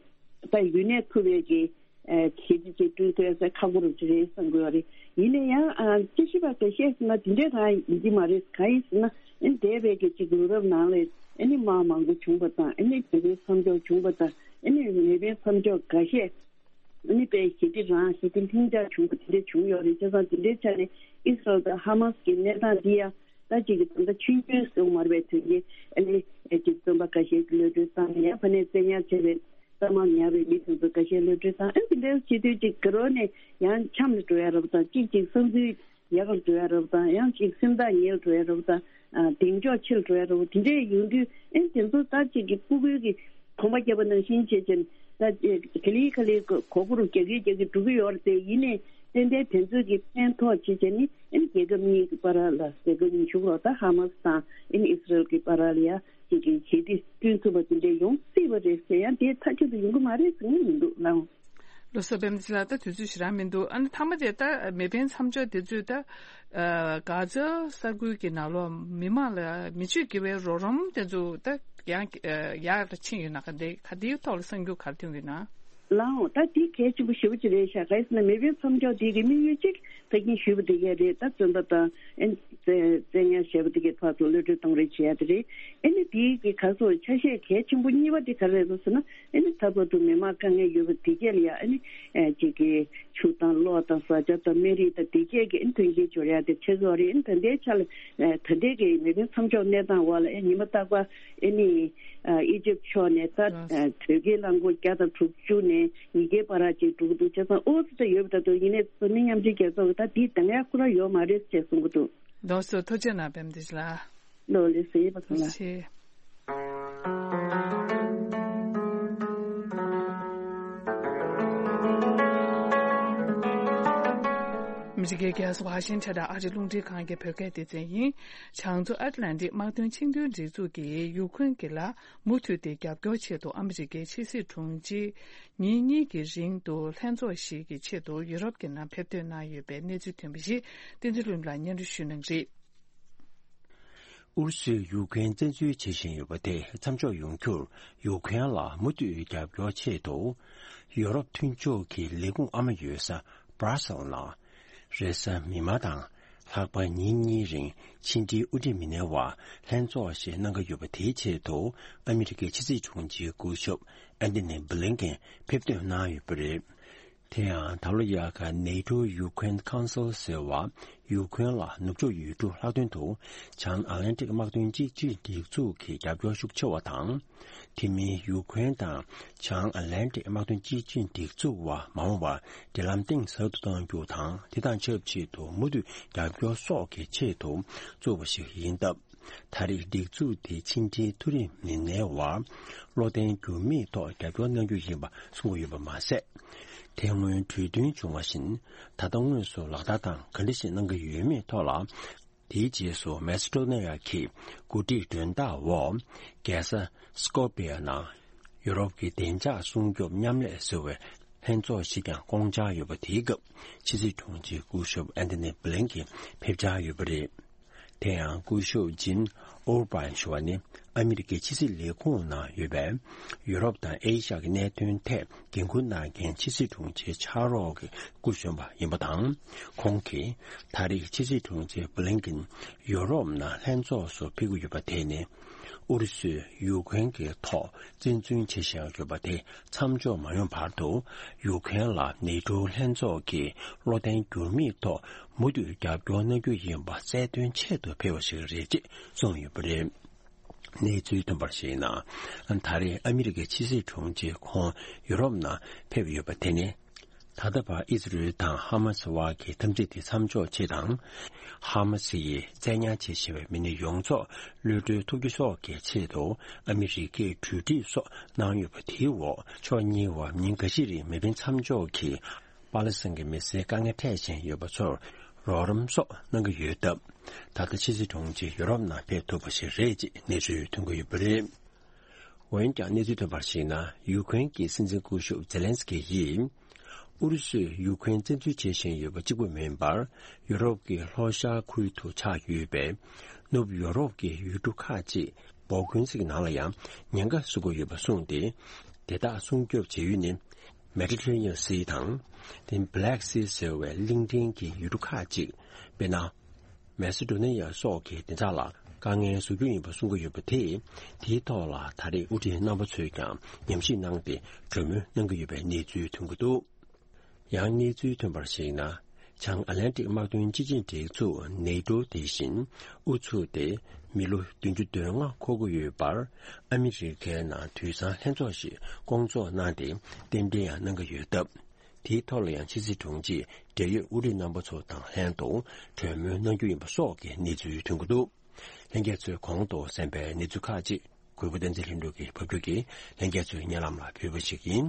ད་ཡུན་གནས་ཐུབ་པའི་གི་ཨ་གལ་ཆེ་ཅིག་བསྐྲུན་ཐུབ་ཡ་ས་ཁག་པོ་རུ་ཅིག་རེད་བསམ་གི་ཡོད་རེད། ཡིན་ན་ཡང་ཨ་དཔྱད་ཞིབ་པ་འགའ་ཤས་ཟེར་ན་དེ་འདྲའི་རང་ཡིན་གྱི་མ་རེད། གང་ཡིན་ཟེར་ན་ཨ་ནི་འདས་པའི་གི་ཅིག་ལོ་རབས་ནང་ལ་ཨ་ནི་དམག་མང་པོ་བྱུང་བ་དང་། ཨ་ནི་མེ་འཕེན་མཚམས་འཇོག་བྱུང་བ་དང་། ཨ་ནི་མེ་འཕེན་མཚམས་འཇོག་འགའ་ཤས་ཨ་ནི་དཔེ་ཞི་བདེ་རང་ཞི་བདེ་ལྷིང་འཇགས་བྱུང་བ་དེ་འདྲ་བྱུང་ཡོད་རེད། བྱས་ཙང་དེ་འདྲའི་ཆ་ནས་ཨི་སི་རལ་དང་ཧ་མ་སི་གི་གནས་སྟངས་འདི་ཡང་ད་ཅིག་གི་ད་ལྟ་ཆུང་ཆུང་སོང་མ་རེད་པས། དོན་གྱི་ཨ་ནི་ཨེ་ཅིག་བཙོན་པ་འགའ་ཤས་ཀྱི་གློད་གྲོལ་བཏང་ནས། ཡང་ཕ་ནས་བཙན་ཉར་བྱས་པའི་གཏའ་མར་ཉར་བའི་མི་དེ་ཚོ་འགའ་ཤས་གློད་གྲོལ་བཏང་། ཨ་ནི་དེ་འདྲ་བྱེད་དུས་ཅིག་དགའ་རབ་ནས་ཡང་འཆམ་ལ་འགྲོ་ཡ་རབ་དང་། གཅིག་གཅིག་བསམ་ཚུལ་ཡག་པར་འགྲོ་ཡ་རབ་དང་། ཡང་གཅིག་སེམས་ཐག་ཉེ་ལ་འགྲོ་ཡ་རབ་དང་། ཨ་གདེང་འཇོག་ཆེ་ལ་འགྲོ་ཡ་རབ། དེ་འདྲས་ཡོང་དུས་ཨེ་དེ་ཚོ་ད་ཅིག་གི་སྤུ་གུའི་གི་གོམ་པ་བརྒྱབ་པ་ནང་བཞིན་བྱས་བྱས་ད་ག་ལེ་ག་ལེ་གོ་གོ་རུ་རྒྱག་གི་རྒྱག་གི་འགྲོ་གི་ཡོད་རེད་དེ། ཡིན་ནའི་ཏན་ཏན་དེ་ཚོས་ཀྱི་ཕན་ཐོགས་བྱེད་བྱས་ནི་ཨེ་རྒྱལ་ཁབ་གཉིས་ཀྱི་བར་ལ་རྒྱལ་ཁབ་གཉིས་ཤུགས་རོགས་ད་ཧ་མ་སི་དང་ཨེ་ཨི་སི་རལ་གྱི་བར་ལ་ཡ་ཅིག་གི་ཞི་བདེ་བསྐྲུན་ཐུབ་པ་དེ་འདྲས་ཡོང་སྲིད་པ་རེད་ཟེར་ཡང་དེ་མཐའ་གཅིག་ཏུ་ཡོང་གི་མ་རེད་ཟེར་ངས་མི་འདུག་ལགས། ལོ་སོ་པེམ་ཅི་ལ་ད་དུས་ཚོད་ཞེ་དྲག་མི་འདུག་ཨ་ནི་མཐའ་མ་དེ་ད་མེ་འཕེན་མཚམས་འཇོག་དེ་ཚོས་ད་ཨ་གྷ་ཛ་ས་ཁུལ་གྱི་ནང་ལོགས་མི་མང་ལ་མི་སྤྱོད་དགེ་བའི་རོགས་རམ་དེ་ཚོ་ད་ཡང་ཡག་ལ་ཕྱིན་ཡོད་ན། ག་འདི་ག་འདིའི་ཐོག་ལ་གསར་འགྱུར་ག་རེ་ཐོན་ཡོད་ན། ལའང་ད་དེ་གལ་ཆེན་པོ་ཞེ་པོ་ཅིག་རེད་ཤག་ག་རེ་ཟེར་ན་མེ་འཕེན་མཚམས་འཇོག་དེ་གི་དམིགས་ཡུལ་གཅིག་ཕ་གིན་ཞུས་པ་དེ་གས་རེད། ད་བཙོན་པ་དང་ཨེ་བཙན་བཙན་ཉར་བྱས་པ་དེ་གས་ཕར་ཚུར་གློད་གྲོལ་གཏོང་རེས་བྱེད་ཡ་དེ་རེད། ཨེ་ནི་དེ་གི་ག་སོ་ཆ་ཤས་གལ་ཆེན་པོ་གཉིས་པ་དེ་ག་རེ་རེད་ཟེར་ན། ཨེ་ནི་ད་བར་དུ་མི་མང་དཀའ་ངལ་ཡོད་པ་དེ་གས་ལ་ཡ་ཨེ་ནི་ཨེ་ཅིག་གི་ཆུ་དང་གློག་དང་བཟའ་བཅའ་དང་སྨན་རིགས་དང་དེ་གས་ཀྱི་ཨེ་ནི་མཐུན་རྐྱེན་སྦྱོར་ཡ་དེ་བྱེད་དགོས་རེད། ཨེ་ནི་ད་ལྟའི་ཆ་ལ་ཨེ་ད་ལྟའི་གི་མེ་འཕེན་མཚམས་འཇོག་གནས་སྟངས་འོག་ལ་ཨེ་ཉི་མ་རྟག་པར་ཨེ་ནི་ཨེ་ཨི་ཇིབ་ཕྱོགས་ནས་ད་ཨེ་བོད་སྐད་རླངས་འཁོར་བརྒྱ་དང་དྲུག་ཅུ་ནས་ཉིས་བརྒྱའི་བར་ཅིག་འགྲོ་གི་འདུག་བྱས་ཙང་ཨོ་ཙི་ད་ཡོད་པ་ད་དུ་ཡིན་ནའི་ས་མི་མཉམ་འབྲེལ་རྒྱལ་ཚོགས་ཀྱི་ད་དེའི་གདམ་ཡ་ཁོ་རང་ཡོད་མ་རེད་ཅེས་གསུང་གི་འདུག་རྡོ་སོ་ཐུགས་རྗེ་གནང་པད་མ་བདེ་ལགས། ལོ་ལེ་སེ་བ་ཚང་ལ། ཆེ། མི་རིགས་རྒྱལ་ས་ཝ་ཤིང་ཊོན་ཨ་རི་རླུང་འཕྲིན་ཁང་གི་བོད་སྐད་སྡེ་ཚན་ཡིན། བྱང་མཚོ་ཨེཊ་ལན་ཊིག་དམག་དོན་ཆིངས་དོན་སྒྲིག་འཛུགས་ཀྱིས་ཡུ་ཁུན་གྱི་ལ་མུ་མཐུད་དེ་རྒྱབ་སྐྱོར་ཆེད་དུ་ཨ་མི་རི་ཀའི་ཕྱི་སྲིད་དྲུང་ཆེ་ཉིན་གཉིས་ཀྱི་རིང་དུ་ལྷན་ཚོགས་ཤིག་གི་ཆེད་དུ་ཡུ་རོབ་ཀྱི་ནང་ཕེབས་ཐོན་གནང་ཡོད་པའི་གནས་ཚུལ་ཐོན་པ་ཞིག་བསྟན་འཛིན་ལྷུན་ལགས་སྙན་སྒྲོན་ཞུ་གནང་གི་རེད། ཨུ་རུ་སུས་ཡུ་ཀེན་བཙན་འཛུལ་བྱེད་བཞིན་ཡོད་པ་དེ་མཚམས་འཇོག་ཡོང་རྒྱུར་ཡུ་ཀེན་ལ་མུ་མཐུད་རྒྱབ་སྐྱོར་ཆེད་དུ། ཡུ་རོབ་མཐུན་ཕྱོགས་ཀྱི་ལས་ཁུངས་ཨ་མ་ཡོད་ས་Brussels ནང་། རེས་གཟའ་མིག་དམར་དང་ལྷག་པ་ཉིན་གཉིས་རིང་ཕྱི་འབྲེལ་དབུ་ཁྲིད་མི་སྣའི་དབར་ལྷན་ཚོགས་ཤིག་གནང་གི་ཡོད་པ་དེའི་ཆེད་དུ་ཨ་མི་རི་ཀའི་ཕྱི་སྲིད་དྲུང་ཆེའི་སྐུ་ཞབས་ཨན་ཐོ་ནི་བྷི་ལིན་ཀེན་ཕེབས་ཐོན་གནང་ཡོད་པ་རེད། དེ་ཡང་ད་ལོ་ཡར་ཁ་NATO Ukraine Council ཟེར་བ་ཡུ་ཁུན་ལ་ནུབ་ཕྱོགས་ཡུལ་གྲུ་ལྷག་དོན་དུ་བྱང་ཨ་ལན་ཏིག་དམག་དོན་གཅིག་སྒྲིལ་སྒྲིག་འཛུགས་ཀྱི་རྒྱབ་སྐྱོར་ཤུགས་ཆེ་བ་དང་། དེ་མིན་ཡུ་ཁུན་དང་བྱང་ཨ་ལན་ཏིག་དམག་དོན་གཅིག་སྒྲིལ་སྒྲིག་འཛུགས་བར་མ་འོངས་པར་འབྲེལ་ལམ་གཏིང་ཟབ་ཏུ་གཏོང་རྒྱུ་དང་དེ་དང་ཆབས་ཅིག་ཏུ་མུ་མཐུད་རྒྱབ་སྐྱོར་སོགས་ཀྱི་ཆེད་དུ་བཙུགས་པ་ཞིག་ཡིན་སྟབས། ད་རེས་སྒྲིག་འཛུགས་དེ་ཕྱི་འབྲེལ་མཐོ་རིམ་མི་སྣའི་དབར་བློ་བརྟན་འགྱུར་མེད་ཐོག་རྒྱབ་སྐྱོར་གནང་རྒྱུ་ཡིན་པ་གསུངས་ཡོད་པ་མ་ཟད། དེ་སྔོན་གྲོས་མཐུན་བྱུང་བ་བཞིན་ད་ལྟ་དངོས་སུ་ལག་བསྟར་དང་ག་འདྲ་ཞིག་གནང་གི་ཡོད་མེད་ཐོག་ལ། དེའི་རྗེས་སུ་མེ་སི་ཏྲོ་ནེ་ཡ་གི་འགོ་ཁྲིད་མགྲོན་བདག་འོག་རྒྱལ་ས་སྐོ་པི་ཡ་ནང་ཡུ་རོབ་ཀྱི་བདེ་འཇགས་སྲུང་སྐྱོབ་མཉམ་ལས་ཟེར་བའི་ལྷན་ཚོགས་ཤིག་ཀྱང་བསྐོང་འཆར་ཡོད་པ་དེའི་སྐབས་ཕྱི་སྲིད་དྲུང་ཆེ་སྐུ་ཞབས་ཨན་ཐོ་ནི་བྷི་ལིན་ཀེན་ཕེབས་འཆར་ཡོད་པ་རེད། དེ་ཡང་སྐུ་ཞབས་ཇིན་ཨོར་པན་ཞུ་བ་ནི་ཨ་མི་རི་ཀའི་ཕྱི་སྲིད་ལས་ཁུངས་ནང་ཡོད་པའི་ཡུ་རོབ་དང་ཨེ་ཤ་ཡ་གི་གནད་དོན་ཐད་འགན་འཁུར་གནང་མཁན་ཕྱི་སྲིད་དྲུང་ཆེ་ཕྱག་རོགས་ཀྱི་སྐུ་གཞོན་པ་ཡིན་པ་དང་། ཁོང་གིས་ད་རེས་ཕྱི་སྲིད་དྲུང་ཆེ་བྷི་ལིན་ཀིན་ཡུ་རོབ་ནང་ལྷན་ཚོགས་སུ་ཕེབས་ཀྱི་ཡོད་པ་དེ་ནི་ཨུ་རུ་སུས་ཡུ་ཀེན་གྱི་ཐོག་བཙན་འཛུལ་བྱེད་བཞིན་ཡོད་པ་དེ་མཚམས་འཇོག་མ་ཡོང་བར་དུ་ཡུ་ཀེན་ལ་ནེ་ཏོ་ལྷན་ཚོགས་ཀྱིས་བློ་བརྟན་འགྱུར་མེད་ཐོག་མུ་མཐུད་རྒྱབ་སྐྱོར་གནང་རྒྱུ་ཡིན་པ་གསལ་སྟོན་ཆེད་དུ་ཕེབས་པ་ཞིག་རེད་ཅེས་གསུངས་ཡོད་པ་རེད། གནས་ཚུལ་ཐོན་པར་གཞིགས་ན། ད་རེས་ཨ་མི་རི་ཀའི་ཕྱི་སྲིད་དྲུང་ཆེ་ཁོང་ཡུ་རོབ་ནང་ཕེབས་ཡོད་པ་དེ་ནི། ད་ལྟ་བར་ཨི་ཟི་རེལ་དང་ཧ་མ་སི་དབར་གྱི་འཐབ་འཛིང་དེ་མཚམས་འཇོག་ཆེད་དང་། ཧ་མ་སི་ཡིས་བཙན་ཉར་བྱེད་བཞིན་པའི་མི་སྣ་ཡོངས་རྫོགས་གློད་གྲོལ་ཐུབ་རྒྱུ་སོགས་ཀྱི་ཆེད་དུ་ཨ་མི་རི་ཀས་གྲོས་འདེབས་སོགས་གནང་ཡོད་པ་དེའི་འོག་ཕྱོགས་གཉིས་བར་ཉིན་འགའ་ཤས་རིང་མེ་འཕེན་མཚམས་འཇོག་གིས་པ་ལི་སི་ཐན་གྱི་མི་སེར་དཀའ་ངལ་འཕྲད་བཞིན་ཡོད་པ་ཚོར་རོགས་རམ་སོགས་གནང་གི་ཡོད་སྟབས། ད་ལྟ་ཕྱི་སྲིད་དྲུང་ཆེ་ཡུ་རོབ་ནང་ཕེབས་ཐུབ་པ་ཞིག་རེད་ཅེས་གནས་ཚུལ་ཐོན་གྱི་ཡོད་པ་རེད། འོན་ཀྱང་གནས་ཚུལ་ཐོན་པར་གཞིགས་ན། ཡུ་ཀེ་རེན་གྱི་སྲིད་འཛིན་སྐུ་ཞབས་ཛེ་ལན་སི་ཀི་ཡིས། ཨུ་རུ་སུས་ཡུ་ཀེ་རེན་བཙན་འཛུལ་བྱེད་བཞིན་ཡོད་པ་གཅིག་པུ་མིན་པར། ཡུ་རོབ་ཀྱི་ལྷོ་ཤར་ཁུལ་དུ་ཆགས་ཡོད་པའི་ནུབ་ཡུ་རོབ་ཀྱི་ཡུལ་གྲུ་ཁག་ཅིག་འབོར་ཀུན་གཟིགས་ནང་ལ་ཡང་ཉེན་ཁ་བཟོ་གི་ཡོད་པ་གསུངས་ཏེ། དེ་དག་སྲུང་སྐྱོབ་བྱེད་ཡུལ་ནི་Mediterranean Sea དང་། དེ་Black Sea ཟེར་བའི་གླིང་ཕྲན་གྱི་ཡུལ་གྲུ་ཁག་ཅིག་དཔེར་ན། མེ་སི་ཏྲོ་ནི་ཡ་སོགས་ཀྱི་བདེ་འཇགས་ལ་དཀའ་ངལ་བཟོ་རྒྱུ་ཡིན་པ་གསུང་གི་ཡོད་པ་དེས། དེའི་ཐོག་ལ་ད་རེས་དབུ་ཁྲིད་རྣམ་པ་ཚོས་ཀྱང་ཉམས་ཞིབ་གནང་སྟེ་གྲོས་མོལ་གནང་གི་ཡོད་པའི་གནས་ཚུལ་ཐོན་གྱི་འདུག་ཡང་གནས་ཚུལ་ཐོན་པར་གཞིགས་ན། བྱང་ཨ་ལན་ཏིག་དམག་དོན་སྤྱི་ཆིངས་སྒྲིག་འཛུགས་ནེ་ཏོ་དེ་བཞིན་ཨུ་ཚུགས་ཏེ་མི་ལོ་བདུན་ཅུ་དོན་ལྔ་འཁོར་གྱི་ཡོད་པར། ཨ་མི་རི་ཀའི་ནང་དུས་སང་ལྷན་ཚོགས་ཤིག་སྐོང་ཚོགས་གནང་སྟེ་རྟེན་འབྲེལ་ཡང་གནང་གི་ཡོད་སྟབས། དེའི་ཐོག་ལ་ཡང་ཕྱི་སྲིད་དྲུང་ཆེས་འབྲེལ་ཡོད་དབུ་ཁྲིད་རྣམ་པ་ཚོ་དང་ལྷན་དུ་གྲོས་མོལ་གནང་རྒྱུ་ཡིན་པ་སོགས་ཀྱི་གནས་ཚུལ་ཐོན་གྱི་འདུག་ལྷན་རྒྱས་ཚོས་གོང་དུ་གསན་པའི་གནས་ཚུལ་ཁག་ཅིག་གུས་པ་བསྟན་འཛིན་ལྷུན་གྲུབ་ཀྱིས་ཕབ་སྒྱུར་གྱིས་ལྷན་རྒྱས་ཚོའི་སྙན་ལམ་ལ་ཕུལ་བ་ཞིག་ཡིན།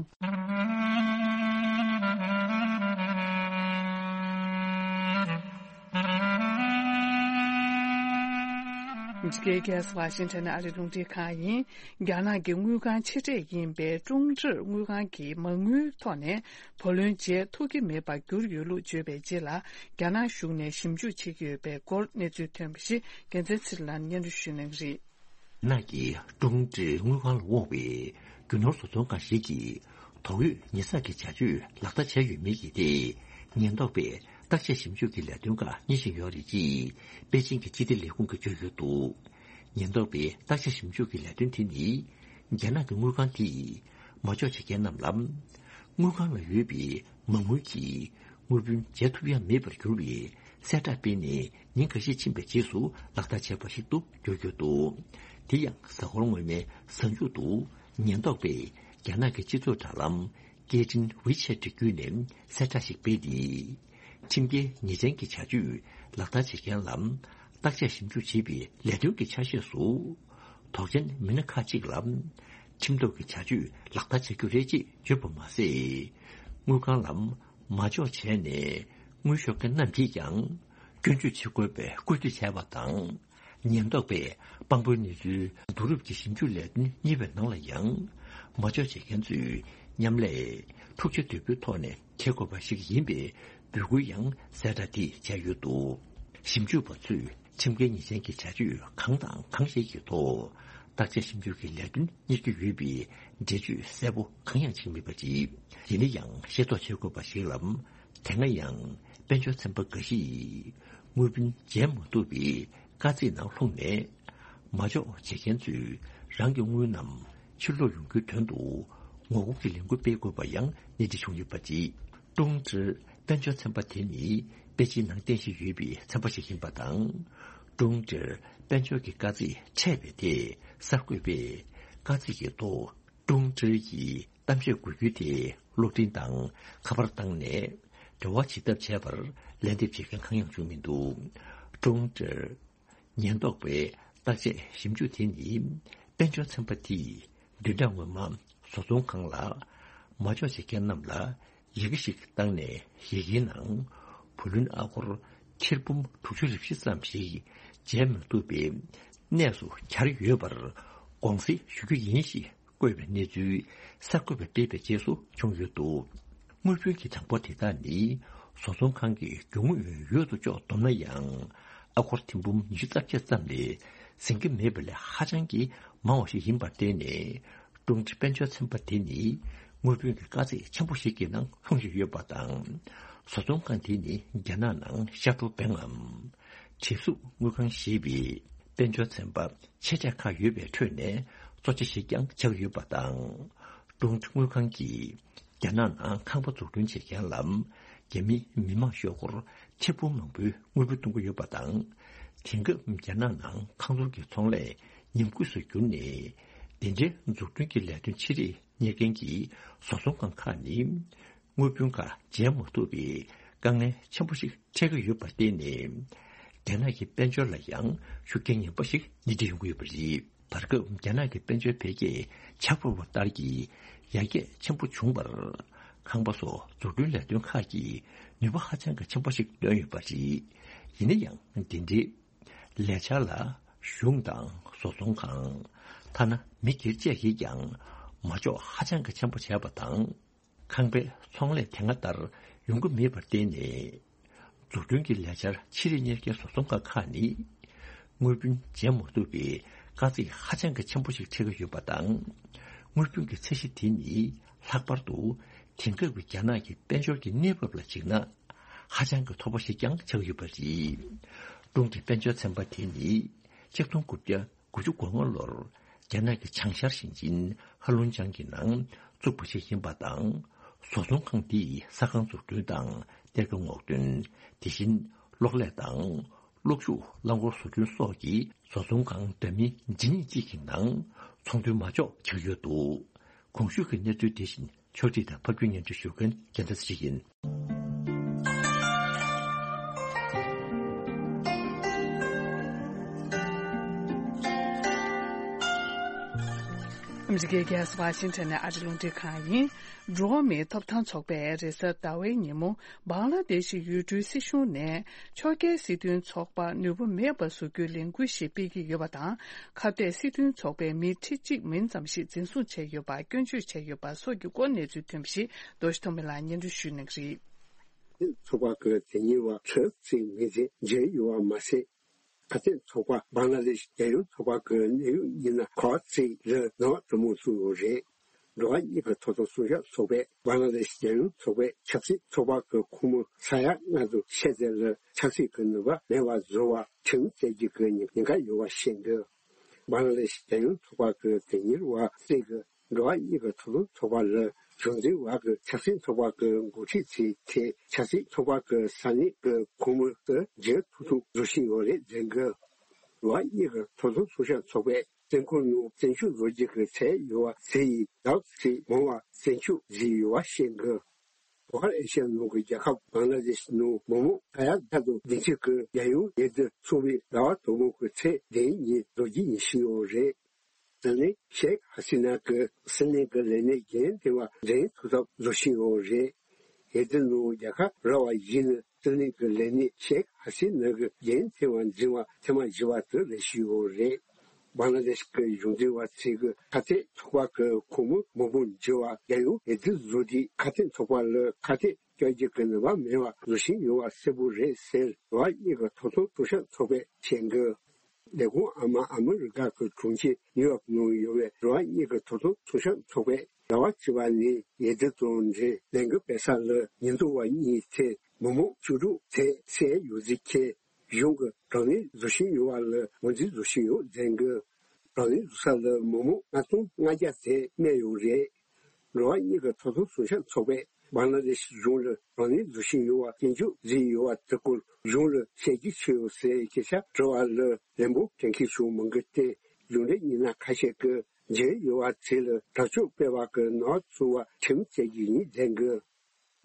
འཇིགས་སྐལ་གྱི་ཝ་ཤིང་ཊོན་ཨ་རི་རླུང་འཕྲིན་ཁང་ཡིན། རྒྱ་ནག་གི་དངུལ་ཁང་ཆེ་གྲས་ཡིན་པའི་ཀྲུང་ཀྲི་དངུལ་ཁང་གིས་མ་དངུལ་ཐོག་ནས་བུ་ལོན་འཇལ་ཐུབ་ཀྱི་མེད་པར་གྱུར་ཡོད་ལུགས་བརྗོད་པའི་རྗེས་ལ། རྒྱ་ནག་གཞུང་ནས་ཞིབ་འཇུག་བྱེད་ཀྱི་ཡོད་པའི་སྐོར་གནས་ཚུལ་ཐོན་པ་ཞིག་རྒྱལ་མཚན་ཚེ་རིང་ལགས་སྙན་སྒྲོན་ཞུ་གནང་གི་རེད། ནག་གི་ཀྲུང་ཀྲི་དངུལ་ཁང་ལ་དབང་བའི་རྒྱུ་ནོར་བཟོ་ཚོང་འགའ་ཞིག་གིས་ དོགས་ཡོད་ཉེས་བསགས་ཀྱི་བྱ་སྤྱོད་ལག་བསྟར་བྱས་ཡོད་མེད་ཀྱི་ཐད། ཉེན་རྟོག་པས་བརྟག་དཔྱད་ཞིབ་འཇུག་གི་ལས་དོན་ཁག་གཉེར་བཞིན་ཡོད་རེད་ཅེས་པེ་ཅིང་གི་སྤྱི་བདེ་ལས་ཁུངས་ཀྱིས་བརྗོད་ཡོད་འདུག་ཉེན་རྟོག་པའི་བརྟག་དཔྱད་ཞིབ་འཇུག་གི་ལས་དོན་དེ་ནི། རྒྱ་ནག་གི་དངུལ་ཁང་དེས་མ་འཇོག་བྱེད་མཁན་རྣམས་ལ། དངུལ་ཁང་ལ་ཡོད་པའི་མ་དངུལ་གྱིས་དངུལ་བུན་འཇལ་ཐུབ་ཡ་མེད་པར་གྱུར་བའི་གསལ་བསྒྲགས་སྤེལ་ནས་ཉིན་འགའ་ཤས་ཕྱིན་པའི་རྗེས་སུ་ལག་བསྟར་བྱས་པ་ཞིག་ཏུ་འགྱུར་གྱི་འདུག་དེ་ཡང་གཟའ་འཁོར་སྔོན་མའི་གཟའ་མཇུག་ཏུ་ཉེན་རྟོག་པས་རྒྱ་ནག་གི་སྤྱི་ཚོགས་དྲ་ལམ་སྐད་འཕྲིན་ཝི་ཆེ་ཊི་བརྒྱུད་ནས་གསལ་བསྒྲགས་ཤིག་སྤེལ་ཏེ། ཁྲིམས་འགལ་ཉེས་ཅན་གྱི་བྱ་སྤྱོད་ལག་བསྟར་བྱེད་མཁན་ལ་བརྟག་དཔྱད་ཞིབ་འཇུག་བྱེད་པའི་ལས་དོན་གྱི་ཆ་ཤས་སུ། དོགས་ཅན་མི་སྣ་ཁག་ཅིག་ལ་ཁྲིམས་ཐོག་གི་བྱ་སྤྱོད་ལག་བསྟར་བྱ་རྒྱུ་རེད་ཅེས་བརྗོད་པ་མ་ཟད། དངུལ་ཁང་ལ་མ་འཇོག་བྱས་ནས་དངུལ་ཤོར་མཁན་རྣམས་ཀྱིས་ཀྱང་སྐྱོན་བརྗོད་བྱེད་དགོས་པའི་སྐུལ་འདེད་བྱས་པ་དང་། ཉེན་རྟོག་པས་དཔང་པོའི་གནས་ཚུལ་བསྡུ་རུབ་ཀྱི་ཞིབ་འཇུག་ལས་དོན་གཉེར་བའི་ནང་ལ་ཡང་། མ་འཇོག་བྱེད་མཁན་ཚོས་མཉམ་ལས་འཁྲུག་ཆ་དོད་པོའི་ཐོག་ནས་བྱེད་དགོས་པ་ཞིག་ཡིན་པའི་འབོད་སྐུལ་ཡང་གསལ་བསྒྲགས་དེས་བྱས་ཡོད་འདུག་ཞིབ་འཇུག་པ་ཚོས་ཁྲིམས་འགལ་ཉེས་ཅན་གྱི་བྱ་སྤྱོད་གང་དང་གང་ཞིག་གི་ཐོག་བརྟག་དཔྱད་ཞིབ་འཇུག་གི་ལས་དོན་གཉེར་གྱི་ཡོད་པའི་འགྲེལ་བརྗོད་གསལ་པོ་གང་ཡང་བྱེད་མེད་པ་རེད། ཡིན་ན་ཡང་ཤེས་རྟོགས་བྱེད་དགོས་པ་ཞིག་ལ། དེ་སྔ་ཡང་དཔལ་འབྱོར་ཚན་པ་འགའ་ཞིག་དངུལ་བུན་འཇལ་མ་ཐུབ་པའི་དཀའ་ཚེགས་ནང་ལྷུང་ནས། མ་འཇོག་བྱེད་མཁན་ཚོས་རང་གི་དངུལ་རྣམས་ཕྱིར་སློག་ཡོང་རྒྱུའི་དོན་དུ་ངོ་རྒོལ་གྱི་ལས་འགུལ་སྤེལ་དགོས་པ་ཡང་སྣེ་ཁྲིད་བྱུང་ཡོད་པ་རེད། ཀྲུང་ཀྲི་དཔལ་འབྱོར་ཚན་པ་དེ་ནི་པེ་ཅིན་ནང་རྟེན་གཞི་ཡོད་པའི་ཚན་པ་ཞིག་ཡིན་པ་དང་། ཀྲུང་ཀྲིར་དཔལ་འབྱོར་གྱི་དཀའ་ཚེགས་འཕྲད་པའི་ཐད་གསར་འགོད་པས་དཀའ་ཚེགས་ཀྱི་ཐོག་ཀྲུང་ཀྲི་ཡི་གཏམ་བཤད་གོ་རྒྱུའི་ཐད་གློག་འཕྲིན་དང་ཁ་པར་བཏང་ནས་འབྲེལ་བ་བྱེད་ཐབས་བྱས་པར་ལན་འདེབས་བྱེད་མཁན་གང་ཡང་བྱུང་མི་འདུག་ཀྲུང་ཀྲིར་ཉེན་རྟོག་པའི་བརྟག་དཔྱད་ཞིབ་འཇུག་དེ་ནི་དཔལ་འབྱོར་ཚན་པ་དེས་བདུན་ཕྲག་སྔོན་མ་བཟོ་ཚོང་ཁང་ལ་མ་འཇོག་བྱེད་མཁན་རྣམས་ལ་ཡི་གེ་ཞིག་བཏང་ནས། ཡི་གེའི་ནང་བུ་ལོན་ཨ་སྒོར་ཐེར་འབུམ་དྲུག་ཅུ་རེ་བཞི་ཙམ་ཞིག་འཇལ་མི་ཐུབ་པའི་གནས་སུ་གྱར་ཡོད་པར་དགོངས་སེལ་ཞུ་རྒྱུ་ཡིན་ཞེས་བཀོད་པའི་གནས་ཚུལ་གསར་འགོད་པས་སྤེལ་བའི་རྗེས་སུ་བྱུང་ཡོད་འདུག་དངུལ་བུན་གྱི་གྲངས་འབོར་དེ་དག་ནི་བཟོ་ཚོང་ཁང་གི་རྒྱུ་དངོས་ཡོད་དོ་ཅོག་བསྡོམས་ན་ཡང་ཨ་སྒོར་ཐེར་འབུམ་ཉི་ཤུ་རྩ་བརྒྱད་ཙམ་ལས་ཟིན་གྱི་མེད་པ་ལས་ཧ་ཅང་གི་མང་བ་ཞིག་ཡིན་པར་བརྟེན་ནས། ཀྲུང་ཀྲི་དཔལ་འབྱོར་ཚན་པ་དེ་ནི་དངུལ་བུན་གྱི་དཀའ་ཚེགས་ཆེན་པོ་ཞིག་གི་ནང་ལྷུང་བཞིན་ཡོད་པ་དང་། བཟོ་ཚོང་ཁང་དེ་ནི་རྒྱ་ནག་ནང་ཤར་ཏོ་བེང་ངམ་བྲེལ་ཟུག་དངུལ་ཁང་ཞེས་པའི་དཔལ་འབྱོར་ཚན་པ་ཆེ་གྲས་ཁག་ཡོད་པའི་ཁྲོད་ནས་གཙོ་ཆེ་ཞིག་ཀྱང་ཆགས་ཡོད་པ་དང་། ཀྲུང་ཀྲི་དངུལ་ཁང་གིས་རྒྱ་ནག་ནང་ཁང་པ་འཛུགས་སྐྲུན་བྱེད་མཁན་ལ་རྒྱ་མིའི་མི་མང་ཤོག་སྒོར་ཐེར་འབུམ་མང་པོའི་དངུལ་བུན་གཏོང་གི་ཡོད་པ་དང་། དེང་སྐབས་རྒྱ་ནག་ནང་ཁང་བཟོ་གི་ཚོང་ལས་ཉམས་རྒུད་སུ་གྱུར་ནས། དེ་འདྲའི་འཛུགས་སྐྲུན་གྱི་ལས་དོན་ཆེ་རིགས་གཉེར་མཁན་གྱི་བཟོ་ཚོང་ཁང་ཁག་ནི་དངུལ་བུན་ཁག་འཇལ་མ་ཐུབ་པའི་དཀའ་ངལ་ཆེན་པོ་ཞིག་འཕྲད་ཀྱི་ཡོད་པར་བརྟེན་ནས། རྒྱ་ནག་གི་དཔལ་འབྱོར་ལ་ཡང་ཤུགས་རྐྱེན་ངན་པ་ཞིག་སྣེ་ཁྲིད་ཡོང་གི་ཡོད་པ་རེད། བར་སྐབས་རྒྱ་ནག་གི་དཔལ་འབྱོར་འཕེལ་རྒྱས་ཆག་པོ་བ་ལྟར་གྱི་ཡར་རྒྱས་ཆེན་པོ་བྱུང་བར། ཁང་པ་སོགས་འཛུགས་སྐྲུན་ལས་དོན་ཁག་གིས་ནུས་པ་ཧ་ཅང་གི་ཆེན་པོ་ཞིག་བཏོན་ཡོད་པ་རེད། ཡིན་ན་ཡང་འདི་འདྲའི་ལས་འཆར་ལ་གཞུང་དང་བཟོ་ཚོང་ཁང་། ཐ་ན་མི་སྒེར་བཅས་ཀྱིས་ཀྱང་མ་འཇོག་ཧ་ཅང་གི་ཆེན་པོ་བྱས་པ་དང་། ཁང་པའི་ཚོང་ལས་དེ་སྔ་ལྟར་ཡོང་གི་མེད་པར་བརྟེན་ནས། འཛུགས་སྐྲུན་གྱི་ལས་འཆར་ཆེ་རིགས་གཉེར་མཁན་བཟོ་ཚོང་ཁང་ཁག་ནི། དངུལ་བུན་འཇལ་མ་ཐུབ་པའི་དཀའ་ཚེགས་ཧ་ཅང་གི་ཆེན་པོ་ཞིག་འཕྲད་ཀྱི་ཡོད་པ་དང་། དངུལ་བུན་གྱི་ཚད་གཞི་དེ་ནི་ལྷག་པར་དུ་དེང་སྐབས་ཀྱི་རྒྱ་ནག་གི་དཔལ་འབྱོར་གྱི་གནས་བབ་ལ་གཞིགས་ན། ཧ་ཅང་གི་མཐོ་པོ་ཞིག་ཀྱང་ཆགས་ཡོད་པ་རེད། ཀྲུང་ཀྲི་དཔལ་འབྱོར་ཚན་པ་དེ་ནི་ཆིག་སྟོང་དགུ་བརྒྱ་དགུ་བཅུ་གོ་ལྔ་ལོར་རྒྱ་ནག་གི་བྱང་ཤར་ཞིང་ཆེན་ཧ་ལུང་ཅང་གི་ནང་བཙུགས་པ་ཞིག་ཡིན་པ་དང་། བཟོ་ཚོང་ཁང་འདིས་ས་ཁང་འཛུགས་སྐྲུན་དང་གཏེར་ཁ་སྔོག་འདོན། དེ་བཞིན་གློག་ཀླད་དང་གློག་ཤུགས་རླངས་འཁོར་བཟོ་སྐྲུན་སོགས་ཀྱི་བཟོ་ཚོང་ཁང་འདྲ་མིན་ཇི་སྙེད་ཅིག་གི་ནང་ཚོང་དོན་མ་འཇོག་བྱེད་ཀྱི་ཡོད་འདུག་གོང་ཞུས་ཀྱི་གནས་ཚུལ་དེ་བཞིན་ཕྱོགས་སྒྲིག་དང་ཕབ་སྒྱུར་སྙན་སྒྲོན་ཞུ་མཁན་རྒྱལ་མཚན་ཞིག་ཡིན། ཨ་མི་རི་ཀའི་རྒྱལ་ས་ཝ་ཤིང་ཊོན་ནས་ཨ་རི་རླུང་འཕྲིན་ཁང་ཡིན། འགྲོ་བ་མིའི་ཐོབ་ཐང་ཚོགས་པས་རེས་གཟའ་ཟླ་བའི་ཉིན་མོ། བང་ལ་དེ་ཤི་ཡུལ་གྲུའི་སྲིད་གཞུང་ནས་ཕྱོགས་འགལ་སྲིད་དོན་ཚོགས་པ་ནུས་པ་མེད་པ་བཟོ་རྒྱུའི་ལས་འགུལ་ཞིག་སྤེལ་གྱི་ཡོད་པ་དང་། ཁ་གཏད་སྲིད་དོན་ཚོགས་པའི་མི་ཁྲི་གཅིག་མིན་ཙམ་ཞིག་འཛིན་བཟུང་བྱས་ཡོད་པར་སྐྱོན་བརྗོད་བྱས་ཡོད་པ་སོགས་ཀྱི་སྐོར་གནས་ཚུལ་ཐོན་པ་ཞིག་རྡོ་རྗེ་ཐོགས་མེད་ལགས་སྙན་སྒྲོན་ཞུ་གནང་གི་རེད། ཚོགས་པ་ཀུན་དེ་ཉིད་བ་ཁྲི་གཅིག་མིན་ཙམ་མཇལ་ཡོད་པ་མ་ཟད། ཁ་གཏད་ཚོགས་པ་བང་ལ་དེ་ཤི་རྒྱལ་ཡོངས་ཚོགས་པ་ཀུན་གནས་ཡུལ་ཉིན་ན་ཁོ་ཚིག་རེ་ནང་དུ་མུ་སུ་རེད། འགྲོ་བ་མིའི་གི་ཐོབ་ཐང་སྲུང་སྐྱོབ་ཚོགས་པས་འབངས་ལ་དེ་རྒྱལ་ཡོངས་ཚོགས་པའི་ཆབ་སྲིད་ཚོགས་པ་གི་ཁོངས་མི་ས་ཡ་ལྔ་དང་ཕྱེད་ཙམ་ལ་ཆབ་སྲིད་ཀྱི་ནུས་པ་མེད་པ་བཟོ་བར་ཁྲིམས་བཅད་རྒྱུ་གི་ཉེན་ཉེན་ཁ་ཡོད་པ་བཤད་འདུག་འབངས་ལ་དེ་རྒྱལ་ཡོངས་ཚོགས་པ་གི་དོན་གཉེར་བ་གསེར་གྱིས་འགྲོ་བ་མིའི་གི་ཐོབ་ཐང་ཚོགས་པ་ལ་གཞུང་འཛིན་བར་གྱི་ཆབ་སྲིད་ཚོགས་པ་གི་འགོ་ཁྲིད་ཚོའི་ཐད་ཆབ་སྲིད་ཚོགས་པ་གི་ས་གནས་ཀྱི་ཁོངས་མི་དུ་འགྱུར་ཐུབ་ཐུབ་བཟོ་བཞིན་ཡོད་རེད་ཟེར་གི། འགྲོ་བ་མིའི་གི་ཐོབ་ཐང་སྲུང་སྐྱོབ་ཚོགས་པས་བཙོན་ཁང་ནང་བཙོན་འཇུག་བཟོ་རྒྱུ་གི་ཚད་ཡོད་པ་ཟེར་ཡི་ཟླ་བ་ཚེ་མང་བ་བཙོན་འཇུག་བཟོས་ཡོད་པ་བཤད་གི། ལྷོ་ཤར་ཨེ་ཤི་ཡ་ནང་གི་རྒྱལ་ཁབ་བང་ལ་དེ་ཤི་ནང་མི་མང་ས་ཡ་བརྒྱ་དང་བདུན་ཅུ་གི་རྒྱལ་ཡོངས་འོས་བསྡུ་ཚོགས་པའི་ཟླ་བ་དང་པོ་གི་ཚེས་བདུན་ཉིན་རྫོགས་རྒྱུ་ཡིན་ཞུས་ཡོད་རེད། དེ་ནས་ཤེག་ཧ་སི་ན་གི་སྲིད་བློན་གི་ལས་གནས་རྒྱུན་འཁྱོངས་འགྲན་ཐུབ་ཐབས་བཟོ་བཞིན་ཡོད་རེད། འོས་བསྡུ་ནང་རྒྱལ་ཁ་རག་པ་ཡིན་ན་སྲིད་བློན་གི་ལས་གནས་ཤེག་ཧ་སི་ན་གི་རྒྱུན་འཁྱོངས་འཛིན་པ་ཐེངས་མ་བཞི་པ་དེ་རེད་ཞུས་ཡོད་རེད། བང་ལ་དེ་ཤི་གི་གཞུང་འཛིན་པ་ཚོས་གི་ཁ་གཏད་ཚོགས་པ་གི་ཁོངས་མི་མང་པོ་འགྱུར་བ་རྒྱལ་ཡོངས་འོས་བསྡུ་བཟོ་དུས་ཁ་གཏད་ཚོགས་པ་ལ་ཁ་གཏད་གཅོག་རྒྱུ་གི་ནུས་པ་མེད་པ་བཟོ་བཞིན་ཡོད་པ་གསལ་པོ་རེད་ཟེར་འགྲོ་བ་མིའི་གི་ཐོབ་ཐང་སྲུང་སྐྱོབ་ཚོགས་པས་བཤད་གི། ལས་ཁུངས་ཨ་མ་ཨ་མི་རི་ཀ་གི་གྲོང་ཁྱེར་ནིའུ་ཡོག་ནང་ཡོད་པའི་འགྲོ་བ་མིའི་གི་ཐོབ་ཐང་སྲུང་སྐྱོབ་ཚོགས་པས་ཟླ་བ་བཅུ་པ་ནས་འོས་བསྡུ་དང་འབྲེལ་ལས་འགུལ་སྤེལ་ས་ལ་ཉེན་རྟོག་པ་གཉིས་ཚོས་མི་མང་བཅུ་དྲུག་ཚོས་བསད་ཡོད་ཚུལ་འཁྱེར། གཞུང་གི་དྲག་གནོན་བཟོ་བཞིན་ཡོད་པ་ལ་ངོས་འཛིན་བཟོ་བཞིན་ཡོད་ཟེར་གི། དྲག་གནོན་བཟོ་ས་ལ་མི་མང་ལྔ་སྟོང་ལྔ་བརྒྱ་ཚོས་རྨས་ཡོད་རེད། འགྲོ་བ་མིའི་གི་ཐོབ་ཐང་སྲུང་སྐྱོབ་ཚོགས་པས་བང་ལ་དེ་ཤི་གཞུང་ལ་དྲག་གནོན་བཟོ་བཞིན་ཡོད་པ་སྐྱོན་བརྗོད་བཟོས་ཡོད་པ་དེ་སྐོར་གཞུང་ལ་བཤད་རྒྱུ་ཅི་ཡོད་ཟེར་སྐད་ཆ་དྲི་བ་ལ་བློན་པོ་བཀྲ་ཤིས་ཆོས་སྒྲོན་གྱིས་བརྟེན་གཞུང་འབྲེལ་མི་སྣ་ཁ་ཤས་ཀྱིས་འབྱོར་ཡོད་པ་ཚོ་ལ་དྲག་སྤྱོད་སྤེལ་བ་གི་ནག་ཚུགས་པ་ཁྲིམས་བཅད་རྒྱུ་ཡིན་ཟེར་གི།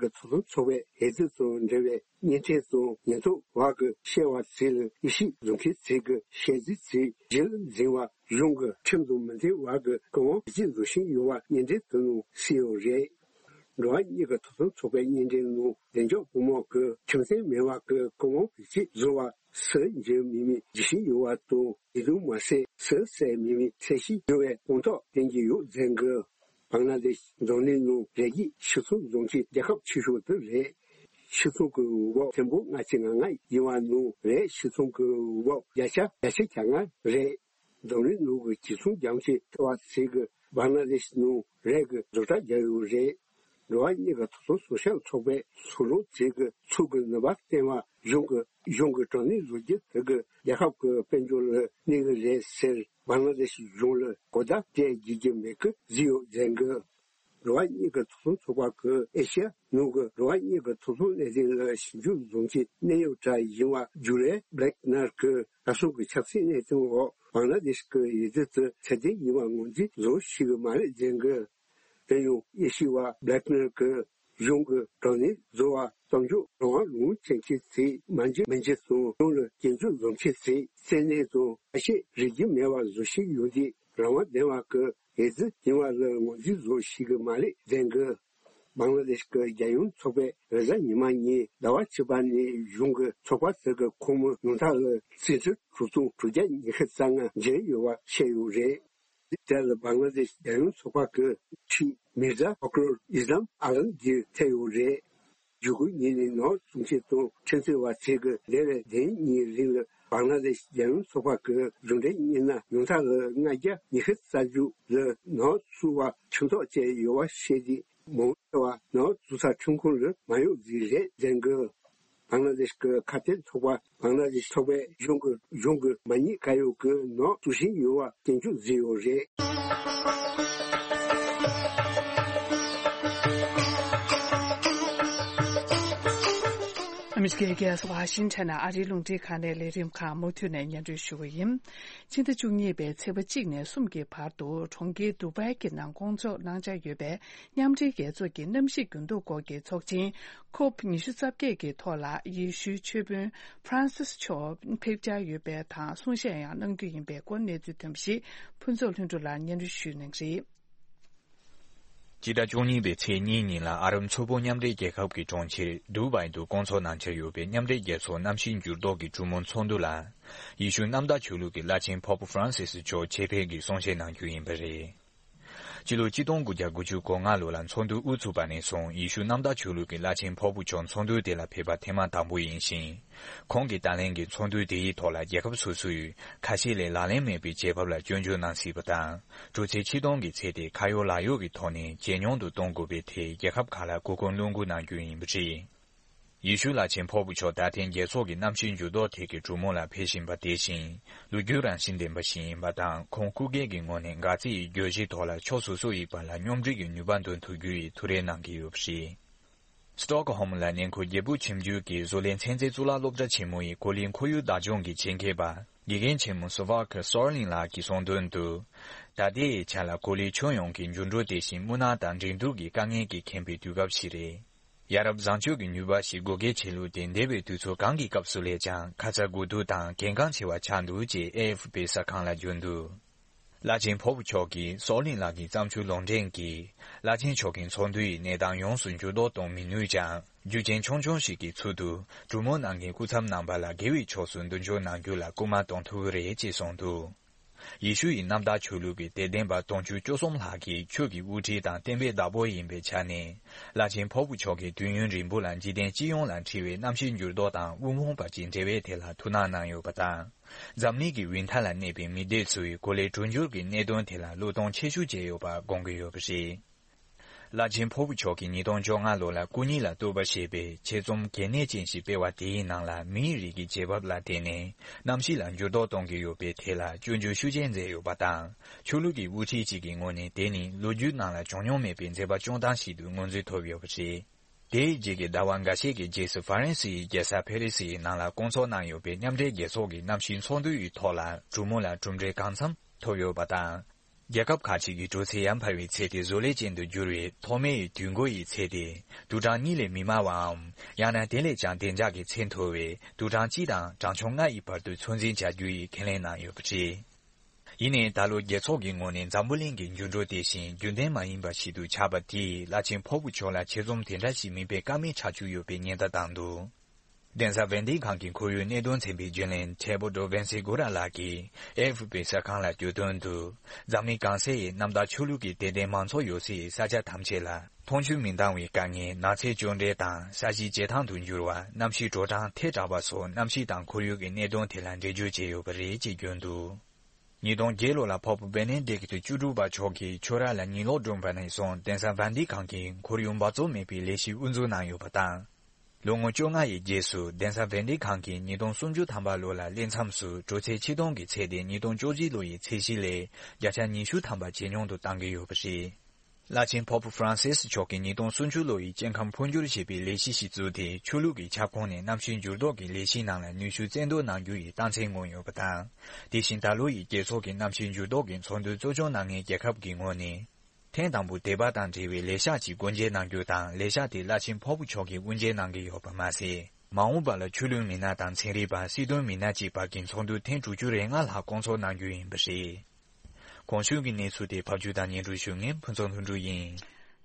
གི་ཐོབ་ཐང་ཚོགས་པའི་འོས་བསྡུ་དང་འབྲེལ་བའི་བརྙན་འཕྲིན་དང་ཉེན་རྟོག་པ་གི་བཤད་པ་ཚོ་ལ་དབྱེ་ཞིབ་བཟོ་མཁན་ཚོས་གི་བཤད་རྩིས་ཚོ་རྒྱུན་ལ་འཛིན་པ་གཞུང་གི་ཁྲིམས་དང་མི་མཐུན་པ་གི་བཀའ་དབང་བེད་སྤྱོད་བཟོ་བཞིན་ཡོད་པ་བརྙན་འཕྲིན་དེ་ནང་གསལ་ཡོད་རེད། འགྲོ་བ་མིའི་གི་ཐོབ་ཐང་ཚོགས་པའི་བརྙན་འཕྲིན་ནང་བདེ་འཇགས་བུ་མོ་གི་ཁྲིམས་མཐུན་མེད་པ་གི་བཀའ་དབང་བེད་སྤྱོད་བཟོ་བ་སུ་འཇུ་མི་མི་འཇུ་བཞིན་ཡོད་པ་དང་། དེ་དུས་མ་ཟད་སུ་བསད་མི་མི་ཚད་གཞི་ཡོད་པའི་དཔང་རྟགས་བསྟན་གྱི་ཡོད་ཟེར་གི། བང་ལ་དེ་ཤི་འཛམ་གླིང་ནང་རྒྱལ་སྤྱིའི་ཕྱི་ཚོང་བཟོ་མཁན་རྒྱལ་ཁབ་ཆེ་ཤོས་དེ་རེད། ཕྱི་ཚོང་གི་འོས་བབ་ཆེན་པོ་ལྔ་བཅུ་ང་ལྔ་ཡིན་པ་ནང་རེད། ཕྱི་ཚོང་གི་འོས་བབ་བརྒྱ་ཆ་བརྒྱད་ཅུ་གྱ་ལྔ་རེད། འཛམ་གླིང་ནང་གི་ཕྱི་ཚོང་རྒྱ་ཆེ་ཤོས་ཚོས་གི་བང་ལ་དེ་ཤི་ནང་རེད་གི་བཟོ་གྲྭ་རྒྱག་ཡོད་རེད། འགྲོ་བ་མིའི་གི་ཐོབ་ཐང་སྲུང་སྐྱོབ་ཚོགས་པའི་ཚོགས་གཙོ་ཚོས་གི་ཚུགས་ཀྱི་ནུས་པ་བསྟན་པ་གཞུང་གི་གཞུང་གི་དྲག་གནོན་བཟོ་རྒྱུ་དེ་གི་རྒྱལ་ཁབ་ཀྱི་དཔལ་འབྱོར་ལ་གནོད་ཀྱི་རེད་ཟེར། བང་ལ་དེ་ཤི་གཞུང་ལ་གོ་བརྡ་སྤྲད་དགོས་ཀྱི་མེད་ཀི་བཟོས་ཡོད་ཟེར་གི། འགྲོ་བ་མིའི་གི་ཐོབ་ཐང་ཚོགས་པ་གི་ཨེ་ཤི་ཡ་ནང་གི་འགྲོ་བ་མིའི་གི་ཐོབ་ཐང་ལས་དོན་ལ་ཞིབ་འཇུག་བཟོ་མཁན་གནད་ཡོད་གྲས་ཡིན་པ་ཇུ་ལི་བྷི་ལེག་ནར་གི་ད་གཟོད་ཀྱི་ཆབ་སྲིད་གནད་དོན་འོག་བང་ལ་དེ་ཤི་གི་འོས་བསྡུ་དེ་ཚད་ལྡན་ཡིན་པ་ངོས་འཛིན་བཟོ་ཤེས་ཀྱི་མ་རེད་ཟེར་གི། དེ་ཡང་དབྱེ་ཞིབ་པ་བྷི་ལེག་ནར་གྱིས་གཞུང་གི་དྲག་གནོན་བཟོ་བ་གཏོང་རྒྱུ་རང་དབང་ལུང་བྱེད་མཁན་ཚོས་མ་འཇོན་མི་འཇོན་དང་གཞུང་ལ་སྐྱོན་བརྗོད་བཟོ་མཁན་ཚོས་བཙན་གནོན་དང་ཁ་ཞེ་རིགས་རྒྱུ་མེད་པ་བཟོ་བཞིན་ཡོད་དུས་རང་དབང་ལྡན་པ་གི་འོས་བསྡུ་ཡིན་པ་ལ་ངོས་འཛིན་བཟོ་ཤེས་ཀྱི་མ་རེད་ཟེར་གི། བང་ལ་དེ་ཤི་གི་རྒྱལ་ཡོངས་ཚོགས་པས་རེས་གཟའ་ཉི་མ་ཉིན་ཟླ་བ་བཅུ་པ་ནས་གཞུང་གི་ཚོགས་པ་དེ་གི་ཁོངས་མི་ཉུང་མཐའ་ལ་བཙན་འཛུལ་དྲུག་སྟོང་དྲུག་བརྒྱ་ཉི་ཤུ་རྩ་ལྔ་འཇོན་ཡོད་པ་བཤད་ཡོད་རེད། དེ་ལ་བང་ལ་དེ་ཤི་རྒྱལ་ཡོངས་ཚོགས་པ་གི་ཁྲི་མིར་ཛ་ཧོ་ཀྲོལ་ཨི་སི་ལམ་ཨ་ལམ་གྱིར་ཐེ་ཡོད་རེད། བཞུགས་སྒར་ཉིན་ནས་ནག་བཟོ་མཁན་དང་ཁྲིམས་རྩོད་པ་ཚོས་གི་འདས་པའི་ཟླ་གཉིས་རིང་ལ་བང་ལ་དེ་ཤི་རྒྱལ་ཡོངས་ཚོགས་པ་གི་གཞུང་འབྲེལ་མི་སྣ་ཉུང་མཐའ་ལ་ལྔ་བརྒྱ་ཉི་ཤུ་རྩ་དྲུག་ལ་ནག་བཟོ་བ་ཁྲིམས་ཐག་བཅད་ཡོད་པ་བཤད་དེ། མང་ཆེ་བ་ནག་བཟོ་ས་ཁྲིམས་ཁང་ལ་མ་གཡུགས་རྩིས་རེད་ཟེར་གི། བང་ལ་དེ་ཤི་གི་ཁ་གཏད་ཚོགས་པ་བང་ལ་དེ་ཤི་ཚོགས་པའི་གཞུང་གི་གཞུང་གི་མ་ཉེས་ག་ཡོད་གི་ནག་བཟོ་བཞིན་ཡོད་པ་སྐྱོན་བརྗོད་བཟོས་ཡོད་རེད། ཨ་མི་རི་ཀའི་རྒྱལ་ས་ཝ་ཤིང་ཊོན་ནས་ཨ་རིའི་རླུང་འཕྲིན་ཁང་ནས་ལས་རིམ་ཁག་མུ་མཐུད་ནས་སྙན་སྒྲོན་ཞུ་གི་ཡིན། ཕྱི་ཟླ་བཅུ་གཉིས་པའི་ཚེས་པ་གཅིག་ནས་གསུམ་གྱི་བར་དུ་གྲོང་ཁྱེར་དུ་བྷའི་གི་ནང་སྐོང་ཚོགས་གནང་འཆར་ཡོད་པའི་མཉམ་འབྲེལ་རྒྱལ་ཚོགས་ཀྱི་གནམ་གཤིས་འགྱུར་ལྡོག་སྐོར་གྱི་ཚོགས་ཆེན་ཁོབ་ཉི་ཤུ་རྩ་བརྒྱད་ཀྱི་ཐོག་ལ་ཡེ་ཤུའི་ཆོས་དཔོན་ཕྲན་སིས་མཆོག་ཕེབས་འཆར་ཡོད་པའི་དང་གསུང་བཤད་ཡང་གནང་རྒྱུ་ཡིན་པའི་སྐོར་གནས་ཚུལ་ཐོན་པ་ཞིག་ཕུན་ཚོགས་ལྷུན་གྲུབ་ལགས་སྙན་སྒྲོན་ཞུ་གནང་གི་རེད། སྤྱི་ཟླ་བཅུ་གཉིས་པའི་ཚེས་གཉིས་ཉིན་ལ་ཨ་རབ་མཚོ་པོ་མཉམ་འབྲེལ་རྒྱལ་ཁབ་ཀྱི་གྲོང་ཁྱེར་དུ་བྷའི་དུ་སྐོང་ཚོགས་གནང་འཆར་ཡོད་པའི་མཉམ་འབྲེལ་རྒྱལ་ཚོགས་གནམ་གཤིས་འགྱུར་ལྡོག་གི་གྲོས་མོལ་ཚོགས་འདུ་ལ། ཡེ་ཤུ་གནམ་བདག་ཆོས་ལུགས་ཀྱི་བླ་ཆེན་Pope Francis་མཆོག་ཆེད་ཕེབས་ཀྱིས་གསུང་བཤད་གནང་རྒྱུ་ཡིན་པ་རེད། སྤྱི་ལོ་ཆིག་སྟོང་དགུ་བརྒྱ་དགུ་བཅུ་གོ་ལྔ་ལོ་ལ་ཚོགས་འདུ་དབུ་ཚུགས་པ་ནས་བཟུང་ཡེ་ཤུ་གནམ་བདག་ཆོས་ལུགས་ཀྱི་བླ་ཆེན་ཕོ་བུ་མཆོག་ཚོགས་འདུ་དེ་ལ་ཕེབས་པ་ཐེངས་མ་དང་པོ་ཡིན་ཞིང་། ཁོང་གིས་ད་ལན་གྱི་ཚོགས་འདུ་དེ་ཡི་ཐོག་ལ་རྒྱལ་ཁབ་སོ་སོའི་ཁ་ཤས་ལས་ལག་ལེན་མེད་པའི་བྱེད་བབ་ལ་སྐྱོན་བརྗོད་གནང་སྲིད་པ་དང་། དྲུག་ཚེས་ཆིག་སྟོང་གི་ཚེ་དེ་ཁ་ཡོག་ལག་ཡོག་གི་ཐོག་ནས་ཇེ་ཉུང་དུ་གཏོང་དགོས་པའི་ཐད་རྒྱལ་ཁབ་ཁག་ལ་གུས་བཀུར་བློ་འགུག་གནང་རྒྱུ་ཡིན་པ་རེད། ཡེ་ཤུ་བླ་ཆེན་ཕོ་བུ་མཆོག་ད་ཐེངས་རྒྱལ་ཚོགས་ཀྱི་གནམ་གཤིས་འགྱུར་ལྡོག་ཐད་ཀྱི་གྲོས་མོལ་ལ་ཕེབས་བཞིན་པ་དེ་བཞིན་ལོ་རྒྱུས་རང་བཞིན་ལྡན་པ་ཞིག་ཡིན་པ་དང་། ཁོང་སྐུ་སྒེར་གྱི་ངོས་ནས་འགག་རྩའི་བརྗོད་གཞིའི་ཐོག་ལ་ཕྱོགས་སོ་སོ་ཡི་བར་ལ་མཉམ་འབྲེལ་གྱི་ནུས་པ་འདོན་ཐུབ་རྒྱུ་ཡི་ཐུགས་རེ་གནང་གི་ཡོད་པ་རེད། སི་ཏོག་ཧོམ་ལ་གནས་འཁོད་རྒྱལ་པོ་ཁྱིམ་རྒྱུད་ཀྱི་བཟོ་ལས་ཚན་རྩལ་གཙུག་ལག་སློབ་གྲྭ་ཆེན་མོ་ཡི་གོ་ལའི་ཁོར་ཡུག་བདག་སྐྱོང་གི་ཆེད་མཁས་པ་དགེ་རྒན་ཆེན་མོ་སོ་ཕ་ཁི་སོར་ལིང་ལགས་ཀྱིས་གསུངས་དོན་དུ། ད་ལྟའི་ཆ་ལ་གོ་ལའི་ཁྱོན་ཡོངས་ཀྱི་འགྱུར་འགྲོས་དེ་བཞིན་སྨུག་ནག་དང་འགྲན་བསྡུར་གྱི་དཀའ་ངལ་གྱིས་ཁེངས་པའི་དུས་སྐབས་ཤིག་རེད། ཡ་རབས་བཟང་སྤྱོད་ཀྱི་ནུས་པ་ཞིག་བགོ་སྐལ་ཆེ་ལུགས་དེ་འདས་པའི་དུས་ཚོད་གང་གི་སྐབས་སུ་ལས་ཀྱང་ཁ་ཚ་དགོས་གཏུག་དང་གལ་འགངས་ཆེ་བ་ཆགས་འདུག་ཅེས་ཨེ་ཨེཕ་པི་གསར་ཁང་ལ་བརྗོད་འདུག་བླ་ཆེན་ཕོ་བུ་མཆོག་གིས་སོག་གླིང་ལགས་ཀྱི་བརྩམས་ཆོས་ལུང་འདྲེན་གྱིས་བླ་ཆེན་མཆོག་གི་ཚོགས་འདུ་ཡི་གནས་སྟངས་ཡོངས་སུ་འགྱུར་ལྡོག་གཏོང་མི་ནུས་ཀྱང་རྒྱུ་རྐྱེན་ཆུང་ཆུང་ཞིག་གི་ཚུལ་དུ་གྲོས་མོལ་གནང་མཁན་སྐུ་ཚབ་རྣམ་པ་ལ་དགེ་བའི་ཕྱོགས་སུ་མདུན་སྐྱོད་གནང་རྒྱུ་ལ་སྐུལ་མ་གཏོང་ཐུབ་ཀྱི་རེད་ཅེས་གསུངས་འདུག་ཡེ་ཤུ་ཡི་གནམ་བདག་ཆོས་ལུགས་ཀྱི་དད་ལྡན་པ་དུང་ཕྱུར་བཅུ་གསུམ་ལྷག་གིས་ཆོས་ཀྱི་དབུ་ཁྲིད་དང་བསྟན་པའི་བདག་པོ་ཡིན་པའི་ཆ་ནས་བླ་ཆེན་ཕོ་བུ་མཆོག་གི་དུས་ཡུན་རིང་པོ་ལ་འཇིག་རྟེན་སྤྱི་ཡོངས་ལ་འཁྲི་བའི་གནམ་གཤིས་འགྱུར་ལྡོག་དང་དབུལ་ཕོངས་པ་བཅས་འབྲེལ་བའི་ཐད་ལ་ཐུགས་སྣང་གནང་ཡོད་པ་དང་། འཛམ་གླིང་གི་དབུས་མཐའ་ལ་གནས་པའི་མི་སྡེ་ཚོས་གོ་ལའི་གྲུབ་འབྱོར་གྱི་གནད་དོན་དེ་ལ་བློས་གཏོང་ཆེ་ཤོས་བྱས་ཡོད་པ་དགོངས་ཀྱི་ཡོད་པ་རེད། བླ་ཆེན་ཕོ་བུ་མཆོག་གིས་ཉིས་སྟོང་བཅོ་ལྔ་ལོ་ལ་སྐུ་ཉིད་ལ་གཏོད་པ་ཞེས་པའི་ཆེད་རྩོམ་གལ་གནད་ཅན་ཞིག་སྤེལ་བ་དེའི་ནང་ལ་མིའི་རིགས་ཀྱི་བྱེད་བབ་ལ་བརྟེན་ནས་གནམ་གཤིས་ལ་འགྱུར་ལྡོག་གཏོང་གི་ཡོད་པའི་ཐད་ལ་སྐྱོན་བརྗོད་ཤུགས་ཆེ་མཛད་ཡོད་པ་དང་། ཆོས་ལུགས་ཀྱི་དབུ་ཁྲིད་ཅིག་གི་ངོས་ནས་དེ་ནི་ལོ་རྒྱུས་ནང་ལ་བྱུང་མྱོང་མེད་པའི་མཛད་པ་སྐྱོང་སྟངས་ཤིག་ཏུ་ངོས་འཛིན་ཐོབ་ཡོད་པ་རེད། དེའི་རྗེས་ཀྱི་ཟླ་བ་འགའ་ཤས་ཀྱི་རྗེས་སུ་ཧྥ་རན་སི་ཡི་རྒྱལ་ས་ཕེ་རི་སི་ཡི་ནང་ལ་བསྐོང་ཚོགས་གནང་ཡོད་པའི་མཉམ་འབྲེལ་རྒྱལ་ཚོགས་ཀྱི་གནམ་གཤིས་ཚོགས་འདུ་ཡི་ཐོག་ལ་གྲོས་མོལ་ལ་གྲུབ་འབྲས་གང་འཚམ་ཐོབ་ཡོད་པ་དང་། རྒྱལ་ཁབ་ཁག་ཅིག་གི་དྲོ་ཚད་ཡར་འཕར་བའི་ཚད་དེ་བཟོ་ལས་ཅན་དུ་འགྱུར་བའི་ཐོག་མའི་དུས་འགོ་ཡི་ཚད་དེ་དུག་གྲངས་གཉིས་ལས་མི་དམའ་བའམ། ཡང་ན་དེ་ལས་ཀྱང་བདེ་འཇགས་ཀྱི་ཚད་མཐོ་བའི་དུག་གྲངས་གཅིག་དང་གྲངས་ཆུང་ལྔ་ཡི་བར་དུ་ཚོད་འཛིན་བྱ་རྒྱུ་ཡི་ཁས་ལེན་གནང་ཡོད་པ་རེད། ཡིན་ནའི་ད་ལོ་རྒྱལ་ཚོགས་ཀྱི་ངོས་ནས་འཛམ་བུ་གླིང་གི་འགྱུར་འགྲོས་དེ་བཞིན་རྒྱུན་ལྡན་མ་ཡིན་པ་ཞིག་ཏུ་ཆགས་པ་དེས་བླ་ཆེན་ཕོ་བུ་མཆོག་ལ་ཆེད་རྩོམ་དེ་འདྲ་ཞིག་མི་སྤེལ་ཀ་མེད་ཆགས་ཀྱི་ཡོད་པའི་ཉེན་བརྡ་བཏང་འདུག་གདན་ས་ཝན་ཏི་ཁང་གི་ཁོར་ཡུག་གནད་དོན་ཚན་པའི་རྒྱུན་ལས་ཐེ་བོ་ཏོ་ཝེན་སི་གུ་ར་ལགས་ཀྱིས་ཨེ་ཨེཕ་པི་གསར་ཁང་ལ་བརྗོད་དོན་དུ། འཛམ་གླིང་གང་སའི་གནམ་བདག་ཆོས་ལུགས་ཀྱི་དད་ལྡན་མང་ཚོགས་ཡོད་སའི་ས་ཆ་ཐམས་ཅད་ལ་འཐུང་ཆུ་མི་འདང་བའི་དཀའ་ངལ། ནགས་ཚལ་གཅོད་འབྲེག་དང་ས་གཞི་བྱེ་ཐང་དུ་འགྱུར་བ། གནམ་གཤིས་དྲོ་གྲང་ཐལ་དྲགས་པ་སོགས་གནམ་གཤིས་དང་ཁོར་ཡུག་གི་གནད་དོན་དེ་ལ་འགྲེལ་བརྗོད་བྱས་ཡོད་པ་རེད་ཅེས་བརྗོད་འདུག་ཉིས་སྟོང་བརྒྱད་ལོ་ལ་པོབ་བེ་ནེ་ཌིག་ཏུ་བཅུ་དྲུག་པ་མཆོག་གིས་ཆོས་ར་ལ་ཉིན་ལོག་བསྐྲུན་པ་ནས་བཟུང་གདན་ས་ཝན་ཏི་ཁང་གིས་ཁོར་ཡུག་འབག་བཙོག་མེད་པའི་ལས་གཞི་དབུ་འཛུགས་གནང་ཡོད་པ་དང་། ལོ་ངོ་བཅོ་ལྔ་ཡི་རྗེས་སུ་གདན་ས་ཝན་ཏི་ཁང་གིས་ཉིས་སྟོང་སུམ་ཅུ་ཐམ་པ་ལོ་ལ་སླེབས་མཚམས་སུ་དྲོ་ཚད་ཆིག་སྟོང་གི་ཚད་དེ་ཉིས་སྟོང་བཅོ་གཅིག་ལོ་ཡི་ཚད་གཞི་ལས་བརྒྱ་ཆ་ཉི་ཤུ་ཐམ་པ་ཇེ་ཉུང་དུ་གཏང་གི་ཡོད་པ་རེད། བླ་ཆེན་པོབ་ཧྥ་རན་སིས་མཆོག་གིས་ཉིས་སྟོང་སུམ་ཅུ་ལོ་ཡི་སྐྱེ་ཁམས་འཕོ་འགྱུར་ཞེས་པའི་ལས་གཞི་ཞིག་བཙུགས་ཏེ། ཆོས་ལུགས་ཀྱི་ཁྱབ་ཁོངས་ནས་གནམ་གཤིས་འགྱུར་ལྡོག་གི་ལས་གཞིའི་ནང་ལ་ནུས་ཤུགས་རྩལ་འདོན་གནང་རྒྱུ་ཡི་རྟགས་མཚན་མངོན་ཡོད་པ་དང་། དེ་བཞིན་ད་ལོ་ཡི་རྒྱལ་ཚོགས་ཀྱི་གནམ་གཤིས་འགྱུར་ལྡོག་གི་ཚོགས་འདུ་གཙོ་སྐྱོང་གནང་མཁན་རྒྱལ་ཁབ་ཀྱི་ངོས་ནས། ཐེངས་དང་པོ་དད་པ་དང་འབྲེལ་བའི་ལས་ཤག་ཅིག་སྒོ་འབྱེད་གནང་རྒྱུ་དང་། ལས་ཤག་དེ་བླ་ཆེན་ཕོ་བུ་མཆོག་གིས་དབུ་འབྱེད་གནང་གི་ཡོད་པ་མ་ཟད། མ་འོངས་པ་ལ་ཆོས་ལུགས་མི་སྣ་དང་ཚན་རིག་པ། སྲིད་དོན་མི་སྣ་བཅས་བར་གྱི་ཚོགས་འདུ་ཐེངས་དྲུག་ཅུ་རེ་ལྔ་ལྷག་བསྐོང་ཚོགས་གནང་རྒྱུ་ཡིན་པ་རེད། གོང་ཞུས་ཀྱི་གནས་ཚུལ་དེ་ཕབ་སྒྱུར་དང་སྙན་སྒྲོན་ཞུ་མཁན་ཕུན་ཚོགས་ལྷུན་གྲུབ་ཡིན།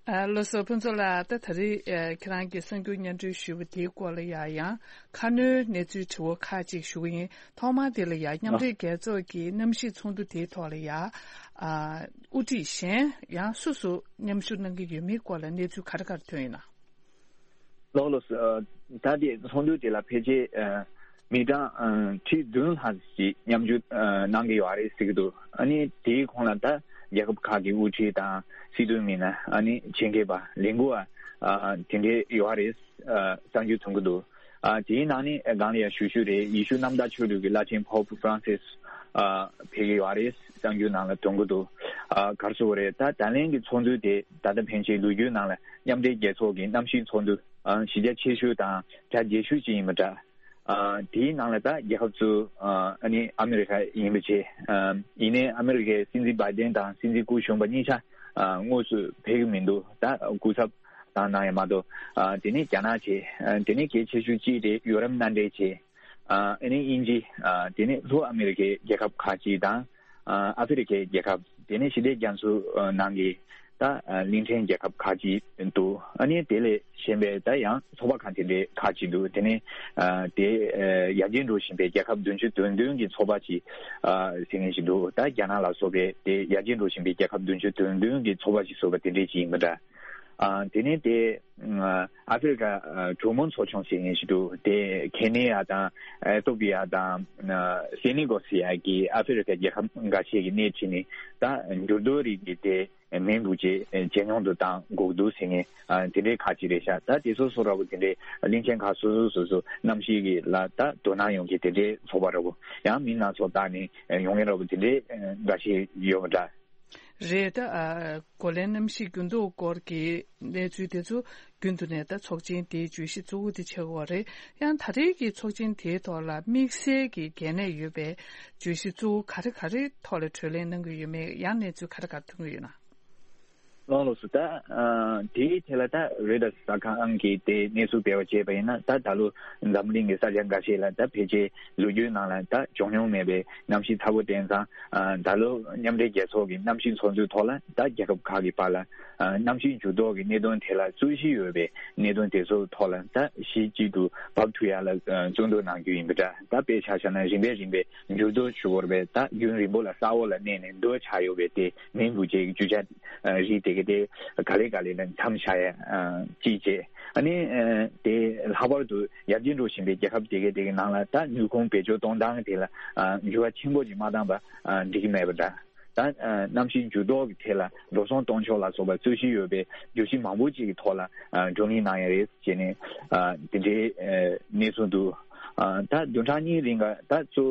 ཨ། ལགས་སོ། ཕུན་ཚོགས་ལགས། ད་ད་རེས་ཨ་ཁྱེད་རང་གིས་གསར་འགྱུར་སྙན་སྒྲོན་ཞུས་པ་དེའི་སྐོར་ལ་ཡ་ཡང་ཁ་སྣོན་གནས་ཚུལ་དྲི་བ་ཁག་ཅིག་ཞུ་གི་ཡིན། ཐོག་མར་དེ་ལ་ཡ་མཉམ་འབྲེལ་རྒྱལ་ཚོགས་ཀྱི་གནམ་གཤིས་ཚོགས་འདུ་དེའི་ཐོག་ལ་ཡ་ཨ་དབུ་ཁྲིད་གཞན་ཡང་སུ་སུ་མཉམ་ཞུགས་གནང་གི་ཡོད་མེད་སྐོར་ལ་གནས་ཚུལ་ག་རེ་ག་རེ་ཐོན་ཡོད་ན། ལགས་ལགས་སོ། ཨ་ད་དེ་ཚོགས་འདུ་དེ་ལ་ཕལ་ཆེར་ཨ་མི་གྲངས་ཨ་ཁྲི་བདུན་ལྷག་ཞིག་མཉམ་ཞུགས་ཨ་གནང་གི་ཡོད་རེད་ཟེར་གྱི་འདུག་ཨ་ནི་དེའི་ཁོངས་ལ་ད་རྒྱལ་ཁབ་ཁག་གི་དབུ་ཁྲིད་དང་སྲིད་དོན་མི་སྣ། ཨ་ནི་ཆེད་མཁས་པ། ལས་འགུལ་བ། ཨ་དེ་འདྲའི་ཡོད་རེད། ཨ་གསར་འགྱུར་ཐོན་གྱི་འདུག་ཨ་དེའི་ནང་ནས་སྒང་ལ་ཡང་ཞུ་ཞུ་རེད། ཡེ་ཤུ་གནམ་བདག་ཆོས་ལུགས་ཀྱི་བླ་ཆེན་ཕོབ་ཧྥ་རན་སིས་ཨ་ཕེབས་ཀྱི་ཡོད་རེད། གསར་འགྱུར་ནང་ལ་ཐོན་གྱི་འདུག་ཨ་ག་རེ་ཟེར་དགོས་རེད། ད་ད་ལན་གྱི་ཚོགས་འདུ་དེ་ད་ལྟ་ཕན་ཆད་ལོ་རྒྱུས་ནང་ལ་མཉམ་འབྲེལ་རྒྱལ་ཚོགས་ཀྱི་གནམ་གཤིས་ཚོགས་འདུ་ཨ་གཞི་རྒྱ་ཆེ་ཤོས་དང་གྲ་རྒྱས་ཤོས་ཅིག་ཡིན་པ་འདྲ། ཨ་དེའི་ནང་ལ་ད་རྒྱལ་ཁབ་ཚོ་ཨ་ཨ་ནི་ཨ་མི་རི་ཀ་ཡིན་པ་བྱས། ཨ་ཡིན་ནའི་ཨ་མི་རི་ཀའི་སྲིད་འཛིན་བྷའི་ཌེན་དང་སྲིད་འཛིན་སྐུ་གཞོན་པ་གཉིས་ཆ་ཨ་དངོས་སུ་ཕེབས་ཀྱི་མི་འདུག་ད་སྐུ་ཚབ་བཏང་གནང་ཡ་མ་གཏོགས། ཨ་དེ་ནས་རྒྱ་ནག་བྱས། ཨ་དེ་ནས་གལ་ཆེ་ཤོས་གཅིག་དེ་ཡུ་རོབ་མནའ་འབྲེལ་བྱས། ཨ་ཨ་ནི་དབྱིན་ཇི། ཨ་དེ་ནས་ལྷོ་ཨ་མི་རི་ཀའི་རྒྱལ་ཁབ་ཁག་ཅིག་དང་། ཨ་ཨ་ཧྥེ་རི་ཀའི་རྒྱལ་ཁབ། དེ་ནས་ཞི་བདེ་རྒྱ་མཚོ་ནང་གི་ ད་གླིང་ཕྲན་རྒྱལ་ཁབ་ཁག་ཅིག་འདུག་ཨ་ནི་དེ་ལས་གཞན་པའི་ད་ཡང་ཚོགས་པ་ཁག་དེ་འདྲའི་ཁག་ཅིག་འདུག་དེ་ནས་དེ་ཡར་རྒྱས་འགྲོ་བཞིན་པའི་རྒྱལ་ཁབ་བདུན་ཅུ་དོན་བདུན་གྱི་ཚོགས་པ་ཅིག་ཟེར་མཁན་ཞིག་འདུག་ད་རྒྱ་ནག་ལ་སོགས་པའི་དེ་ཡར་རྒྱས་འགྲོ་བཞིན་པའི་རྒྱལ་ཁབ་བདུན་ཅུ་དོན་བདུན་གྱི་ཚོགས་པ་ཞིག་བཟོས་པ་དེ་འདྲས་ཅིག་ཡིན་པ་འདྲ། དེ་ནས་དེ་ཨ་ཧྥེ་རི་ཁ་གྲོག་མོ་ཚོགས་ཆུང་ཟེར་མཁན་ཞིག་འདུག་དེ་ཁེ་ནི་ཡ་དང་ཨེ་ཏོ་པི་ཡ་དང་སེ་ནི་གོ་སི་ཡ་གི་ཨ་ཧྥེ་རི་ཁ་རྒྱལ་ཁབ་འགའ་ཤས་ཀྱི་སྣེ་ཁྲིད་ནས་ད་འགྱུར་རྡོ་རིགས་ཀྱི་དེ། མིང་འབུལ་ཆེད་ཇེ་ཉུང་དུ་བཏང་དགོས་འདུག་ཟེར་མཁན་དེ་འདྲའི་ཁག་ཅིག་རེད་ཤག་ད་དེ་ཚོ་སོ་ར་བོ་དེ་འདྲའི་གླིང་ཆེན་ཁག་སོ་སོ་སོ་སོ་གནམ་གཤིས་ཀྱི་ལ་ད་དོ་སྣང་ཡོང་གི་དེ་འདྲའི་ཚོགས་པ་ར་བོ་ཡང་མི་སྣ་ཚོགས་བཏང་ནས་ཡོང་མཁན་ར་བོ་དེ་འདྲའི་འགའ་ཤས་ཡོད་པ་འདྲ། རེད། ད་ཨ་གོ་ལའི་གནམ་གཤིས་འགྱུར་ལྡོག་སྐོར་གྱི་གནས་ཚུལ་དེ་ཚོ་རྒྱུན་དུ་ནས་ད་ཚོགས་ཆེན་དེའི་བརྗོད་གཞི་གཙོ་བོ་དེ་ཆགས་ཀྱི་ཡོད་རེད། ཡང་ད་རེས་ཀྱི་ཚོགས་ཆེན་དེའི་ཐོག་ལ་དམིགས་བསལ་གྱི་གལ་གནད་ཡོད་པའི་བརྗོད་གཞི་གཙོ་བོ་ག་རེ་ག་རེ་ཐོག་ལ་གྲོས་གླེང་གནང་གི་ཡོད་མེད། ཡང་གནས་ཚུལ་ག་རེ་ག་རེ་ཐོན་གྱི་ཡོད་ན། ལགས་སོ། ད་ཨ་དེའི་ཐད་ལ་ད་རོའི་ཊར་གསར་ཁང་གིས་དེ་གནས་ཚུལ་སྤེལ་བ་བྱས་པ་ཡིན་ན། ད་ད་ལོ་འཛམ་གླིང་གི་ས་ཆ་འགའ་ཤས་ལ་ད་ཕལ་ཆེར་ལོ་རྒྱུས་ནང་ལ་ད་བྱུང་མྱོང་མེད་པའི་གནམ་གཤིས་ཚ་པོ་བསྟན་ཙང་། ཨ་ད་ལོ་མཉམ་འབྲེལ་རྒྱལ་ཚོགས་ཀྱི་གནམ་གཤིས་ཚོགས་འདུའི་ཐོག་ལ་ད་རྒྱལ་ཁབ་ཁག་གི་བར་ལ་ཨ་གནམ་གཤིས་འགྱུར་ལྡོག་གི་གནད་དོན་ཐད་ལ་རྩོད་གཞི་ཡོད་པའི་གནད་དོན་དེ་ཚོའི་ཐོག་ལ་ད་གཞི་གཅིག་ཏུ་བབས་ཐུབ་ཡ་ལ་ཨ་བརྩོན་འགྲུས་གནང་རྒྱུ་ཡིན་པ་འདྲ། ད་དཔེ་ཆ་བཞག་ན་རིམ་པས་རིམ་པས་འགྱུར་ལྡོག་ཞུ་དགོས་པའི་ད་རྒྱུན་རིང་པོ་ལ་ས་འོག་ལ་གནས་ནས་རྡོ་ཆགས་ཡོད་པའི་དེ་མིང་འབུལ་བྱེད་ཀྱི་རྒྱུ་ཆ་ཨ་རིགས་དེ་གའི་དེ་ག་ལེ་ག་ལེ་ལ་མཚམས་བཞག་ཡ་ཨ་གཅིག་བྱས། ཨ་ནི་ཨ་དེ་ལྷག་པར་དུ་ཡར་རྒྱས་འགྲོ་བཞིན་པའི་རྒྱལ་ཁབ་དེ་གའི་དེ་གའི་ནང་ལ་ད་ནུས་ཁུངས་བེད་སྤྱོད་གཏོང་སྟངས་དེ་ལ་ཨ་འགྱུར་བ་ཆེན་པོ་ཅིག་མ་བཏང་པ་ཨ་འགྲིག་གི་མེད་པ་འདྲ། ད་ཨ་གནམ་གཤིས་འགྱུར་ལྡོག་གི་ཐད་ལ་འགྲོ་སོང་གཏོང་ཕྱོགས་ལ་སོགས་པ་རྩོད་གཞི་ཡོད་པའི་བརྗོད་གཞི་མང་པོ་ཅིག་གི་ཐོག་ལ་ཨ་བགྲོ་གླེང་གནང་ཡ་རེད་ཅེས་ནས་ཨ་དེ་འདྲའི་ཨ་གནས་ཚུལ་འདུག་ཨ་ད་བདུན་ཕྲག་གཉིས་རིང་ག་ད་གཙོ་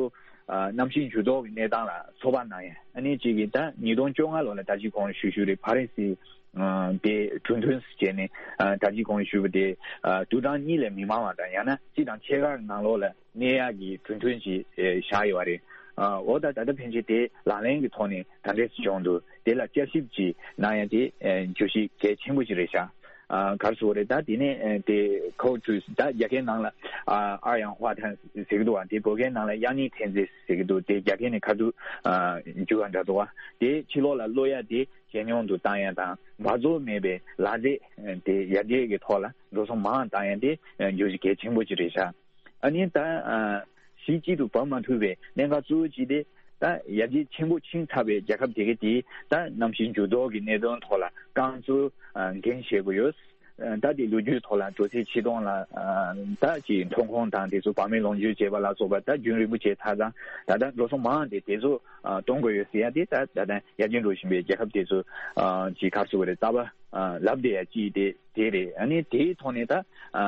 ཨ་གནམ་གཤིས་འགྱུར་ལྡོག་གི་གནས་སྟངས་ལ་ཚོད་དཔག་གནང་ཡ། ཨ་ནི་གཅིག་གིས་ད་ཉིས་སྟོང་བཅོ་ལྔ་ལོ་ལ་ད་ཅི་གོང་ཞུས་ཞུས་རེད། ཕ་རན་སི་ཨ་དེ་གྲོས་མཐུན་བྱས་ནས་ཨ་ད་ཅི་གོང་ཞུས་པ་དེ་ཨ་དུས་གྲངས་གཉིས་ལས་མི་མང་བ་དང་ཡང་ན་གཅིག་དང་ཕྱེད་ཀ་ནང་ལོགས་ལ་གནས་ཡག་གི་གྲོས་མཐུན་ཞིག་ཨ་བཞག་ཡོད་པ་རེད། ཨ་འོ་ད་ད་ལྟ་ཕན་ཆད་དེ་ལག་ལེན་གྱི་ཐོག་ནས་ད་འདྲས་སུ་བྱུང་འདུག་དེ་ལ་བསྐྱར་ཞིབ་ཅིག་གནང་ཡ་དེ་ཨ་བརྗོད་གཞི་གལ་ཆེན་པོ་ཞིག་རེད་ཤག་ཨ་ག་རེ་ཟེར་དགོས་རེད། ད་དེ་ནས་ཨ་དེ་ཁོ་ཀྲུས་ད་རྒྱ་སྐད་ནང་ལ་ཨ་ཨར་ཡང་ཧྭ་ཐན་ཟེར་གི་འདུག་བ། དེ་བོད་སྐད་ནང་ལ་དབྱར་གནས་ཐན་རྫས་ཟེར་གི་འདུག་དེ་རྒྱ་སྐད་ནས་ཁ་ཐུག་ཨ་བསྒྱུར་བ་འདྲ་འདུག་བ། དེ་ཕྱི་ལོགས་ལ་གློད་ཡ་དེ་ཇེ་ཉུང་དུ་བཏང་ཡ་དང་འབག་བཙོག་མེད་པའི་ལག་རྩལ་དེ་ཡར་རྒྱས་ཀྱི་ཐོག་ལ་འགྲོ་སོང་མང་བཏང་ཡ་དེ་བརྗོད་གཞི་གལ་ཆེན་པོ་ཅིག་རེད་ཤག་ཨ་ནི་ད་ཨ་གཞི་གཅིག་ཏུ་བབས་མ་ཐུབ་པའི་གནད་འགག་གཙོ་བོ་གཅིག་དེ་ད་ཡར་རྒྱས་ཆེན་པོ་ཕྱིན་ཚར་བའི་རྒྱལ་ཁབ་དེ་ག་དེ་ད་གནམ་གཤིས་འགྱུར་ལྡོག་གི་གནད་དོན་ཐོག་ལ་རྐང་བཙུགས་ཨ་འགན་བཞེས་དགོས་ཡོད། ཨ་ད་དེ་ལོ་རྒྱུས་ཐོག་ལ་འགྲོ་ཚད་ཆིག་སྟོང་ལ་ཨ་ད་ཅིག་ཐོན་ཁུངས་དང་དེ་ཚོ་བར་མའི་ལོངས་སྤྱོད་བྱས་པ་ལ་སོགས་པ་ད་རྒྱུན་རིང་པོ་བྱས་ཚར་ཙང་ད་ལྟ་འགྲོ་སོང་མང་དེ་དེ་ཚོ་ཨ་གཏོང་དགོས་ཡོད་ཟེར་ཡ་དེ་ད་ད་ལྟ་ཡར་རྒྱས་འགྲོ་བཞིན་པའི་རྒྱལ་ཁབ་དེ་ཚོ་ཨ་ཅིག་ག་རེ་ཟེར་དགོས་རེད། རྩ་བ་ཨ་ལབ་བསྡད་ཡ་ཅིག་དེ་དེ་རེད། ཨ་ནི་དེའི་ཐོག་ནས་ད་ཨ་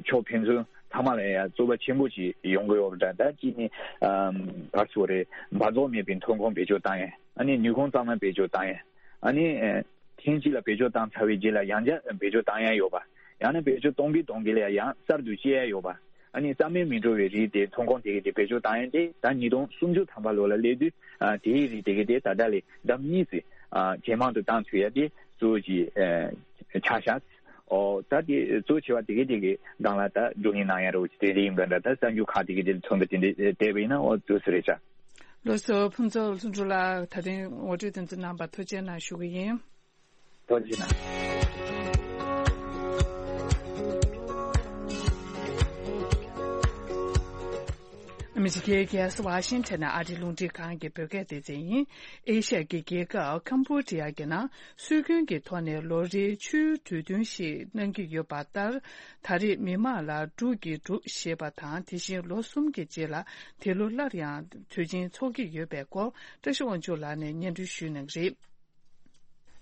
ཕྱོགས་ཕན་ཚུན་ཚང་མ་ལ་ཡ་བཙོག་པ་ཆེན་པོ་ཅིག་ཡོང་གི་ཡོད་རེད། ད་གཅིག་ནི་ཨ་ག་རེ་ཟེར་དགོས་རེད། འབག་བཙོག་མེད་པའི་ཐོན་ཁུངས་བེད་སྤྱོད་བཏང་ཡ། ཨ་ནི་ནུས་ཁུངས་གཙང་མ་བེད་སྤྱོད་བཏང་ཡ། ཨ་ནི་ཨ་ཐེངས་གཅིག་ལ་བེད་སྤྱོད་བཏང་ཚར་བའི་རྗེས་ལ་ཡང་བསྐྱར་བེད་སྤྱོད་བཏང་ཡ་ཡོད་པ། ཡང་ན་བེད་སྤྱོད་གཏོང་གིན་གཏོང་གིན་ལ་ཡང་གསར་དུ་སྐྱེ་ཡ་ཡོད་པ། ཨ་ནི་རྩ་མེད་མི་འགྲོ་བའི་རིགས་དེ་ཐོན་ཁུངས་དེ་གའི་དེ་བེད་སྤྱོད་བཏང་ཡ་དེ་ད་ཉིས་སྟོང་སུམ་ཅུ་ཐམ་པ་ལོ་ལ་སླེབས་དུས་ཨ་དེའི་རིགས་དེ་གའི་དེ་ད་ལྟ་ལས་ལྡབ་གཉིས་ཙམ་ཨ་ཇེ་མང་དུ་བཏང་ཐུབ་ཡ་དེ་གཙོ་བོ་ཅིག་ཨ་ཆགས་ཤག་ཨོ་ད་དེ་གཙོ་ཆེ་བ་དེ་གའི་དེ་གའི་སྒང་ལ་ད་བགྲོ་གླེང་གནང་ཡ་རོ་དེ་རེད་ཡིན་པ་འདྲ། ད་གསར་འགྱུར་ཁག་དེ་གའི་དེ་ལ་མཚོན་པ་དེ་འདྲ་བལྟས་པ་ཡིན་ན་ཨོ་འདུག་སེ་རེད་ཤག་ལགས་སོ། ཕུན་ཚོགས་ལྷུན་གྲུབ་ལགས། ད་ཐེངས་ངོ་སྤྲོད་དེ་ཚོ་གནང་བར་ཐུགས་རྗེ་གནང་ཞུ་གི་ཡིན། ཐུགས་རྗེ་གནང་། ཨ་མི་རི་ཀའི་རྒྱལ་ས་ཝ་ཤིང་ཊོན་ནས་ཨ་རིའི་རླུང་འཕྲིན་ཁང་གི་བོད་སྐད་སྡེ་ཚན་ཡིན། ཨེ་ཤ་ཡའི་རྒྱལ་ཁབ་ཀམ་བྷོ་ཌི་ཡ་གི་ནང་སྲོལ་རྒྱུན་གྱི་ཐོག་ནས་ལོ་རེའི་ཆུའི་གྲོས་བསྟུན་ཞིག་གནང་གི་ཡོད་པ་ལྟར། ད་རེས་མི་མང་ལ་འབྲུག་གི་འབྲུག་ཞེས་པ་དང་། དེ་བཞིན་ལོ་གསུམ་གྱི་རྗེས་ལ་འདི་ལོ་སླར་ཡང་དུས་ཆེན་འཚོགས་ཀྱི་ཡོད་པའི་སྐོར་བཀྲ་ཤིས་དབང་ཕྱུག་ལགས་ནས་སྙན་སྒྲོན་ཞུ་གནང་གི་རེད།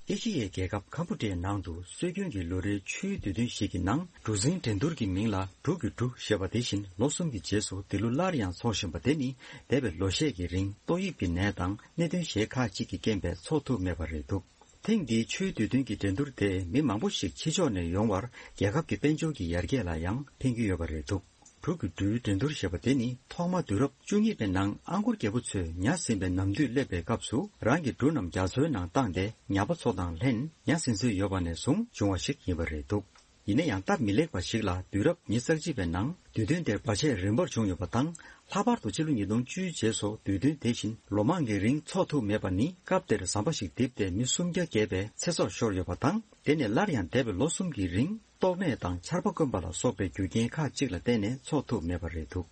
ཨེ་ཤི་ཡའི་རྒྱལ་ཁབ་ཀམ་བྷོ་ཌི་ཡའི་ནང་དུ་སྲོལ་རྒྱུན་གྱི་ལོ་རེའི་ཆུའི་དུས་སྟོན་ཞིག་གི་ནང་གྲུ་གཟིངས་འགྲན་བསྡུར་གྱི་མིང་ལ་འབྲུག་གི་འབྲུག་ཞེས་པ་དེ་བཞིན་ལོ་གསུམ་གྱི་རྗེས་སུ་འདི་ལོ་སླར་ཡང་འཚོགས་བཞིན་པ་དེ་ནི་འདས་པའི་ལོ་ཤས་ཀྱི་རིང་ཏོག་དབྱིབས་ཀྱི་ནད་དང་གནད་དོན་གཞན་ཁག་ཅིག་གི་རྐྱེན་པས་འཚོགས་ཐུབ་མེད་པ་རེད་འདུག་ཐེངས་འདིའི་ཆུའི་དུས་སྟོན་གྱི་འགྲན་བསྡུར་དེས་མི་མང་པོ་ཞིག་ཕྱི་ཕྱོགས་ནས་ཡོང་བར་རྒྱལ་ཁབ་ཀྱི་དཔལ་འབྱོར་གྱི་ཡར་རྒྱས་ལ་ཡང་ཕན་གྱི་ཡོད་པ་རེད་འདུག་འབྲུག་གི་འབྲུའི་འགྲན་བསྡུར་ཞེས་པ་དེ་ནི་ཐོག་མ་དུས་རབས་བཅུ་གཉིས་པའི་ནང་ཨང་གོར་རྒྱལ་པོ་ཚོས་ཉ་ཟིན་པའི་ནམ་དུས་སླེབས་པའི་སྐབས་སུ་རང་གི་འབྲུ་རྣམས་རྒྱ་མཚོའི་ནང་བཏང་སྟེ་ཉ་པ་ཚོ་དང་ལྷན་ཉ་ཟིན་སྲོལ་ཡོད་པ་ནས་བཟུང་བྱུང་བ་ཞིག་ཡིན་པ་རེད་འདུག་ཡིན་ན་ཡང་སྟབས་མི་ལེགས་པ་ཞིག་ལ་དུས་རབས་ཉི་ཤུ་རྩ་གཅིག་པའི་ནང་དུས་སྟོན་དེར་བར་ཆད་རིམ་པར་བྱུང་ཡོད་པ་དང་། ལྷག་པར་དུ་ཕྱི་ལོ་ཉིས་སྟོང་བཅུ་རྗེས་སུ་དུས་སྟོན་དེ་བཞིན་ལོ་མང་གི་རིང་འཚོགས་ཐུབ་མེད་པ་ནི་སྐབས་དེར་ཟམ་པ་ཞིག་རྡིབ་སྟེ་མི་སུམ་བརྒྱ་བརྒལ་བའི་ཚེ་སྲོག་ཤོར་ཡོད་པ་དང་། དེ་ནས་སླར་ཡང་འདས་པའི་ལོ་གསུམ་གྱི་རིང་ཏོག་ནད་དང་ཆར་པ་དཀོན་པ་ལ་སོགས་པའི་རྒྱུ་རྐྱེན་ཁག་ཅིག་ལ་བརྟེན་ནས་འཚོགས་ཐུབ་མེད་པ་རེད་འདུག་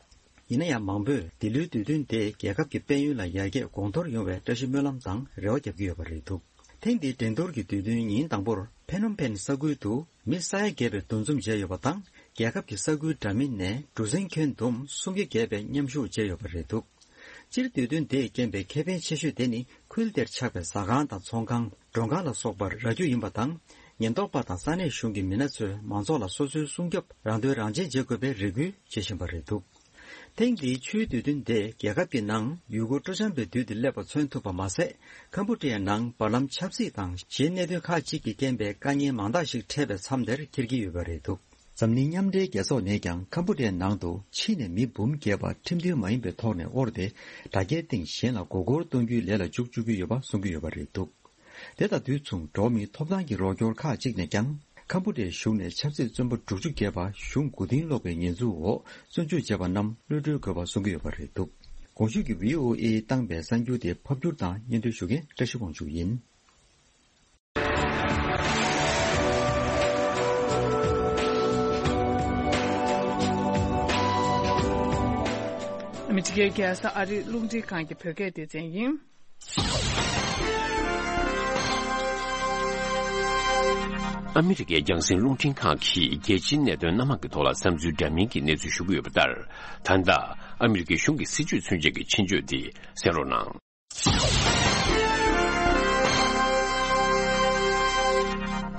ཡིན་ན་ཡང་མང་པོས་འདི་ལོའི་དུས་སྟོན་དེ་རྒྱལ་ཁབ་ཀྱི་དཔལ་ཡོན་ལ་ཡར་རྒྱས་གོང་མཐོར་ཡོང་བའི་བཀྲ་ཤིས་སྨོན་ལམ་དང་རེ་བ་བརྒྱབ་ཀྱི་ཡོད་པ་རེད་འདུག་ཐེངས་འདིའི་འགྲན་བསྡུར་གྱི་དུས་སྟོན་ཉིན་དང་པོར་ཕེ་ནོམ་ཕེན་ས་ཁུལ་དུ་མི་ས་ཡ་བརྒལ་བའི་འདུ་འཛོམས་བྱས་ཡོད་པ་དང་། རྒྱལ་ཁབ་ཀྱི་ས་ཁུལ་འདྲ་མིན་ནས་གྲུ་གཟིངས་གྱོན་བསྡོམས་སུམ་བརྒྱ་བརྒལ་བའི་མཉམ་ཞུགས་བྱས་ཡོད་པ་རེད་འདུག་སྤྱིར་དུས་སྟོན་དེས་རྐྱེན་པས་ཁེ་ཕན་ཆེ་ཤོས་དེ་ནི་ཁུལ་དེར་ཆགས་པའི་ཟ་ཁང་དང་ཚོང་ཁང་། མགྲོན་ཁང་ལ་སོགས་པར་རག་རྒྱུ་ཡིན་པ་དང་། ཉེན་རྟོག་པ་དང་ས་གནས་གཞུང་གི་མི་སྣ་ཚོས་མང་ཚོགས་ལ་སོ་སོའི་སྲུང་སྐྱོབ་རང་དོན་རང་གཅེས་བྱེད་དགོས་པའི་རེ་སྐུལ་བྱེད་བཞིན་པ་རེད་འདུག་ཐེངས་འདིའི་ཆུའི་དུས་སྟོན་དེ་རྒྱལ་ཁབ་ཀྱི་ནང་ཡུལ་སྐོར་སྤྲོ་འཆམ་པའི་དུས་དེ་སླེབས་པ་མཚོན་ཐུབ་པ་མ་ཟད། ཁམ་བུ་ཀྲི་ཡའི་ནང་བར་ལམ་ཆབ་སྲིད་དང་གཞན་གནད་དོན་ཁག་ཅིག་གི་རྐྱེན་པས་དཀའ་ངལ་མང་དག་ཞིག་འཕྲད་པའི་མཚམས་དེར་འཁེལ་གྱི་ཡོད་པ་རེད་འདུག་འཛམ་གླིང་མཉམ་འབྲེལ་རྒྱལ་ཚོགས་ནས་ཀྱང་ཁམ་བུ་ཀྲི་ཡའི་ནང་དུ་ཕྱི་ནས་མི་འབུམ་བརྒལ་བ་ཁྲིམས་མཐུན་མ་ཡིན་པའི་ཐོག་ནས་དབོར་ཏེ། དྲ་རྒྱའི་སྟེང་གཞན་ལ་མགོ་སྐོར་གཏོང་རྒྱུའི་ལས་ལ་འཇུག་བཅུག་གི་ཡོད་པ་གསུང་གི་ཡོད་པ་རེད་འདུག་དེ་དང་དུས་མཚུངས་འགྲོ་བ་མིའི་ཐོབ་ཐང་གི་རོགས་སྐྱོར་ཁག་ཅིག་ནས་ཀྱང་། ཁམ་བུ་ཀྲི་ཡའི་གཞུང་ནས་ཆབ་སྲིད་བཙོན་པ་དྲུག་ཅུ་བརྒལ་བ་གཞུང་མགོ་རྟིང་སློག་པའི་ཉེས་འཛུགས་འོག་བཙོན་འཇུག་བྱས་པ་རྣམས་གློད་གྲོལ་དགོས་པ་གསུང་གི་ཡོད་པ་རེད་འདུག་གོང་ཞུས་ཀྱི་བྷི་ཨོ་ཨེ་བཏང་པའི་གསར་འགྱུར་དེ་ཕབ་སྒྱུར་དང་སྙན་སྒྲོན་ཞུ་མཁན་བཀྲ་ཤིས་དབང་ཕྱུག་ཡིན། ཨ་མི་རི་ཀའི་རྒྱལ་ས་ཨ་རིའི་རླུང་འཕྲིན་ཁང་གི་བོད་སྐད་སྡེ་ཚན་ཡིན། ཨ་མི་རི་ཀའི་རྒྱང་སྲིང་རླུང་འཕྲིན་ཁང་གིས་རྒྱལ་སྤྱིའི་གནད་དོན་སྣ་མང་གི་ཐོག་ལ་བསམ་ཚུལ་འདྲ་མིན་གྱི་གནས་ཚུལ་ཞུ་གི་ཡོད་པ་ལྟར། ད་ལྟ་ཨ་མི་རི་ཀའི་གཞུང་གི་སྲིད་ཇུས་མཚོན་ཆེད་ཀྱི་ཆེད་བརྗོད་འདི་གསན་རོགས་གནང་།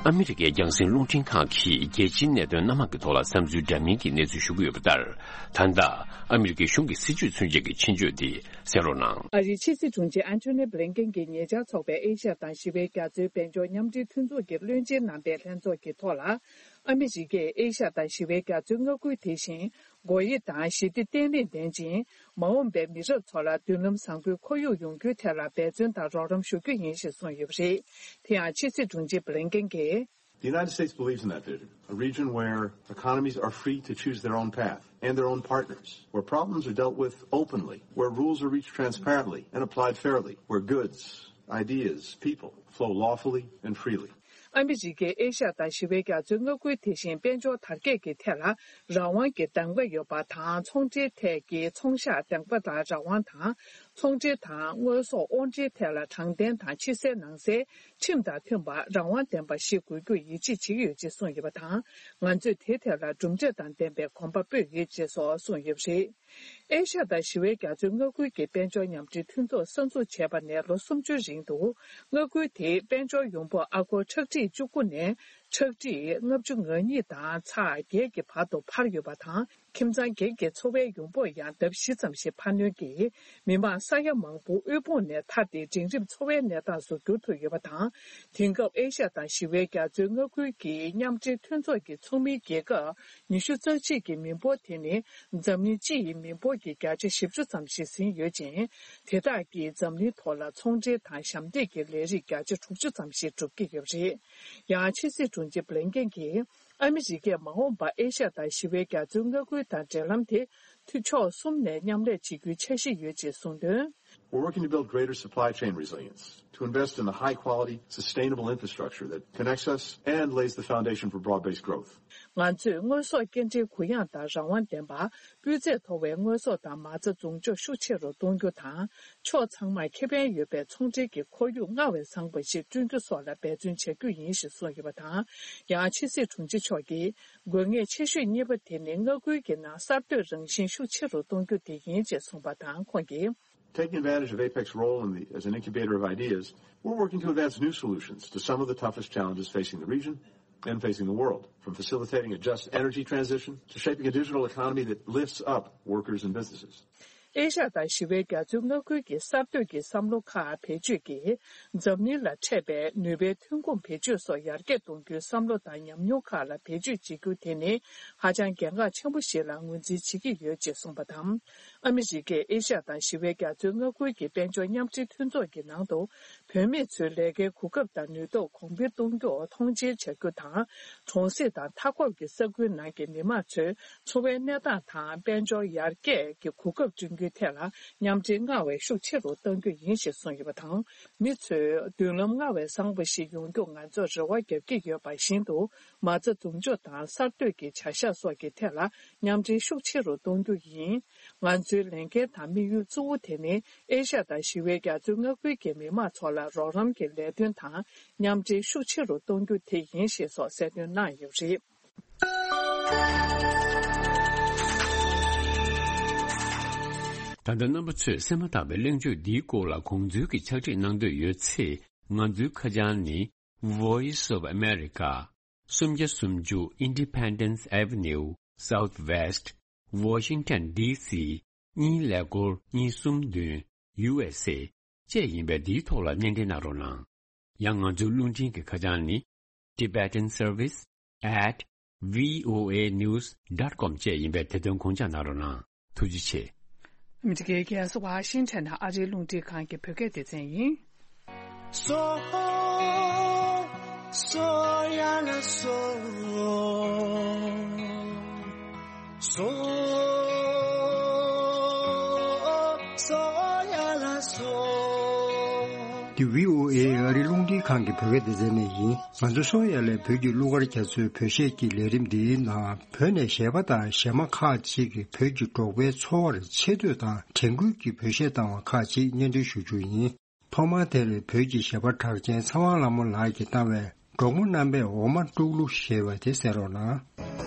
ཨ་མི་རི་ཀའི་རྒྱང་སྲིང་རླུང་འཕྲིན་ཁང་གིས་རྒྱལ་སྤྱིའི་གནད་དོན་སྣ་མང་གི་ཐོག་ལ་བསམ་ཚུལ་འདྲ་མིན་གྱི་གནས་ཚུལ་ཞུ་གི་ཡོད་པ་ལྟར། ད་ལྟ་ཨ་མི་རི་ཀའི་གཞུང་གི་སྲིད་ཇུས་མཚོན་ཆེད་ཀྱི་ཆེད་བརྗོད་འདི་གསན་རོགས་གནང་། ཨ་རིའི་ཕྱི་སྲིད་དྲུང་ཆེ་ཨན་ཐོ་ནི་བྷི་ལིན་ཀེན་གྱིས་ཉེ་ཆར་འཚོགས་པའི་ཨེ་ཤ་ཡ་དང་ཞི་བའི་རྒྱ་མཚོའི་དཔལ་འབྱོར་མཉམ་འབྲེལ་མཐུན་ཚོགས་ཀྱི་བློན་ཆེན་རྣམ་པའི་ལྷན་ཚོགས་ཀྱི་ཐོག་ལ། ཨ་མི་རི་ཀས་ཨེ་ཤ་ཡ་དང་ཞི་བའི་རྒྱ་མཚོའི་མངའ་ཁུལ་དེ་བཞིན། སྒོ་དབྱེ་དང་ཞི་བདེ་བརྟན་ལྷིང་ལྡན་ཅིང་། མ་འོངས་པའི་མི་རབས་ཚོ་ལ་མདུན་ལམ་བཟང་པོའི་ཁོར་ཡུག་ཡོང་རྒྱུའི་ཐད་ལ་འབད་བརྩོན་དང་རོགས་རམ་ཞུ་རྒྱུ་ཡིན་ཞེས་གསུངས་ཡོད་པ་རེད། དེ་ཡང་ཕྱི་སྲིད་དྲུང་ཆེ་བྷི་ལིན་ཀེན་གྱིས། The United States believes in that vision, a region where economies are free to choose their own path and their own partners, where problems are dealt with openly, where rules are reached transparently and applied fairly, where goods, ideas, people flow lawfully and freely. ཨ་མི་རི་ཀས་ཨེ་ཤ་ཡ་དང་ཞི་བའི་རྒྱ་མཚོའི་མངའ་ཁུལ་དེ་བཞིན་དཔལ་འབྱོར་དར་རྒྱས་ཀྱི་ཐད་ལ་རང་དབང་གི་གདམ་ག་ཡོད་པ་དང་། ཚོང་འབྲེལ་ཐད་ཀྱི་ཚོང་ཤག་གདམ་ག་ལ་རང་དབང་དང་། ཚོང་འབྲེལ་དང་དངོས་ཟོག་དབོར་འདྲེན་ཐད་ལ་དྲང་བདེན་དང་ཕྱི་གསལ་ནང་གསལ། ཁྲིམས་དང་མཐུན་པ་རང་དབང་ལྡན་པ་ཞིག་དགོས་རྒྱུར་ཡིད་ཆེས་བྱེད་ཀྱི་ཡོད་ཅེས་གསུངས་ཡོད་པ་དང་། ང་ཚོས་དེའི་ཐད་ལ་གྲུབ་འབྲས་དང་ལྡན་པའི་གོམ་པ་སྤོས་ཡོད་ཅེས་སོགས་གསུངས་ཡོད་པ་རེད། ཨེ་ཤ་ཡ་དང་ཞི་བའི་རྒྱ་མཚོའི་མངའ་ཁུལ་གྱི་དཔལ་འབྱོར་མཉམ་འབྲེལ་མཐུན་ཚོགས་གསར་འཛུགས་བྱས་པ་ནས་ལོ་སུམ་ཅུའི་རིང་དུ། མངའ་ཁུལ་དེའི་དཔལ་འབྱོར་ཡོང་འབབ་ཨ་སྒོར་ཁྲག་ཁྲིག་བཅུ་དགུ་ནས་ཁྲག་ཁྲིག་ལྔ་བཅུ་ང་གཉིས་དང་ཚེག་བརྒྱད་ཀྱི་བར་དུ་འཕར་ཡོད་པ་དང་། ཁྱིམ་ཚང་བརྒྱད་ཀྱི་འཚོ་བའི་ཡོང་འབབ་ཡང་ལྡབ་བཞི་ཙམ་ཞིག་འཕར་སྣོན་གྱིས། མི་མང་ས་ཡ་མང་པོ་དབུལ་ཕོངས་ནས་ཐར་ཏེ། འབྲིང་རིམ་འཚོ་བའི་གནས་སྟངས་སུ་འགྱུར་ཐུབ་ཡོད་པ་དང་། དེང་སྐབས་ཨེ་ཤ་ཡ་དང་ཞི་བའི་རྒྱ་མཚོའི་མངའ་ཁུལ་གྱི་མཉམ་འབྲེལ་མཐུན་ཚོགས་ཀྱི་ཚོགས་མིའི་རྒྱལ་ཁབ་ཉི་ཤུ་རྩ་གཅིག་གི་མི་འབོར་དེ་ནི་འཛམ་གླིང་སྤྱི་ཡི་མི་འབོར་གྱི་བརྒྱ་ཆ་བཞི་བཅུ་ཙམ་ཞིག་ཟིན་ཡོད་ཅིང་། དེ་དག་གིས་འཛམ་གླིང་ཐོག་ལ་ཚོང་འབྲེལ་དང་ཞབས་འདེགས་ཀྱི་ལས་རིགས་བརྒྱ་ཆ་དྲུག་ཅུ་ཙམ་ཞིག་སྒྲུབ་ཀྱི་ཡོད་པ་རེད། ཡང་ཕྱི་སྲིད་དྲུང་ཆེ་བྷི་ལིན་ཀེན་གྱིས། ཨ་མི་རི་ཀས་མ་འོངས་པར་ཨེ་ཤ་ཡ་དང་ཞི་བའི་རྒྱ་མཚོའི་མངའ་ཁུལ་དང་འབྲེལ་ལམ་དེ་ཕྱོགས་གསུམ་ནས་མཉམ་ལས་བྱེད་རྒྱུའི་འཆར་གཞི་ཡོད་ཅེས་གསུངས་དོན། We're working to build greater supply chain resilience, to invest in the high-quality, sustainable infrastructure that connects us and lays the foundation for broad-based growth. ང་ཚོས་དངོས་ཟོག་སྐྱེལ་འདྲེན་གུ་ཡངས་དང་རང་དབང་ལྡན་པ། སྤུས་ཚད་མཐོ་བའི་དངོས་ཟོག་དང་མ་རྩ་འཛོམས་འཇོག་ཤུགས་ཆེ་རུ་གཏོང་རྒྱུ་དང་། ཕྱོགས་ཚང་མར་ཁེ་ཕན་ཡོད་པའི་ཚོང་འབྲེལ་གྱི་ཁོར་ཡུག་སྔར་བས་བཟང་བ་ཞིག་བསྐྲུན་རྒྱུ་སོགས་ལ་འབད་བརྩོན་བྱ་རྒྱུ་ཡིན་ཞེས་གསུངས་ཡོད་པ་དང་། ཡང་ཕྱི་སྲིད་དྲུང་ཆེ་མཆོག་གིས། དགོས་ངེས་ཆེ་ཤོས་གཉིས་པ་དེ་ནི་མངའ་ཁུལ་གྱི་ནང་གསར་གཏོད་རང་བཞིན་ཤུགས་ཆེ་རུ་གཏོང་རྒྱུ་དེ་ཡིན་ཅེས་གསུངས་པ་དང་། ཁོང་གིས། Taking advantage of APEC's role in the, as an incubator of ideas, we're working to advance new solutions to some of the toughest challenges facing the region and facing the world, from facilitating a just energy transition to shaping a digital economy that lifts up workers and businesses. ཨེ་ཤ་ཡ་དང་ཞི་བའི་རྒྱ་མཚོའི་མངའ་ཁུལ་གྱི་གསར་གཏོད་ཀྱི་བསམ་བློ་ཁག་བེད་སྤྱོད་ཀྱིས། འཛམ་གླིང་ལ་འཕྲད་པའི་ནུས་པའི་ཐོན་ཁུངས་བེད་སྤྱོད་སོགས་ཡར་རྒྱས་གཏོང་རྒྱུའི་བསམ་བློ་དང་ཉམས་མྱོང་ཁག་ལ་བེད་སྤྱོད་བྱེད་རྒྱུ་དེ་ནི་ཧ་ཅང་གལ་འགངས་ཆེན་པོ་ཞིག་ལ་ངོས་འཛིན་བྱེད་ཀྱི་ཡོད་ཅེས་གསུངས་པ་དང་། ཨ་མི་རི་ཀས་ཨེ་ཤ་ཡ་དང་ཞི་བའི་རྒྱ་མཚོའི་མངའ་ཁུལ་གྱི་དཔལ་འབྱོར་མཉམ་འབྲེལ་མཐུན་ཚོགས་ཀྱི་ནང་དུ། བུད་མེད་ཚོའི་ལས་ཀའི་གོ་སྐབས་དང་ནུས་སྟོབས་གོང་འཕེལ་གཏོང་རྒྱུར་མཐོང་ཆེན་བྱ་རྒྱུ་དང་། གྲོང་གསེབ་དང་མཐའ་འཁོབ་ཀྱི་ས་ཁུལ་ནང་གི་མི་མང་ཚོའི་འཚོ་བའི་གནས་སྟངས་དང་དཔལ་འབྱོར་ཡར་རྒྱས་ཀྱི་གོ་སྐབས་བསྐྲུན་རྒྱུའི་ཐད་ལ་མཉམ་འབྲེལ་སྔར་བས་ཤུགས་ཆེ་རུ་གཏང་རྒྱུ་ཡིན་ཞེས་གསུངས་ཡོད་པ་དང་། མི་ཚོས་མདུན་ལམ་སྔར་བས་བཟང་པོ་ཞིག་ཡོང་རྒྱུར་ང་ཚོར་རེ་བ་བརྒྱབ་ཀྱི་ཡོད་པ་བཞིན་དུ། མ་རྩ་འཛོམས་འཇུག་དང་གསར་གཏོད་ཀྱི་བྱ་གཞག་སོགས་ཀྱི་ཐད་ལ་མཉམ་འབྲེལ་ཤུགས་ཆེ་རུ་གཏོང་རྒྱུ་ཡིན། ང་ཚོའི་ལས་འགན་དང་དམིགས་ཡུལ་གཙོ་བོ་དེ་ནི། ཨེ་ཤ་ཡ་དང་ཞི་བའི་རྒྱ་མཚོའི་མངའ་ཁུལ་གྱི་མི་མང་ཚོ་ལ་རོགས་རམ་གྱི་ལས་དོན་དང་མཉམ་འབྲེལ་ཤུགས་ཆེ་རུ་གཏོང་རྒྱུ་དེ་ཡིན་ཞེས་སོགས་གསལ་སྟོན་གནང་ཡོད་པ་རེད། ད་ལྟ་རྣམ་པ་ཚོས་གསན་མ་ཐག་པའི་གླེང་བརྗོད་འདིའི་སྐོར་ལ་དགོངས་ཚུལ་གྱི་ཕྱག་བྲིས་གནང་འདོད་ཡོད་ཚེ། ང་ཚོའི་ཁ་བྱང་ནི། Voice of America། སུམ་བརྒྱ་སུམ་ཅུ་Independence Avenue Southwest Washington D C གཉིས་ཀླད་ཀོར་གཉིས་གསུམ་བདུན། U S A བཅས་ཡིན་པས། འདིའི་ཐོག་ལ་སྣེ་འདྲེན་གནང་རོགས་གནང་། ཡང་ང་ཚོའི་རླུང་འཕྲིན་གྱི་ཁ་བྱང་ནི། Tibetan Service at V O A news dot com བཅས་ཡིན་པས། དེ་དོན་དགོངས་འཇགས་གནང་རོགས་གནང་། ཐུགས་རྗེ་ཆེ། ཨ་མི་རི་ཀའི་རྒྱལ་ས་ཝ་ཤིང་ཊོན་ནང་ཨ་རིའི་རླུང་འཕྲིན་ཁང་གི་བོད་སྐད་སྡེ་ཚན་ཡིན། སོ། སོ་ཡ་ལ་སོ། སོ། སོ་ཡ་ལ་སོ། འདི་V O A ཨ་རིའི་རླུང་འཕྲིན་ཁང་གི་བོད་སྐད་སྡེ་ཚན་ནས་ཡིན། ང་ཚོ་སོ་ཡ་ལས་བོད་ཀྱི་གླུ་གར་རྒྱ་མཚོའི་བོད་གཞས་ཀྱི་ལས་རིམ་འདིའི་ནང་། བོད་ནས་གཞས་པ་དང་གཞས་མ་ཁག་ཅིག་གིས་བོད་ཀྱི་འབྲོག་པའི་འཚོ་བར་ཆེ་བསྟོད་དང་དྲན་སྐུལ་གྱི་བོད་གཞས་བཏང་བ་ཁག་ཅིག་སྙན་སྒྲོན་ཞུ་རྒྱུ་ཡིན། ཐོག་མར་དེར་བོད་ཀྱི་གཞས་པ་གྲགས་ཅན་ཚེ་དབང་ལྷ་མོ་ལགས་ཀྱིས་བཏང་བའི། འབྲོག་མོ་རྣམ་པས་འོ་མ་དཀྲུག་གླུ་ཞེས་པ་དེ་གསན་རོགས་གནང་།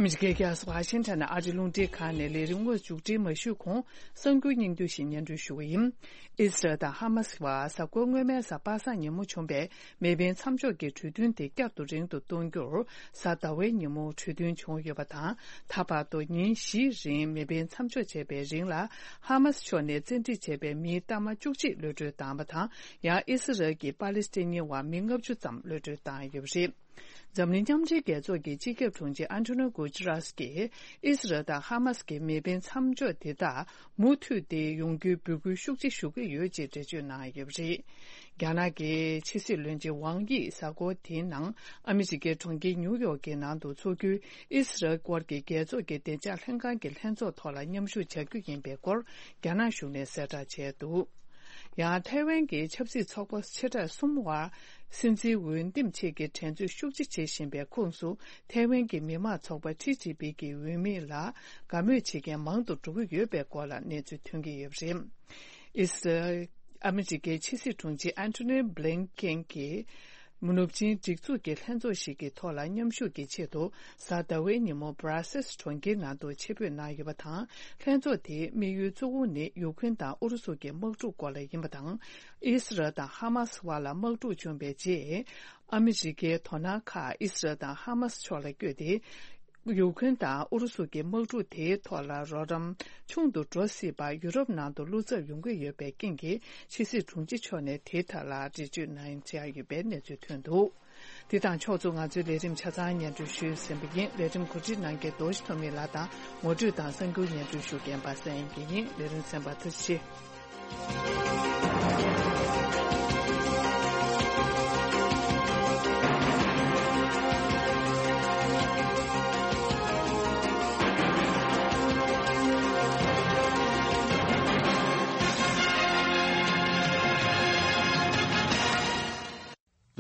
ཨ་མི་རི་ཀའི་རྒྱལ་ས་ཝ་ཤིང་ཊོན་ནང་ཨ་རིའི་རླུང་འཕྲིན་ཁང་ནས་ལས་རིམ་དངོས་མཇུག་སྒྲིལ་མ་ཞུས་གོང་། གསར་འགྱུར་སྙིང་བསྡུས་ཤིག་སྙན་སྒྲོན་ཞུ་གི་ཡིན། ཨི་སི་རལ་དང་ཧ་མ་སི་བར་གཟའ་འཁོར་སྔོན་མའི་གཟའ་པ་སངས་ཉིན་མོ་བྱུང་བའི་མེ་འཕེན་མཚམས་འཇོག་གི་གྲོས་མཐུན་དེ་བསྐྱར་དུ་རིང་དུ་གཏོང་རྒྱུར། གཟའ་ཟླ་བའི་ཉིན་མོ་གྲོས་མཐུན་བྱུང་ཡོད་པ་དང་། ད་བར་དུ་ཉིན་བཞིའི་རིང་མེ་འཕེན་མཚམས་འཇོག་བྱས་པའི་རིང་ལ། ཧ་མ་སི་ཕྱོགས་ནས་བཙན་ཁྲིད་བྱས་པའི་མིའི་གཏའ་མ་བཅུ་གཅིག་གློད་གྲོལ་བཏང་བ་དང་། ཡང་ཨི་སི་རལ་གྱིས་པ་ལི་སི་ཐན་གཉིས་བར་མི་ལྔ་བཅུ་ཙམ་གློད་གྲོལ་བཏང་ཡོད་པ་རེད། འཛམ་གླིང་མཉམ་འབྲེལ་རྒྱལ་ཚོགས་ཀྱི་སྤྱི་ཁྱབ་དྲུང་ཆེ་ཨན་ཐོ་ནིའོ་གུ་ཏི་རཱས་ཀྱིས་ཨི་སི་རལ་དང་ཧ་མ་སི་གི་མེ་འཕེན་མཚམས་འཇོག་དེ་དག་མུ་མཐུད་དེ་ཡོང་རྒྱུའི་འབོད་སྐུལ་ཤུགས་ཆེ་ཞུ་གི་ཡོད་ཅེས་འགྲེལ་བརྗོད་གནང་ཡོད་པ་རེད། རྒྱ་ནག་གི་ཕྱི་སྲིད་བློན་ཆེན་ཝང་དབྱི་གཟའ་འཁོར་དེའི་ནང་ཨ་མི་རི་ཀའི་གྲོང་ཁྱེར་ཉིའུ་ཡོག་གི་ནང་དུ་འཚོགས་རྒྱུའི་ཨི་སི་རལ་སྐོར་གྱི་རྒྱལ་ཚོགས་ཀྱི་བདེ་འཇགས་ལྷན་ཁང་གི་ལྷན་ཚོགས་ཐོག་ལ་མཉམ་ཞུགས་བྱ་རྒྱུ་ཡིན་པའི་སྐོར་རྒྱ་ནག་གཞུང་ནས་གསལ་བསྒྲགས་བྱས་འདུག་ཡང་ཐའེ་ཝན་གྱི་ཆབ་སྲིད་ཚོགས་པ་ཆེ་གྲས་གསུམ་བར་སྲིད་འཛིན་འོས་འདེམས་ཆེད་ཀྱི་འགྲན་རྩོད་ཤུགས་ཆེ་བྱེད་བཞིན་པའི་ཁོངས་སུ། ཐའེ་ཝན་གྱི་མི་དམངས་ཚོགས་པ་ཊི་ཇི་པི་གི་འོས་མི་ལ་དགའ་མོས་བྱེད་མཁན་མང་དུ་འགྲོ་གི་ཡོད་པའི་སྐོར་ལ་གནས་ཚུལ་ཐོན་གྱི་ཡོད་པ་རེད། ཨི་སི་རལ། ཨ་མི་རི་ཀའི་ཕྱི་སྲིད་དྲུང་ཆེ་ཨན་ཐོ་ནི་བྷི་ལིན་ཀེན་གྱིས། ནུབ་ཆིངས་སྒྲིག་འཛུགས་ཀྱི་ལྷན་ཚོགས་ཤིག་གི་ཐོག་ལ་མཉམ་ཞུགས་ཀྱི་ཆེད་དུ། གཟའ་ཟླ་བའི་ཉིན་མོ་Brussels་གྲོང་ཁྱེར་ནང་དུ་ཆེད་ཕེབས་གནང་ཡོད་པ་དང་། ལྷན་ཚོགས་དེའི་དམིགས་ཡུལ་གཙོ་བོ་ནི་ཡུཀ་རེན་དང་ཨུ་རུ་སུ་གྱི་དམག་འཁྲུག་སྐོར་ལ་ཡིན་པ་དང་། ཨི་སི་རལ་དང་ཧ་མ་སི་བར་ལ་དམག་འཁྲུག་བྱུང་བའི་རྗེས། ཨ་མི་རི་ཀའི་དོ་སྣང་ཁག་ཨི་སི་རལ་དང་ཧ་མ་སི་ཕྱོགས་ལ་བསྐྱོད་དེ། ཡུཀ་རེན་དང་ཨུ་རུ་སུ་གྱི་དམག་འཁྲུག་དེའི་ཐོག་ལ་རོགས་རམ་ཆུང་དུ་འགྲོ་སྲིད་པར་ཡུ་རོབ་ནང་དུ་བློ་འཚབ་ཡོང་གི་ཡོད་པའི་རྐྱེན་གྱིས། ཕྱི་སྲིད་དྲུང་ཆེ་མཆོག་ནས་དེའི་ཐད་ལ་འགྲེལ་བརྗོད་གནང་བྱས་ཡོད་པའི་གནས་ཚུལ་ཐོན་འདུག། དེ་དང་ཕྱོགས་མཚུངས་ང་ཚོའི་ལས་རིམ་ཆ་ཚང་སྙན་སྒྲོན་ཞུས་ཟིན་པ་ཡིན། ལས་རིམ་གོ་སྒྲིག་གནང་མཁན་རྡོ་རྗེ་ཐོན་མི་ལགས་དང་ངོ་སྤྲོད་དང་གསར་འགྱུར་སྙན་སྒྲོན་ཞུ་མཁན་པ་སངས་དབྱངས་སྐྱིད་ཡིན། ལས་རིམ་གསན་པར་ཐུགས་རྗེ་ཆེ།